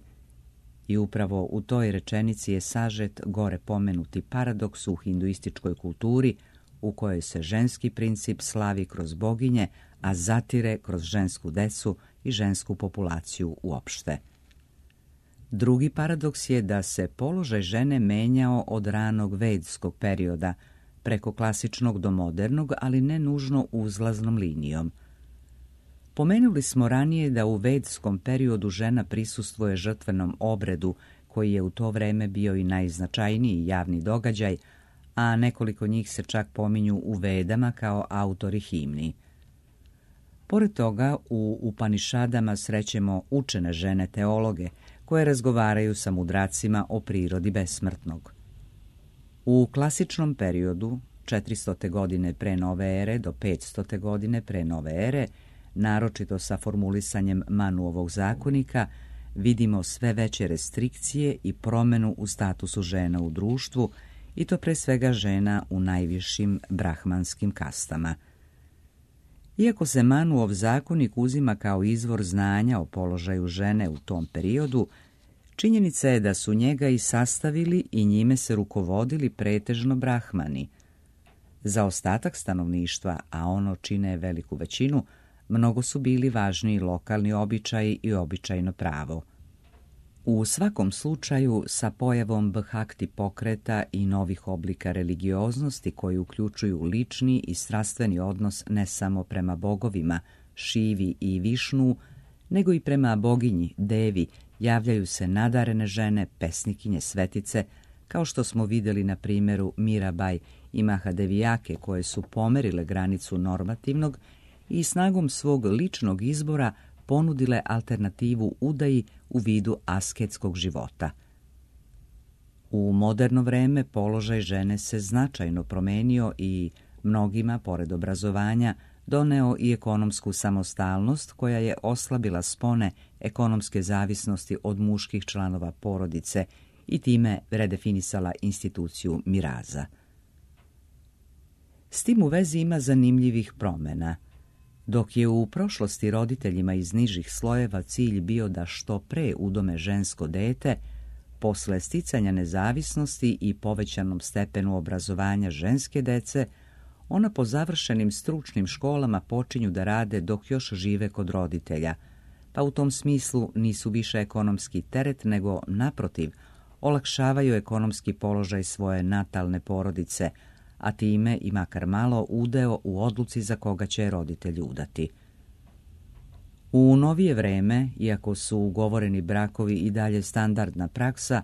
I upravo u toj rečenici je sažet gore pomenuti paradoks u hinduističkoj kulturi u kojoj se ženski princip slavi kroz boginje, a zatire kroz žensku decu i žensku populaciju uopšte. Drugi paradoks je da se položaj žene menjao od ranog vedskog perioda, preko klasičnog do modernog, ali ne nužno uzlaznom linijom. Pomenuli smo ranije da u vedskom periodu žena prisustvuje žrtvenom obredu, koji je u to vreme bio i najznačajniji javni događaj, a nekoliko njih se čak pominju u Vedama kao autori himni. Pored toga, u Upanišadama srećemo učene žene teologe, koje razgovaraju sa mudracima o prirodi besmrtnog. U klasičnom periodu četiristote. godine pre nove ere do petstote. godine pre nove ere, naročito sa formulisanjem Manuovog zakonika, vidimo sve veće restrikcije i promjenu u statusu žena u društvu, i to pre svega žena u najvišim brahmanskim kastama. Iako se Manuov zakonik uzima kao izvor znanja o položaju žene u tom periodu, činjenica je da su njega i sastavili i njime se rukovodili pretežno brahmani. Za ostatak stanovništva, a ono čine veliku većinu, mnogo su bili važniji lokalni običaji i običajno pravo. U svakom slučaju, sa pojavom bhakti pokreta i novih oblika religioznosti koji uključuju lični i strastveni odnos ne samo prema bogovima, Šivi i Višnu, nego i prema boginji, Devi, javljaju se nadarene žene, pesnikinje, svetice, kao što smo vidjeli na primjeru Mirabaj i Mahadevijake, koje su pomerile granicu normativnog i snagom svog ličnog izbora ponudile alternativu udaji u vidu asketskog života. U moderno vreme položaj žene se značajno promenio i mnogima, pored obrazovanja, doneo i ekonomsku samostalnost koja je oslabila spone ekonomske zavisnosti od muških članova porodice i time redefinisala instituciju miraza. S tim u vezi ima zanimljivih promjena. Dok je u prošlosti roditeljima iz nižih slojeva cilj bio da što pre udome žensko dete, posle sticanja nezavisnosti i povećanom stepenu obrazovanja ženske dece, ona po završenim stručnim školama počinju da rade dok još žive kod roditelja, pa u tom smislu nisu više ekonomski teret, nego naprotiv, olakšavaju ekonomski položaj svoje natalne porodice, a time i makar malo udeo u odluci za koga će roditelj udati. U novije vreme, iako su ugovoreni brakovi i dalje standardna praksa,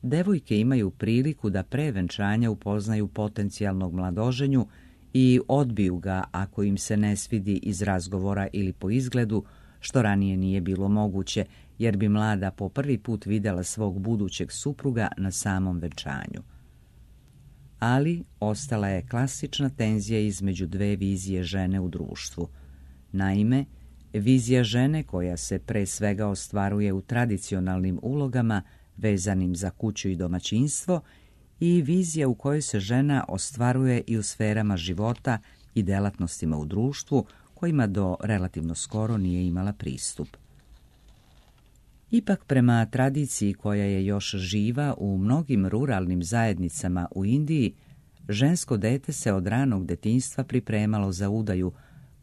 devojke imaju priliku da pre venčanja upoznaju potencijalnog mladoženju i odbiju ga ako im se ne svidi iz razgovora ili po izgledu, što ranije nije bilo moguće, jer bi mlada po prvi put vidjela svog budućeg supruga na samom venčanju. Ali ostala je klasična tenzija između dve vizije žene u društvu. Naime, vizija žene koja se pre svega ostvaruje u tradicionalnim ulogama vezanim za kuću i domaćinstvo i vizija u kojoj se žena ostvaruje i u sferama života i delatnostima u društvu kojima do relativno skoro nije imala pristup. Ipak, prema tradiciji koja je još živa u mnogim ruralnim zajednicama u Indiji, žensko dete se od ranog detinjstva pripremalo za udaju,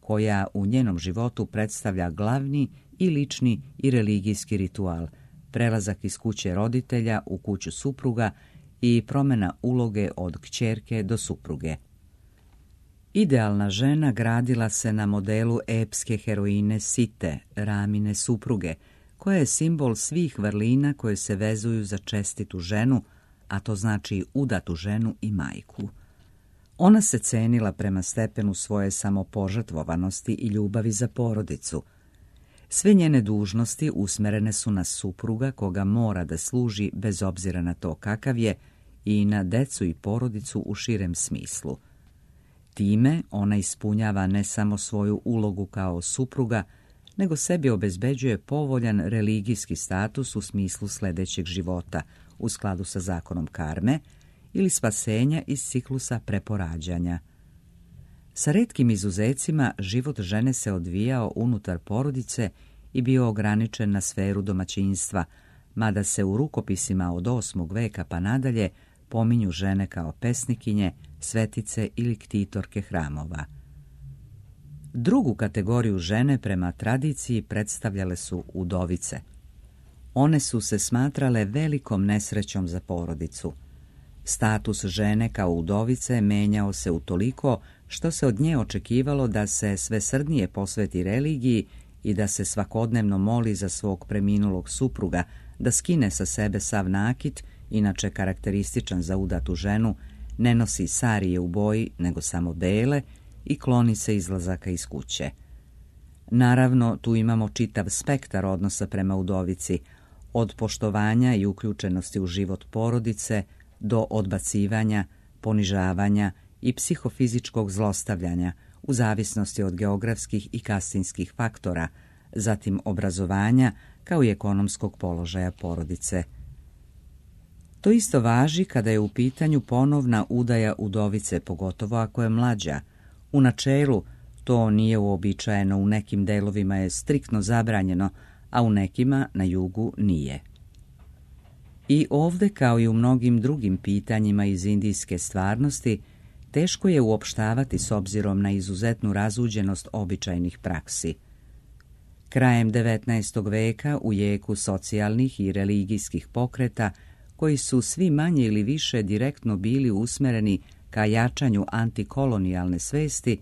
koja u njenom životu predstavlja glavni i lični i religijski ritual, prelazak iz kuće roditelja u kuću supruga i promjena uloge od kćerke do supruge. Idealna žena gradila se na modelu epske heroine Site, Ramine supruge, koja je simbol svih vrlina koje se vezuju za čestitu ženu, a to znači udatu ženu i majku. Ona se cenila prema stepenu svoje samopožrtvovanosti i ljubavi za porodicu. Sve njene dužnosti usmerene su na supruga koga mora da služi bez obzira na to kakav je i na decu i porodicu u širem smislu. Time ona ispunjava ne samo svoju ulogu kao supruga, nego sebi obezbeđuje povoljan religijski status u smislu sljedećeg života, u skladu sa zakonom karme, ili spasenja iz ciklusa preporađanja. Sa retkim izuzecima, život žene se odvijao unutar porodice i bio ograničen na sferu domaćinstva, mada se u rukopisima od osmog veka pa nadalje pominju žene kao pesnikinje, svetice ili ktitorke hramova. Drugu kategoriju žene prema tradiciji predstavljale su udovice. One su se smatrale velikom nesrećom za porodicu. Status žene kao udovice menjao se utoliko što se od nje očekivalo da se svesrdnije posveti religiji i da se svakodnevno moli za svog preminulog supruga, da skine sa sebe sav nakit, inače karakterističan za udatu ženu, ne nosi sarije u boji, nego samo bele, i kloni se izlazaka iz kuće. Naravno, tu imamo čitav spektar odnosa prema udovici, od poštovanja i uključenosti u život porodice do odbacivanja, ponižavanja i psihofizičkog zlostavljanja u zavisnosti od geografskih i kastinskih faktora, zatim obrazovanja kao i ekonomskog položaja porodice. To isto važi kada je u pitanju ponovna udaja udovice, pogotovo ako je mlađa. U načelu to nije uobičajeno, u nekim delovima je striktno zabranjeno, a u nekima na jugu nije. I ovde, kao i u mnogim drugim pitanjima iz indijske stvarnosti, teško je uopštavati s obzirom na izuzetnu razuđenost običajnih praksi. Krajem devetnaestog veka, u jeku socijalnih i religijskih pokreta, koji su svi manje ili više direktno bili usmereni ka jačanju antikolonijalne svesti,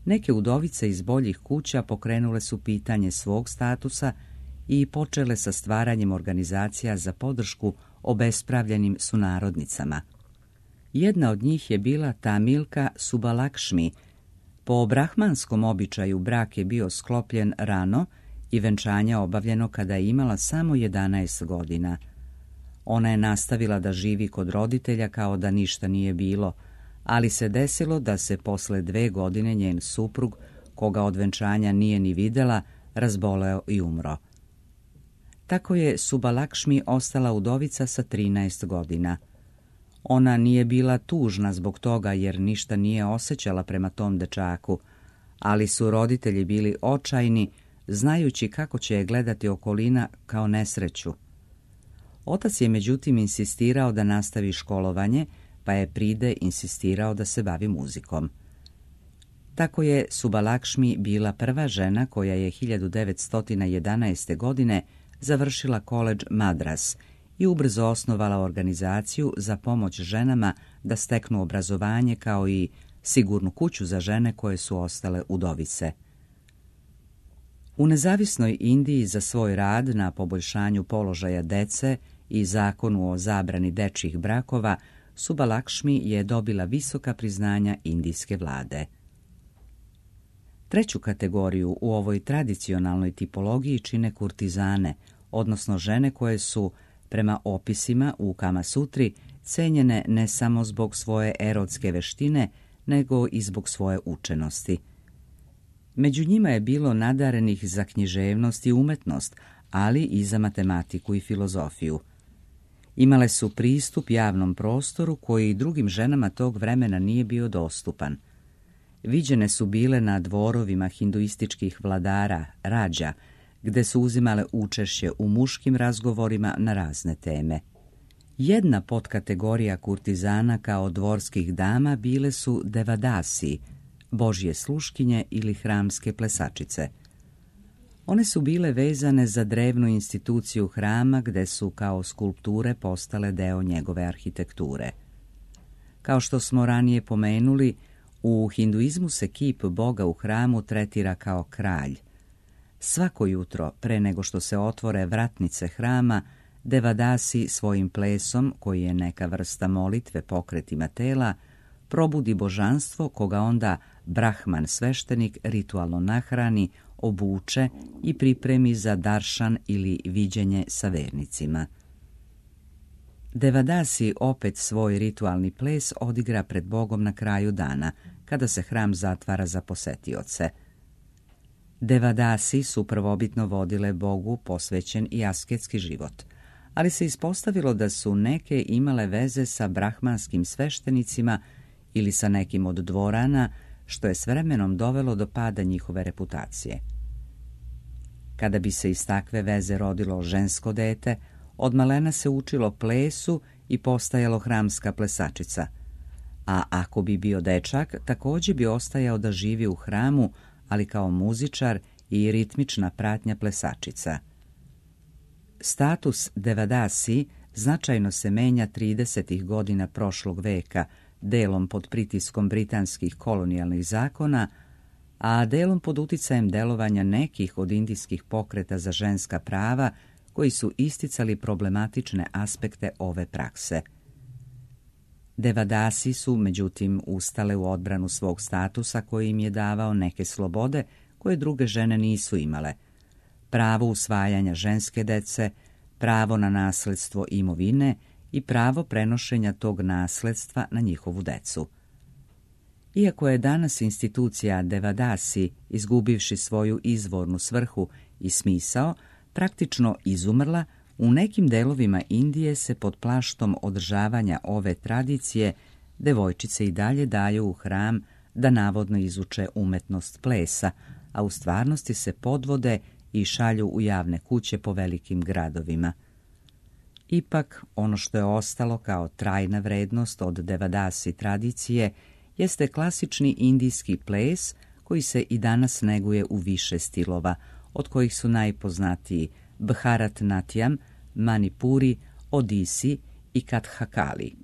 neke udovice iz boljih kuća pokrenule su pitanje svog statusa i počele sa stvaranjem organizacija za podršku obespravljenim sunarodnicama. Jedna od njih je bila Tamilka Subalakšmi. Po brahmanskom običaju brak je bio sklopljen rano i venčanje obavljeno kada je imala samo jedanaest godina. Ona je nastavila da živi kod roditelja kao da ništa nije bilo, ali se desilo da se posle dve godine njen suprug, koga od venčanja nije ni videla, razboleo i umro. Tako je Subalakšmi ostala udovica sa trinaest godina. Ona nije bila tužna zbog toga jer ništa nije osjećala prema tom dečaku, ali su roditelji bili očajni, znajući kako će je gledati okolina kao nesreću. Otac je međutim insistirao da nastavi školovanje, pa je pride insistirao da se bavi muzikom. Tako je Subalakšmi bila prva žena koja je hiljadu devetsto jedanaeste. godine završila koledž Madras i ubrzo osnovala organizaciju za pomoć ženama da steknu obrazovanje kao i sigurnu kuću za žene koje su ostale udovice. U nezavisnoj Indiji za svoj rad na poboljšanju položaja dece i zakonu o zabrani dečjih brakova, Subalakšmi je dobila visoka priznanja indijske vlade. Treću kategoriju u ovoj tradicionalnoj tipologiji čine kurtizane, odnosno žene koje su, prema opisima u Kama Sutri, cenjene ne samo zbog svoje erotske veštine, nego i zbog svoje učenosti. Među njima je bilo nadarenih za književnost i umetnost, ali i za matematiku i filozofiju. Imale su pristup javnom prostoru koji drugim ženama tog vremena nije bio dostupan. Viđene su bile na dvorovima hinduističkih vladara, rađa, gde su uzimale učešće u muškim razgovorima na razne teme. Jedna podkategorija kurtizana kao dvorskih dama bile su devadasi, božje sluškinje ili hramske plesačice. One su bile vezane za drevnu instituciju hrama gde su kao skulpture postale deo njegove arhitekture. Kao što smo ranije pomenuli, u hinduizmu se kip Boga u hramu tretira kao kralj. Svako jutro, pre nego što se otvore vratnice hrama, devadasi svojim plesom, koji je neka vrsta molitve pokretima tela, probudi božanstvo koga onda brahman sveštenik ritualno nahrani, obuče i pripremi za daršan ili viđenje sa vernicima. Devadasi opet svoj ritualni ples odigra pred Bogom na kraju dana, kada se hram zatvara za posetioce. Devadasi su prvobitno vodile Bogu posvećen i asketski život, ali se ispostavilo da su neke imale veze sa brahmanskim sveštenicima ili sa nekim od dvorana, što je s vremenom dovelo do pada njihove reputacije. Kada bi se iz takve veze rodilo žensko dete, od malena se učilo plesu i postajalo hramska plesačica, a ako bi bio dečak, također bi ostajao da živi u hramu, ali kao muzičar i ritmična pratnja plesačica. Status devadasi značajno se menja tridesetih godina prošlog veka, delom pod pritiskom britanskih kolonijalnih zakona, a delom pod uticajem delovanja nekih od indijskih pokreta za ženska prava koji su isticali problematične aspekte ove prakse. Devadasi su, međutim, ustale u odbranu svog statusa koji im je davao neke slobode koje druge žene nisu imale. Pravo usvajanja ženske dece, pravo na nasledstvo imovine i pravo prenošenja tog nasledstva na njihovu decu. Iako je danas institucija Devadasi, izgubivši svoju izvornu svrhu i smisao, praktično izumrla, u nekim delovima Indije se pod plaštom održavanja ove tradicije devojčice i dalje daju u hram da navodno izuče umetnost plesa, a u stvarnosti se podvode i šalju u javne kuće po velikim gradovima. Ipak, ono što je ostalo kao trajna vrednost od Devadasi tradicije jeste klasični indijski ples koji se i danas neguje u više stilova, od kojih su najpoznatiji Bharatnatyam, Manipuri, Odisi i Kathakali.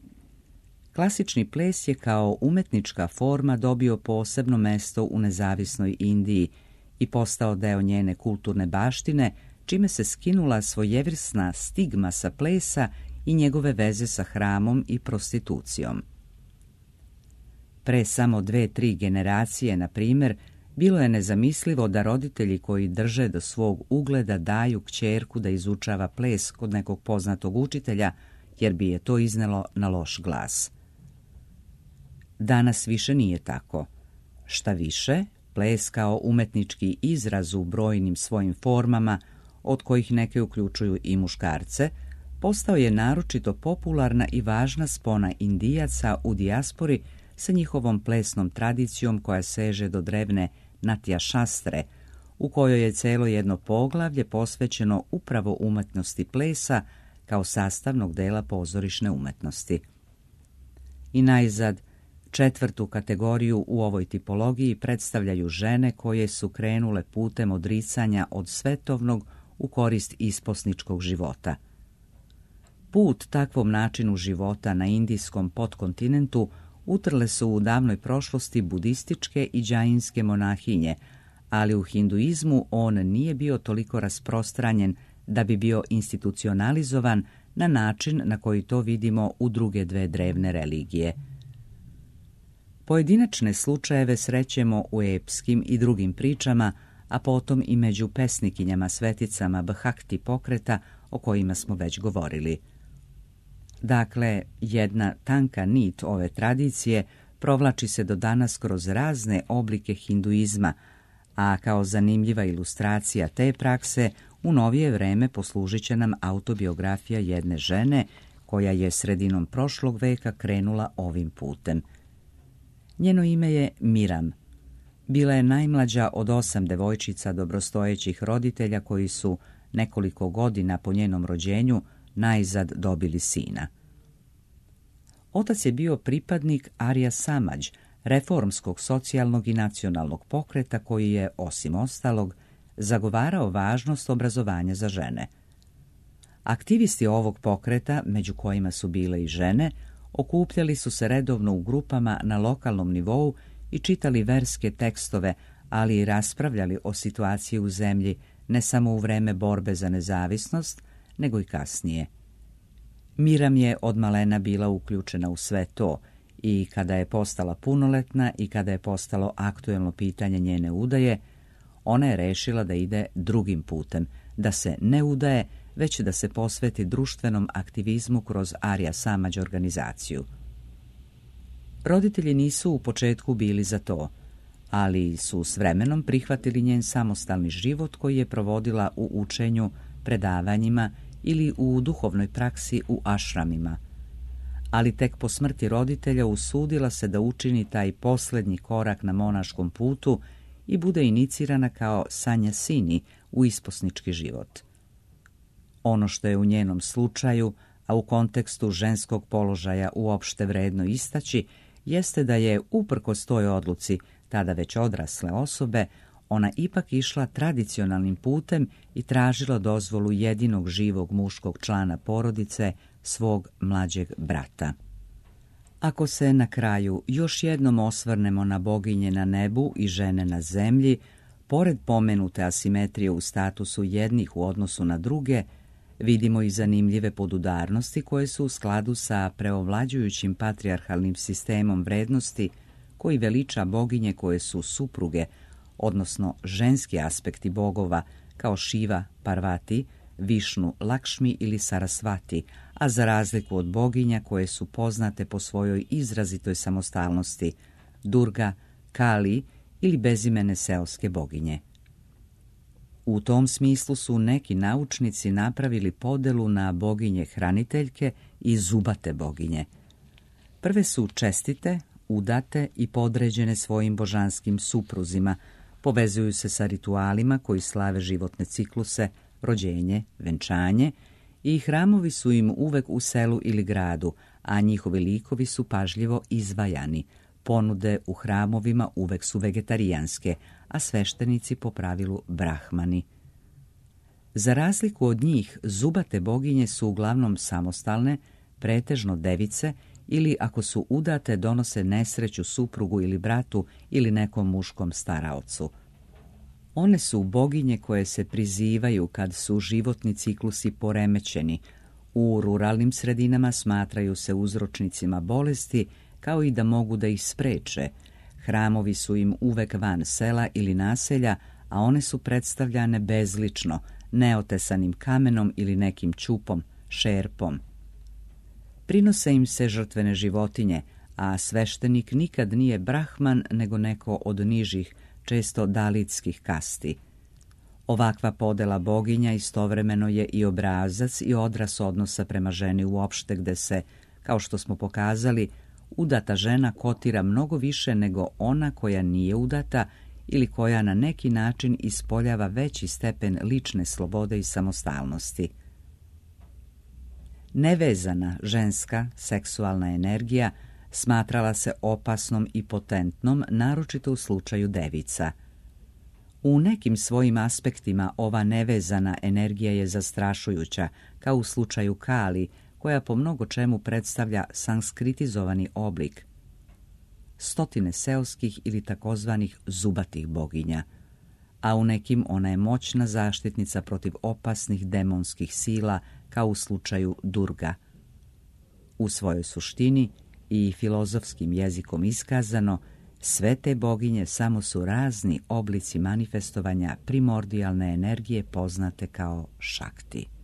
Klasični ples je kao umetnička forma dobio posebno mesto u nezavisnoj Indiji i postao deo njene kulturne baštine, čime se skinula svojevrsna stigma sa plesa i njegove veze sa hramom i prostitucijom. Pre samo dve, tri generacije, na primjer, bilo je nezamislivo da roditelji koji drže do svog ugleda daju kćerku da izučava ples kod nekog poznatog učitelja, jer bi je to iznelo na loš glas. Danas više nije tako. Šta više, ples kao umetnički izraz u brojnim svojim formama, od kojih neke uključuju i muškarce, postao je naročito popularna i važna spona Indijaca u dijaspori sa njihovom plesnom tradicijom koja seže do drevne Natya Šastre, u kojoj je celo jedno poglavlje posvećeno upravo umetnosti plesa kao sastavnog dela pozorišne umetnosti. I najzad, četvrtu kategoriju u ovoj tipologiji predstavljaju žene koje su krenule putem odricanja od svetovnog u korist isposničkog života. Put takvom načinu života na indijskom podkontinentu utrle su u davnoj prošlosti budističke i džainske monahinje, ali u hinduizmu on nije bio toliko rasprostranjen da bi bio institucionalizovan na način na koji to vidimo u druge dve drevne religije. Pojedinačne slučajeve srećemo u epskim i drugim pričama, a potom i među pesnikinjama sveticama Bhakti pokreta o kojima smo već govorili. Dakle, jedna tanka nit ove tradicije provlači se do danas kroz razne oblike hinduizma, a kao zanimljiva ilustracija te prakse u novije vreme poslužit će nam autobiografija jedne žene koja je sredinom prošlog veka krenula ovim putem. Njeno ime je Miram. Bila je najmlađa od osam devojčica dobrostojećih roditelja koji su nekoliko godina po njenom rođenju najzad dobili sina. Otac je bio pripadnik Arya Samaj, reformskog socijalnog i nacionalnog pokreta koji je, osim ostalog, zagovarao važnost obrazovanja za žene. Aktivisti ovog pokreta, među kojima su bile i žene, okupljali su se redovno u grupama na lokalnom nivou i čitali verske tekstove, ali i raspravljali o situaciji u zemlji ne samo u vreme borbe za nezavisnost, nego i kasnije. Miram je od malena bila uključena u sve to i kada je postala punoletna i kada je postalo aktuelno pitanje njene udaje, ona je rešila da ide drugim putem, da se ne udaje, već da se posveti društvenom aktivizmu kroz Arya Samaj organizaciju. Roditelji nisu u početku bili za to, ali su s vremenom prihvatili njen samostalni život koji je provodila u učenju, predavanjima ili u duhovnoj praksi u ašramima. Ali tek po smrti roditelja usudila se da učini taj posljednji korak na monaškom putu i bude inicirana kao sanjasini u isposnički život. Ono što je u njenom slučaju, a u kontekstu ženskog položaja uopšte vredno istaći, jeste da je, uprkos toj odluci, tada već odrasle osobe, ona ipak išla tradicionalnim putem i tražila dozvolu jedinog živog muškog člana porodice, svog mlađeg brata. Ako se na kraju još jednom osvrnemo na boginje na nebu i žene na zemlji, pored pomenute asimetrije u statusu jednih u odnosu na druge, vidimo i zanimljive podudarnosti koje su u skladu sa preovlađujućim patrijarhalnim sistemom vrednosti koji veliča boginje koje su supruge, odnosno ženski aspekti bogova kao Šiva, Parvati, Višnu, Lakšmi ili Sarasvati, a za razliku od boginja koje su poznate po svojoj izrazitoj samostalnosti, Durga, Kali ili bezimene seoske boginje. U tom smislu su neki naučnici napravili podelu na boginje hraniteljke i zubate boginje. Prve su čestite, udate i podređene svojim božanskim supruzima, povezuju se sa ritualima koji slave životne cikluse, rođenje, venčanje i hramovi su im uvek u selu ili gradu, a njihovi likovi su pažljivo izvajani. Ponude u hramovima uvek su vegetarijanske, a sveštenici po pravilu brahmani. Za razliku od njih, zubate boginje su uglavnom samostalne, pretežno device, ili ako su udate donose nesreću suprugu ili bratu ili nekom muškom staraocu. One su boginje koje se prizivaju kad su životni ciklusi poremećeni. U ruralnim sredinama smatraju se uzročnicima bolesti, kao i da mogu da ih spreče. Hramovi su im uvek van sela ili naselja, a one su predstavljane bezlično, neotesanim kamenom ili nekim ćupom, šerpom. Prinose im se žrtvene životinje, a sveštenik nikad nije brahman nego neko od nižih, često dalitskih kasti. Ovakva podela boginja istovremeno je i obrazac i odraz odnosa prema ženi uopšte, gde se, kao što smo pokazali, udata žena kotira mnogo više nego ona koja nije udata ili koja na neki način ispoljava veći stepen lične slobode i samostalnosti. Nevezana ženska seksualna energija smatrala se opasnom i potentnom, naročito u slučaju devica. U nekim svojim aspektima ova nevezana energija je zastrašujuća, kao u slučaju Kali, koja po mnogo čemu predstavlja sanskritizovani oblik stotine seoskih ili takozvanih zubatih boginja, a u nekim ona je moćna zaštitnica protiv opasnih demonskih sila, kao u slučaju Durga. U svojoj suštini i filozofskim jezikom iskazano, sve te boginje samo su razni oblici manifestovanja primordijalne energije poznate kao Šakti.